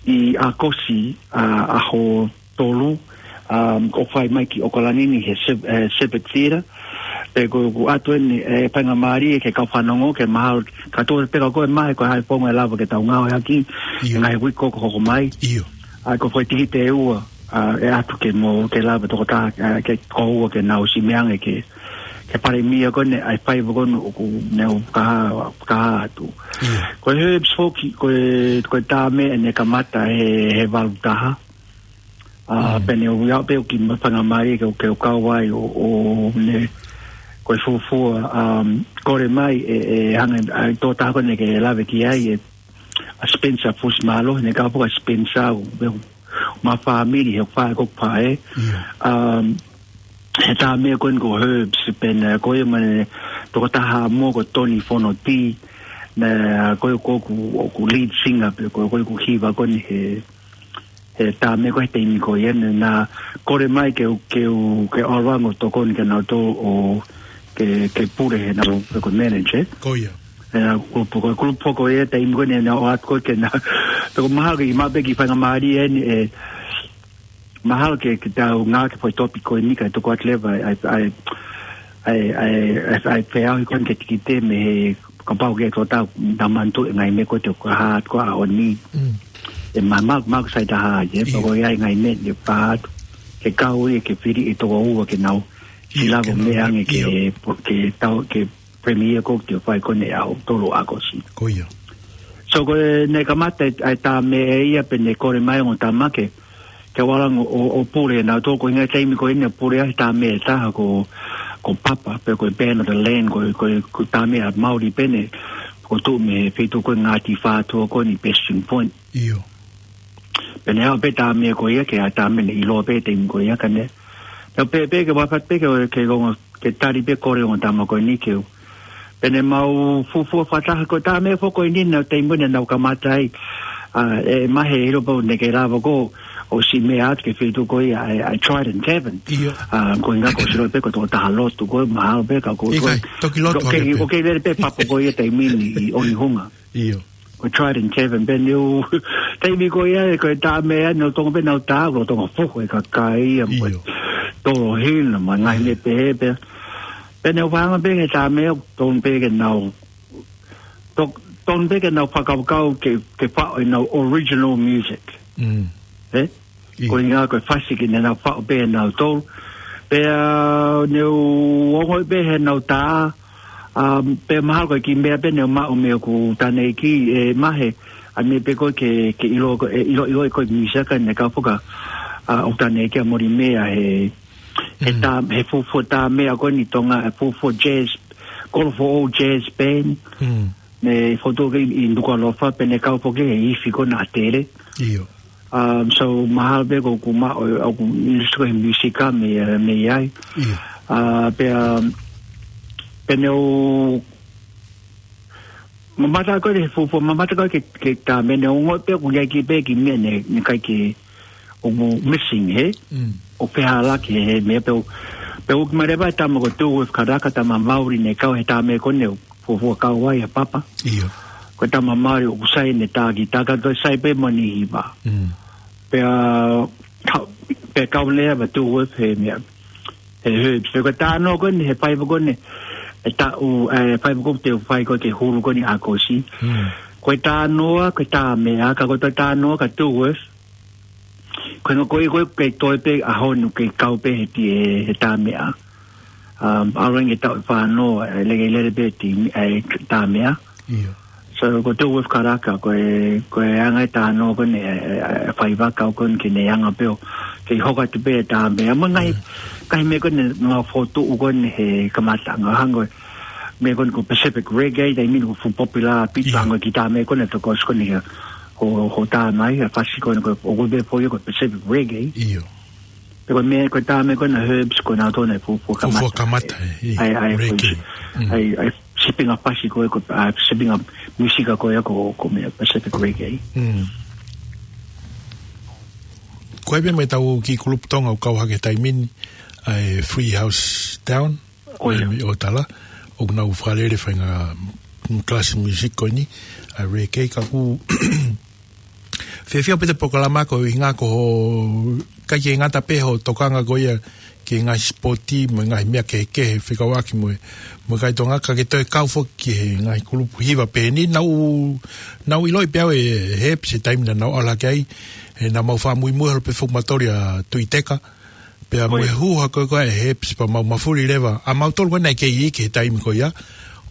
ʻi ʻAokosi, ʻa, ʻaho tolu, um, ʻoku fai mai ki ʻOkalani ni he Shep-, he Shepherd Theatre. Pea ko, ko ʻatu eni, ʻe faingamālie ke kau fanongo, ke mahalo, ka tō te peka ko e Mahe ko e hā e founga ʻe lava ke tau ngāueʻaki, ʻIo. ngaahi uike ko ē ʻoku hoko mai. ʻIo. ʻA, ko e foʻi tikite ʻe ua, ʻa, ʻe ʻatu ke mo, ke lava tokotaha, ʻa, ke ko ua ke nau ʻosi meʻa ange ke, ke premiere ko eni, ʻa e faiva ko eni ʻoku nau fakahā, fakahā atu. ʻIo. Ko e Herbs foki, ko e, ko e tā meʻa ʻene kamata he, he valu taha. A, pea ne u ʻai pē ʻo kiʻi faingamālie ke, ke u kau ai ʻo, ʻo ne, ko e fuofua, um, kole mai e, e hanga, ʻa e tokotaha ko eni ke lave ki ai, e, ʻa Spencer Fusimālohi, ne kau foki ʻa Spencer, ʻo, ʻo, mo e fāmili, he ʻoku fai ko e fai. Um, he tā meʻa ko eni ko Herbs, pea ne, ko ia mo e tokotaha mo ko Tony Fonoti, na, ko ia ko ʻeku, ʻeku lead singer, pea ko, ko ʻeku hiva ko eni he, he tā meʻa ko ē he taimi ko ia, ne na kole mai ke u, ke u, ke ʻalu ange ʻo tokoni kia nautolu ʻo ke, ke pule he nau, ko e manager. Ko ia. He na, ko, ko, ko e kulupu ko ia taimi ko ē ne na ʻoatu ko ē ke na, toko mahalo ke ʻi ai pē kiʻi faingamālie eni, e, mahalo ke, ke tau ngāueʻaki e foʻi topic ko eni kae toko atu leva, ʻa e, ʻa e, ʻa e, ʻa e, ʻa e, ʻa e feʻauhi ko eni ki he tikite mei he kapau ke tō tau na manatu e ngaahi meʻa ko ē te u ka hā atu ko ē ʻaho ni. Mm. E ma, ma, ma sai taha ia, pea ko ia e ngaahi meʻa ne pā atu. Ke kau ia ke fili e toko ua ke nau. Ia, silavo ke nau, meʻa ange ke, ia. Ke tau, ke premiere ko ē te fai ko eni ʻaho tolu ʻAokosi. Ko ia. So ko e ne kamata e, e tā meʻa ia pea ne kole mai ongo tama ke, ke u ʻalu ange ʻo, ʻo, ʻo pule nautolu ko e ngaahi taimi ko eni pule ai tā meʻa ʻe taha ko, ko Papa, pea ko e Band of the Land, ko, ko, ko e tā meʻa Māori pē eni, ko e tuʻu mei he feituʻu ko ē Ngāti Whātua ko eni Bastion Point. ʻIo. Pea ne ʻai pē tā meʻa ko ia ke ʻai tā meʻa ne ʻiloa pē taimi ko ia ka ne. Pea pē, pē ke wafat pē ke, ke ongo ke tali pē kole ongo tama ko eni ke u. Pea ne mau fuofua fakataha ko e tā meʻa foki ko eni nau taimi ko eni nau kamata ai. A, e, mahalo pē ne ke lava ko ē ʻo siʻi meʻa atu ki he feituʻu ko ia, ʻa e, ʻa e Trident Tavern. ʻIo. A, ko e ʻuhinga ko e sio pē ko e tokotaha lotu ko ē mahalo pē ka ko ʻIkai, ko e toki lotu ko hake e, pē. Ko e lele pē Papa ko ia taimi ni ʻi ʻOnehunga. ʻIo. Ko e Trident Tavern, pea ne u, taimi ko ia, ko e tā meʻa, ne u tonga pē nau tā, ko e tonga fuhu e kakai, a mo e ʻIo. Tolo hina, mo e ngaahi meʻa pehē, pea. Pea ne u fānga pē he tā meʻa, tonga pē ke nau, to-, tonga pē ke nau fakakaukau ke, ke faʻo ʻenau original music. Mm. Ē? ʻIo. Ko e ʻuhinga ko e fasi ke ne nau faʻo pē nautolu. Pea ne u ongo pē he nau tā, um, pea mahalo ko e kiʻi meʻa pē ne u maʻu mei hoku tane ki, e, mahe, ʻa e meʻa pē ko ē ke, ke ʻilo ko, e, ʻilo, ʻilo ko e mīsaka ne kau foki, a, ʻo tane ki a mori meʻa he, he Mm. tā, he fuofua tā meʻa ko eni Tonga, he fuofua jazz, Kolofoʻou Jazz Band. Mm. Ne fotu ke ʻi Nukuʻalofa, pea ne kau foki he ifi ko ena ʻa Tele. ʻIo. Um, so, mahalo pē ko ʻeku maʻu, ʻoku ʻilosi ko e mīsika mei, eh, mei ai. ʻIo. Uh, pea, um, pea ne u, mamata ko e fuofua, mamata ko e ke, ke tā meʻa ne u ongoʻi pē ʻoku ʻi ai kiʻi pē kiʻi meʻa ne, ne ʻikai ke, ʻoku missing he, Mm. ʻo pehē ʻaki he, he meʻa pē ʻoku, pea ʻoku ʻomai leva e tama ko Dewey Karaka, tama Māori ne kau he tā meʻa ko eni, fuofua kau ai ʻa Papa. ʻIo. Ko e tama Māori ʻoku sai ʻene tā kītā ka toe sai pē mo ʻene hiva. Mm. Pea, ka-, pea kau leva Dewey he meʻa, he Herbs. Pea ko e tā noa ko eni, he faiva ko eni, e taʻu, e faiva ko ē te u fai ko ē ki he hulu ko eni ʻAokosi. Mm. Ko e tā noa, ko e tā meʻa, ka ko e tā noa, ka Dewey, ko e ʻuhinga ko e, ko e, ko e toe pē ʻaho ni ke kau pē he ti-, he, he tā meʻa. Um, ʻalu ange taʻu ʻe fā noa, e lele, lele pē ti-, e tā meʻa. ʻIo. So, ko Dewey Karaka, ko e, ko e anga e tā noa ko eni, e, e, e faiva kau ko eni ke ne anga pē ʻo, ke hoko atu pē tā meʻa. Mo e ngaahi, Mm. ngaahi meʻa ko eni, ngaahi fotu ko eni he kamataʻanga hangē ko e, meʻa ko eni ko Pacific Reggae, taimi ni ko e fuʻu popular pē Ia. hangē ko e kiʻi tā meʻa ko eni, tokos ko eni, ko, ko tā mai, ʻa e fasi ko eni, ko, ʻoku pehē foki ko e Pacific Reggae. ʻIo. Pea ko e meʻa, ko e tā meʻa ko ena Herbs, ko nautolu naʻe fuofua Fuofua kamata. kamata, e, ʻa e, ʻa e, Reggae. ko e, Mm. ʻa e, ʻa e sipinga fasi ko ē, ko, ʻa e sipinga mīsika ko ē, ko, ko e meʻa Pacific Reggae. Mm. Ko e meʻa mai tau kiʻi kulupu Tonga ʻoku kau hake taimi ni, ʻa e Free House Down. Ko ia. ʻI ʻOtala, ʻoku nau fakalele faʻahinga class music ko eni, ʻa e reggae ka ʻoku fiefia pē he polokalama ko e ʻuhinga ko hoʻo, ʻikai ke ngata pē hoʻo tokanga ko ia ki he ngaahi sipoti mo e ngaahi meʻa kehekehe fekauʻaki mo e, mo e kakai Tonga ka ke toe kau foki ki he ngaahi kulupu hiva pehē ni, naʻa ku, naʻa ku ʻiloʻi pē au ʻe Herbs he taimi naʻa nau ʻalu hake ai, he naʻa mau fakamuimui holo pē foki mautolu ʻia Tuʻiteka, pea Ko ia. mo e huha ko ē ʻa e Herbs pea mau mafuli leva. ʻA mautolu ko ē naʻe kei iiki he taimi ko ia.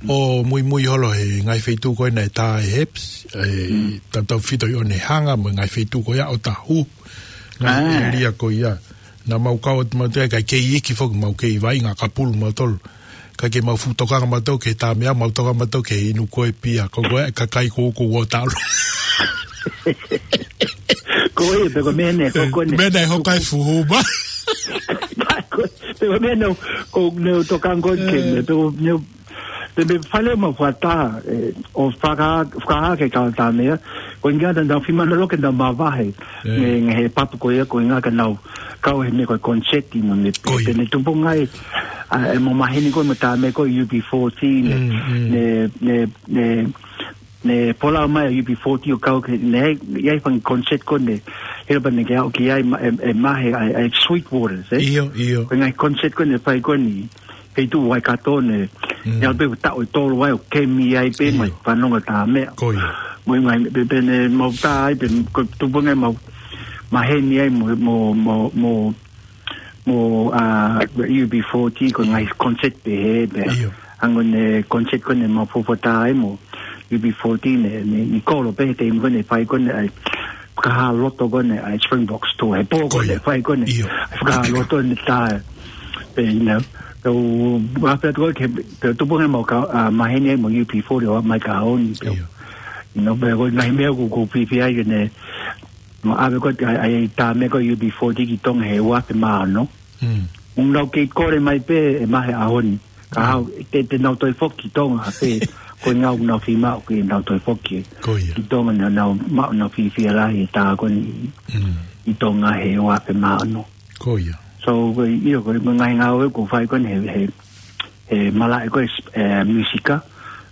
ʻO muimui holo he ngaahi feituʻu ko ē naʻe tā ʻe Herbs, e, Mm. tautautefito ʻi ʻOnehunga mo e ngaahi feituʻu ko ia ʻo tā huhu. Ngaahi ʻēlia ko ia. Naʻa mau kau atu mautolu, kae kei iiki foki mau kei vaʻinga kapulu mautolu. Kae kei mau fuʻu tokanga mautolu ki he Tāmeʻa, mau tokanga mautolu ki he inu ko e pia. Ko koe, kakai ko, ko uo talu. Ko ia, pe ko e meʻa naʻe hoko ʻeni. Meʻa naʻe hoko ai fuhu ma. Ko, pe ko e meʻa naʻe, ko, naʻe tokanga ko ē ki he, pe ko, naʻe, pe, pe fale ma fata, ē, ʻo faka-, fakahā ki he kau Tāmeʻa, ko e ʻuhinga naʻa nau fiemaʻu loke naʻa mavahe, ē, mei he papu ko ia, ko e ʻuhinga ka nau kau he meʻa ko e concert mo e meʻa pē. Ko ia. Pea ne tupu ngai, ʻa, ʻe mo maheni ko e mo Tāmeʻa ko e U B forty, ne, mm, mm, ne, ne, ne, ne pull out mai ʻa e U B forty ʻo kau ki he, ne, ʻi ai e fanga concert ko ē, he ʻalu pē ʻene ke aʻu ki ai, ma-, ʻe, ʻe mahe ʻa e, ʻa e Sweet Waters, ē? ʻIo, ʻio. Ko e ngaahi concert ko ē naʻe fai ko eni, feituʻu Waikato ne, mm, ʻi ai pē taʻu ʻe tolu ai ʻo kemi ai pē, ʻio, mai fanongo Tāmeʻa. Ko ia. Mo e ngaahi, pea, pea ne mau tā ai, pea ko e tupu ngai mau maheni ai mo, mo, mo, mo, mo, ʻa, U B forty, ko e, ʻio, ngaahi concert pē he, pea. ʻIo. Hangē ko e concert ko ē naʻa mau fofota ai mo U B forty ne, ne, ne kolo pē he taimi ko ē naʻe fai ko ē ʻa e fakahā loto ko ē ʻa e Springboks tour. He pō ko ē, ko ia, naʻe fai ko ē, ʻio, ʻa e fakahā loto ne tā, pea, you know, pea u, ʻa pea tuku ke, pea tupu ngai mau ka, ʻa, maheni ai mo U B forty ʻo mai ka honi, pea. ʻIo. You know, pea ko e ngaahi meʻa ʻoku, ʻoku ou fiefia ai ke ne, ma ʻave ko ē, ʻa, ʻa e Tāmeʻa ko e U B forty ki Tonga he ua afe mā ono. Mm. ʻOku nau kei kole mai pē ʻe mahe ʻaho ni. Ka, mm, hau, te, te nau toe foki ki Tonga pē, ko e ʻuhinga ʻoku nau fiemaʻu ke nau toe foki. Ko ia. Ki Tonga naʻa nau, ma, nau fiefia lahi he tā ko eni, mm, ʻi Tonga he ua afe mā ono. Ko ia. So, ko e, ʻio, ko e ngaahi ngāue ʻoku fai ko eni he, he, he malaʻe ko ē, ē, musika.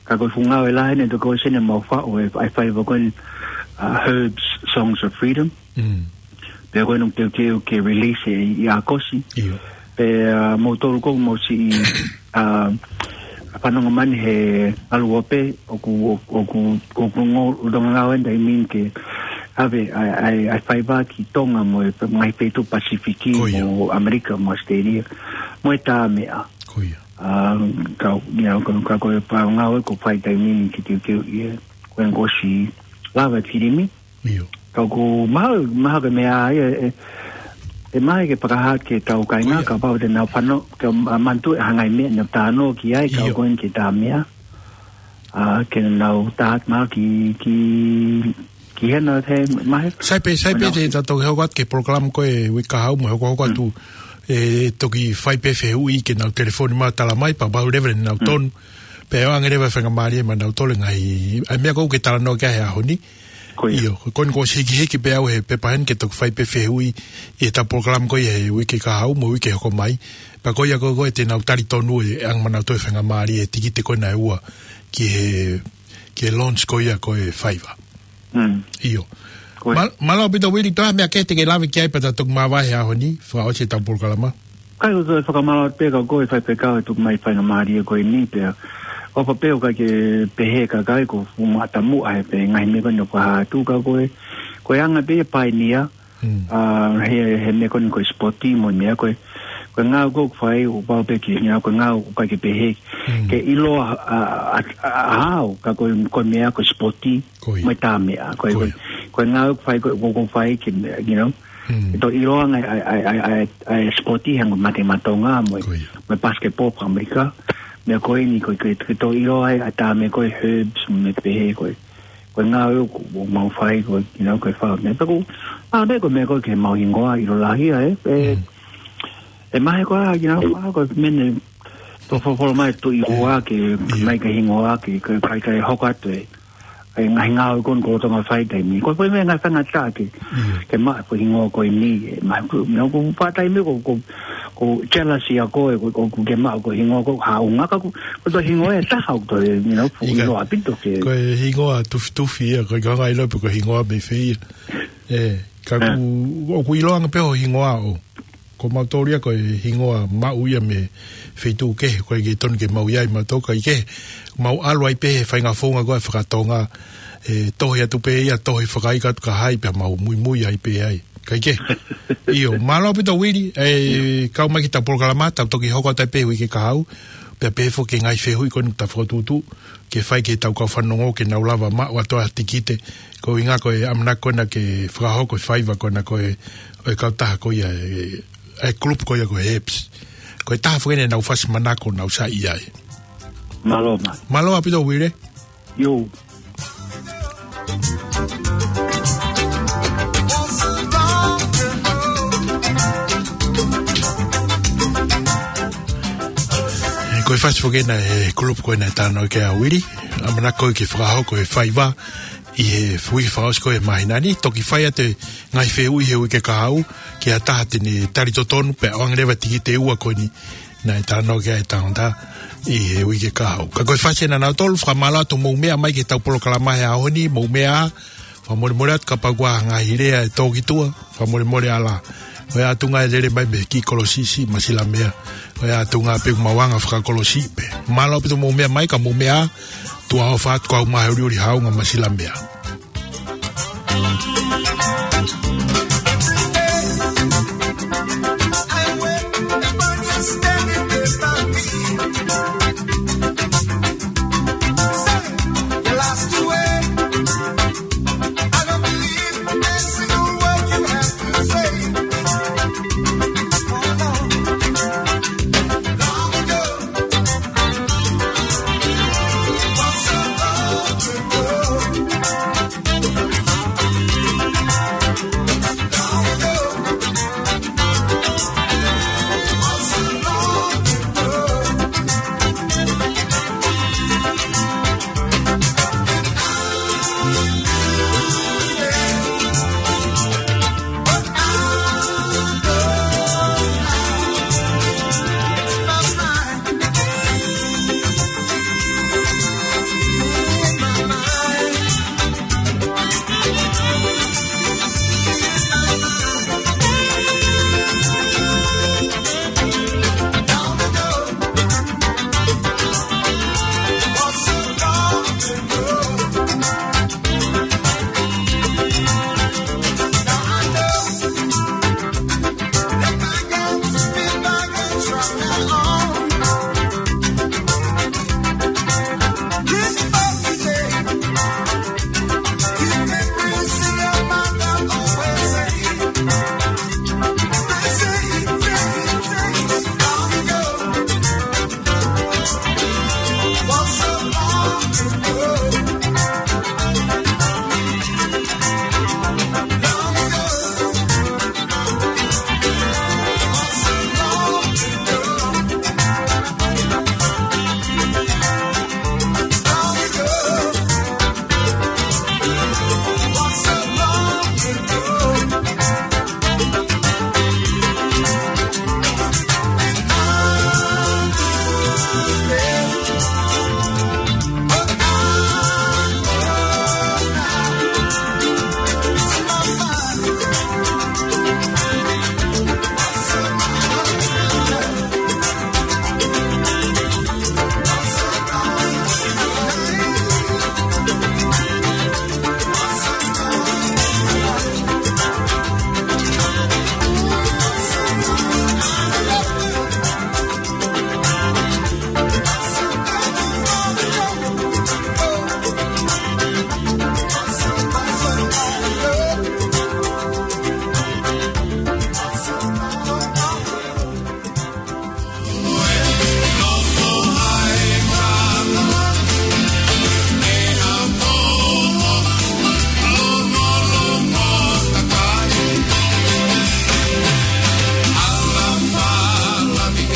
Ka ko e fuʻu ngāue lahi ʻeni ʻoku ou sio ʻeni mau faʻu e, e faiva ko eni, ʻa, Herb's Songs of Freedom. Mm. Pea ko eni ʻoku teuteu ke release ʻi, ʻi ʻAokosi. ʻIo. Pea, ʻa, moutolu ko ē mou siʻi, ʻa, fanongo mai he ʻalu ʻo pē, ʻoku, ʻoku, ʻoku ngāue, ʻoku ngāue ʻeni taimi ni ke ʻave ʻa e, ʻa e, ʻa e faiva ki Tonga mo e ngaahi feituʻu Pasifiki, ko ia, mo ʻAmelika, mo Australia, mo e Tāmeʻa. Ko ia. ʻA, ka, you know, ka, ka ko e pā ngāue ʻoku fai taimi ni ke teuteu ia, ko e ngosi lava e filimi. ʻIo. Ka ʻoku mahalo, mahalo ko e meʻa ia, ʻe, ʻe, ʻe mahe ke fakahā ki he kau kāinga, ʻio, kapau te nau fano, ke, ʻa, manatuʻi ha ngaahi meʻa naʻa nau talanoa ki ai, ka, ʻio, ʻoku ʻi ai ki he Tāmeʻa. ʻA, ke nau tā mahalo ki, ki, ki hena he mahe. Sai pē, sai pē, ʻa, te tau toki hoko atu ki he polokalama ko e uike kahaʻu mo e hokohoko atu, mm, ʻe toki fai pē fehuʻi ke nau telefoni mai ʻo tala mai, pea mahalo leva naʻa nau, mm, tonu. Pea ʻoange leva e faingamālie maʻanautolu e ngaahi, ʻa e meʻa ko ē ʻoku ke talanoa ki ai he ʻaho ni. Ko ia. ʻIo, ko eni kuo ʻosi hikihiki pē au he pepa heni ke toki fai pē fehuʻi ʻi heʻetau polokalama ko ia he uike kahaʻu mo e uike hoko mai. Pea ko ia ko ē, ko ē te nau talitonu e ʻoange maʻanautolu e faingamālie e tikite ko ena ʻe ua ki he, ki he launch ko ia ko e faiva. Mm. ʻIo. Ko ia. Māl-, mālō ʻaupito Uili, toe ha meʻa kehe te ke lave ki ai pea ta toki māvae he ʻaho ni, fakaʻosi ʻetau polokalama. ʻIkai, ʻoku ou fakamālō atu pē kia koe Faifekau he tuku mai e faingamālie ko eni pea. ʻOfa pē ʻoku ʻikai ke pehē ʻe he kakai kuo fuʻu matamuʻa he pē ngaahi meʻa ko eni ʻoku fakahā atu kia koe. Ko e anga pē ia e paenia, mm, ʻa, he, he meʻa ko eni ko e sipoti mo e meʻa ko ē. Ko e ngāue ʻoku fai ʻoku pau pē ke, you know, ko e ngāue ʻoku ʻikai ke pehē. Mm. Ke ʻiloa, ʻa, ʻa, ʻa, ʻa, au, ka ko e, ko e meʻa ko e sipoti. Ko ia. Mo e Tāmeʻa. Ko e, ko ia, ko e, ko e ngāue ʻoku fai, ko e, ʻoku, ʻoku fai ke, you know, mm, ke toe ʻiloa ange ʻa e, ʻa e, ʻa e, ʻa e, ʻa e sipoti hangē ko e mate maʻa Tonga mo e, ko ia, mo e basketball faka-ʻAmelika. Meʻa ko eni ko e, ko e, ke toe ʻiloa ai ʻa e Tāmeʻa ko e Herbs mo e meʻa pehē ko e, ko e ngāue ʻoku, ʻoku mau fai ko e, you know, ko e fai meʻa. Pea ko, ʻa, meʻa ko e meʻa ko e ke mau hingoa ʻilo lahi ai, ē, ē, mm, ʻe mahe ko ā, you know, ʻa, ko e meʻa ne toe folofola mai Tuʻi Ua ke, ʻio, mai ke hingoa ke, ke, ke, ke hoko atu e, e ngaahi ngāue ko eni ʻoku lolotonga fai he taimi ni. Ko e foʻi meʻa ngaahi faingataʻa ke, ʻio, ke maʻu e foʻi hingoa ko eni, ʻe maʻu, you know, ko e faʻa taimi ko, ko, ko e jealous ia ko ē, ko, ko, ko e ke maʻu ko e hingoa ko e haʻunga ka ko, ko e toe hingoa ʻe taha ʻoku toe, you know, fuʻu, ʻikai, ʻilo ʻaupito ke. Ko e hingoa tufitufi ia, ʻikai ke u hanga ʻo ʻilo pe ko e hingoa mei fē ia. Ē, ka, ē, ʻoku, ʻoku ʻiloange pē hoʻo hingoa ʻo. Ko mautolu ia ko e hingoa maʻu ia mei he feituʻu kehe, ʻoku ʻikai ke tonu ke mau ʻi ai mautolu, kae kehe, mau ʻalu ai pē he faʻahinga founga ko ē faka-Tonga, ʻe tohi atu pē ia, tohi fakaika atu kia hai pea mau muimui ai pē ai. Kae kehe. ʻIo, mālō ʻaupito Uili, ʻe, ʻio, kau mai ki heʻetau polokalama, tau toki hoko atu ai pē he uike kahaʻu. Pea pehē foki ki he ngaahi fehuʻi ko eni ʻoku ta fokotuʻutuʻu ke fai ki heʻetau kau fanongo ke nau lava maʻu ʻa e tikite, ko e ʻuhinga ko e ʻamanaki ko ena ke fakahoko e faiva ko ena ko e, ʻo e kautaha ko ia e, e group ko ia ko e Heps. Ko e taha foki eni ʻenau fasi manako naʻa ku saiʻia ai. Mālō, mālō. Mālō ʻaupito Uile. ʻIo. Ē, ko e fasi foki ena e group ko ena ʻe talanoa ki ai ʻa Uile. ʻAmanaki ko ē ke fakahoko e faiva ʻi he uike fakaʻosi ko ē ʻo e māhina ni. Toki fai atu e ngaahi fehuʻi he uike kahaʻu ki ha taha te ne tali totonu pea ʻoange leva e tikite ʻe ua ko eni naʻe talanoa ki ai ʻa e tangata ʻi he uike kahaʻu. Ka ko e fasi ena ʻa nautolu, fakamālō atu hoʻomou meʻa mai ki heʻetau polokalama he ʻaho ni, mou meʻa ā, fakamolemole atu kapau ʻoku ʻi ai ha ngaahi lea ʻe tō ki tuʻa, fakamolemole ā. ʻOiauē, tuʻunga e lele mai mei he kiʻi kolosi siʻi Masilamea. ʻOiauē, tuʻunga pē ʻoku mau anga fakakolosi pē. Mālō ʻaupito hoʻomou meʻa mai, ka mou meʻa ā, tuʻa ʻofa atu, kau mai he uliuli haunga Masilamea.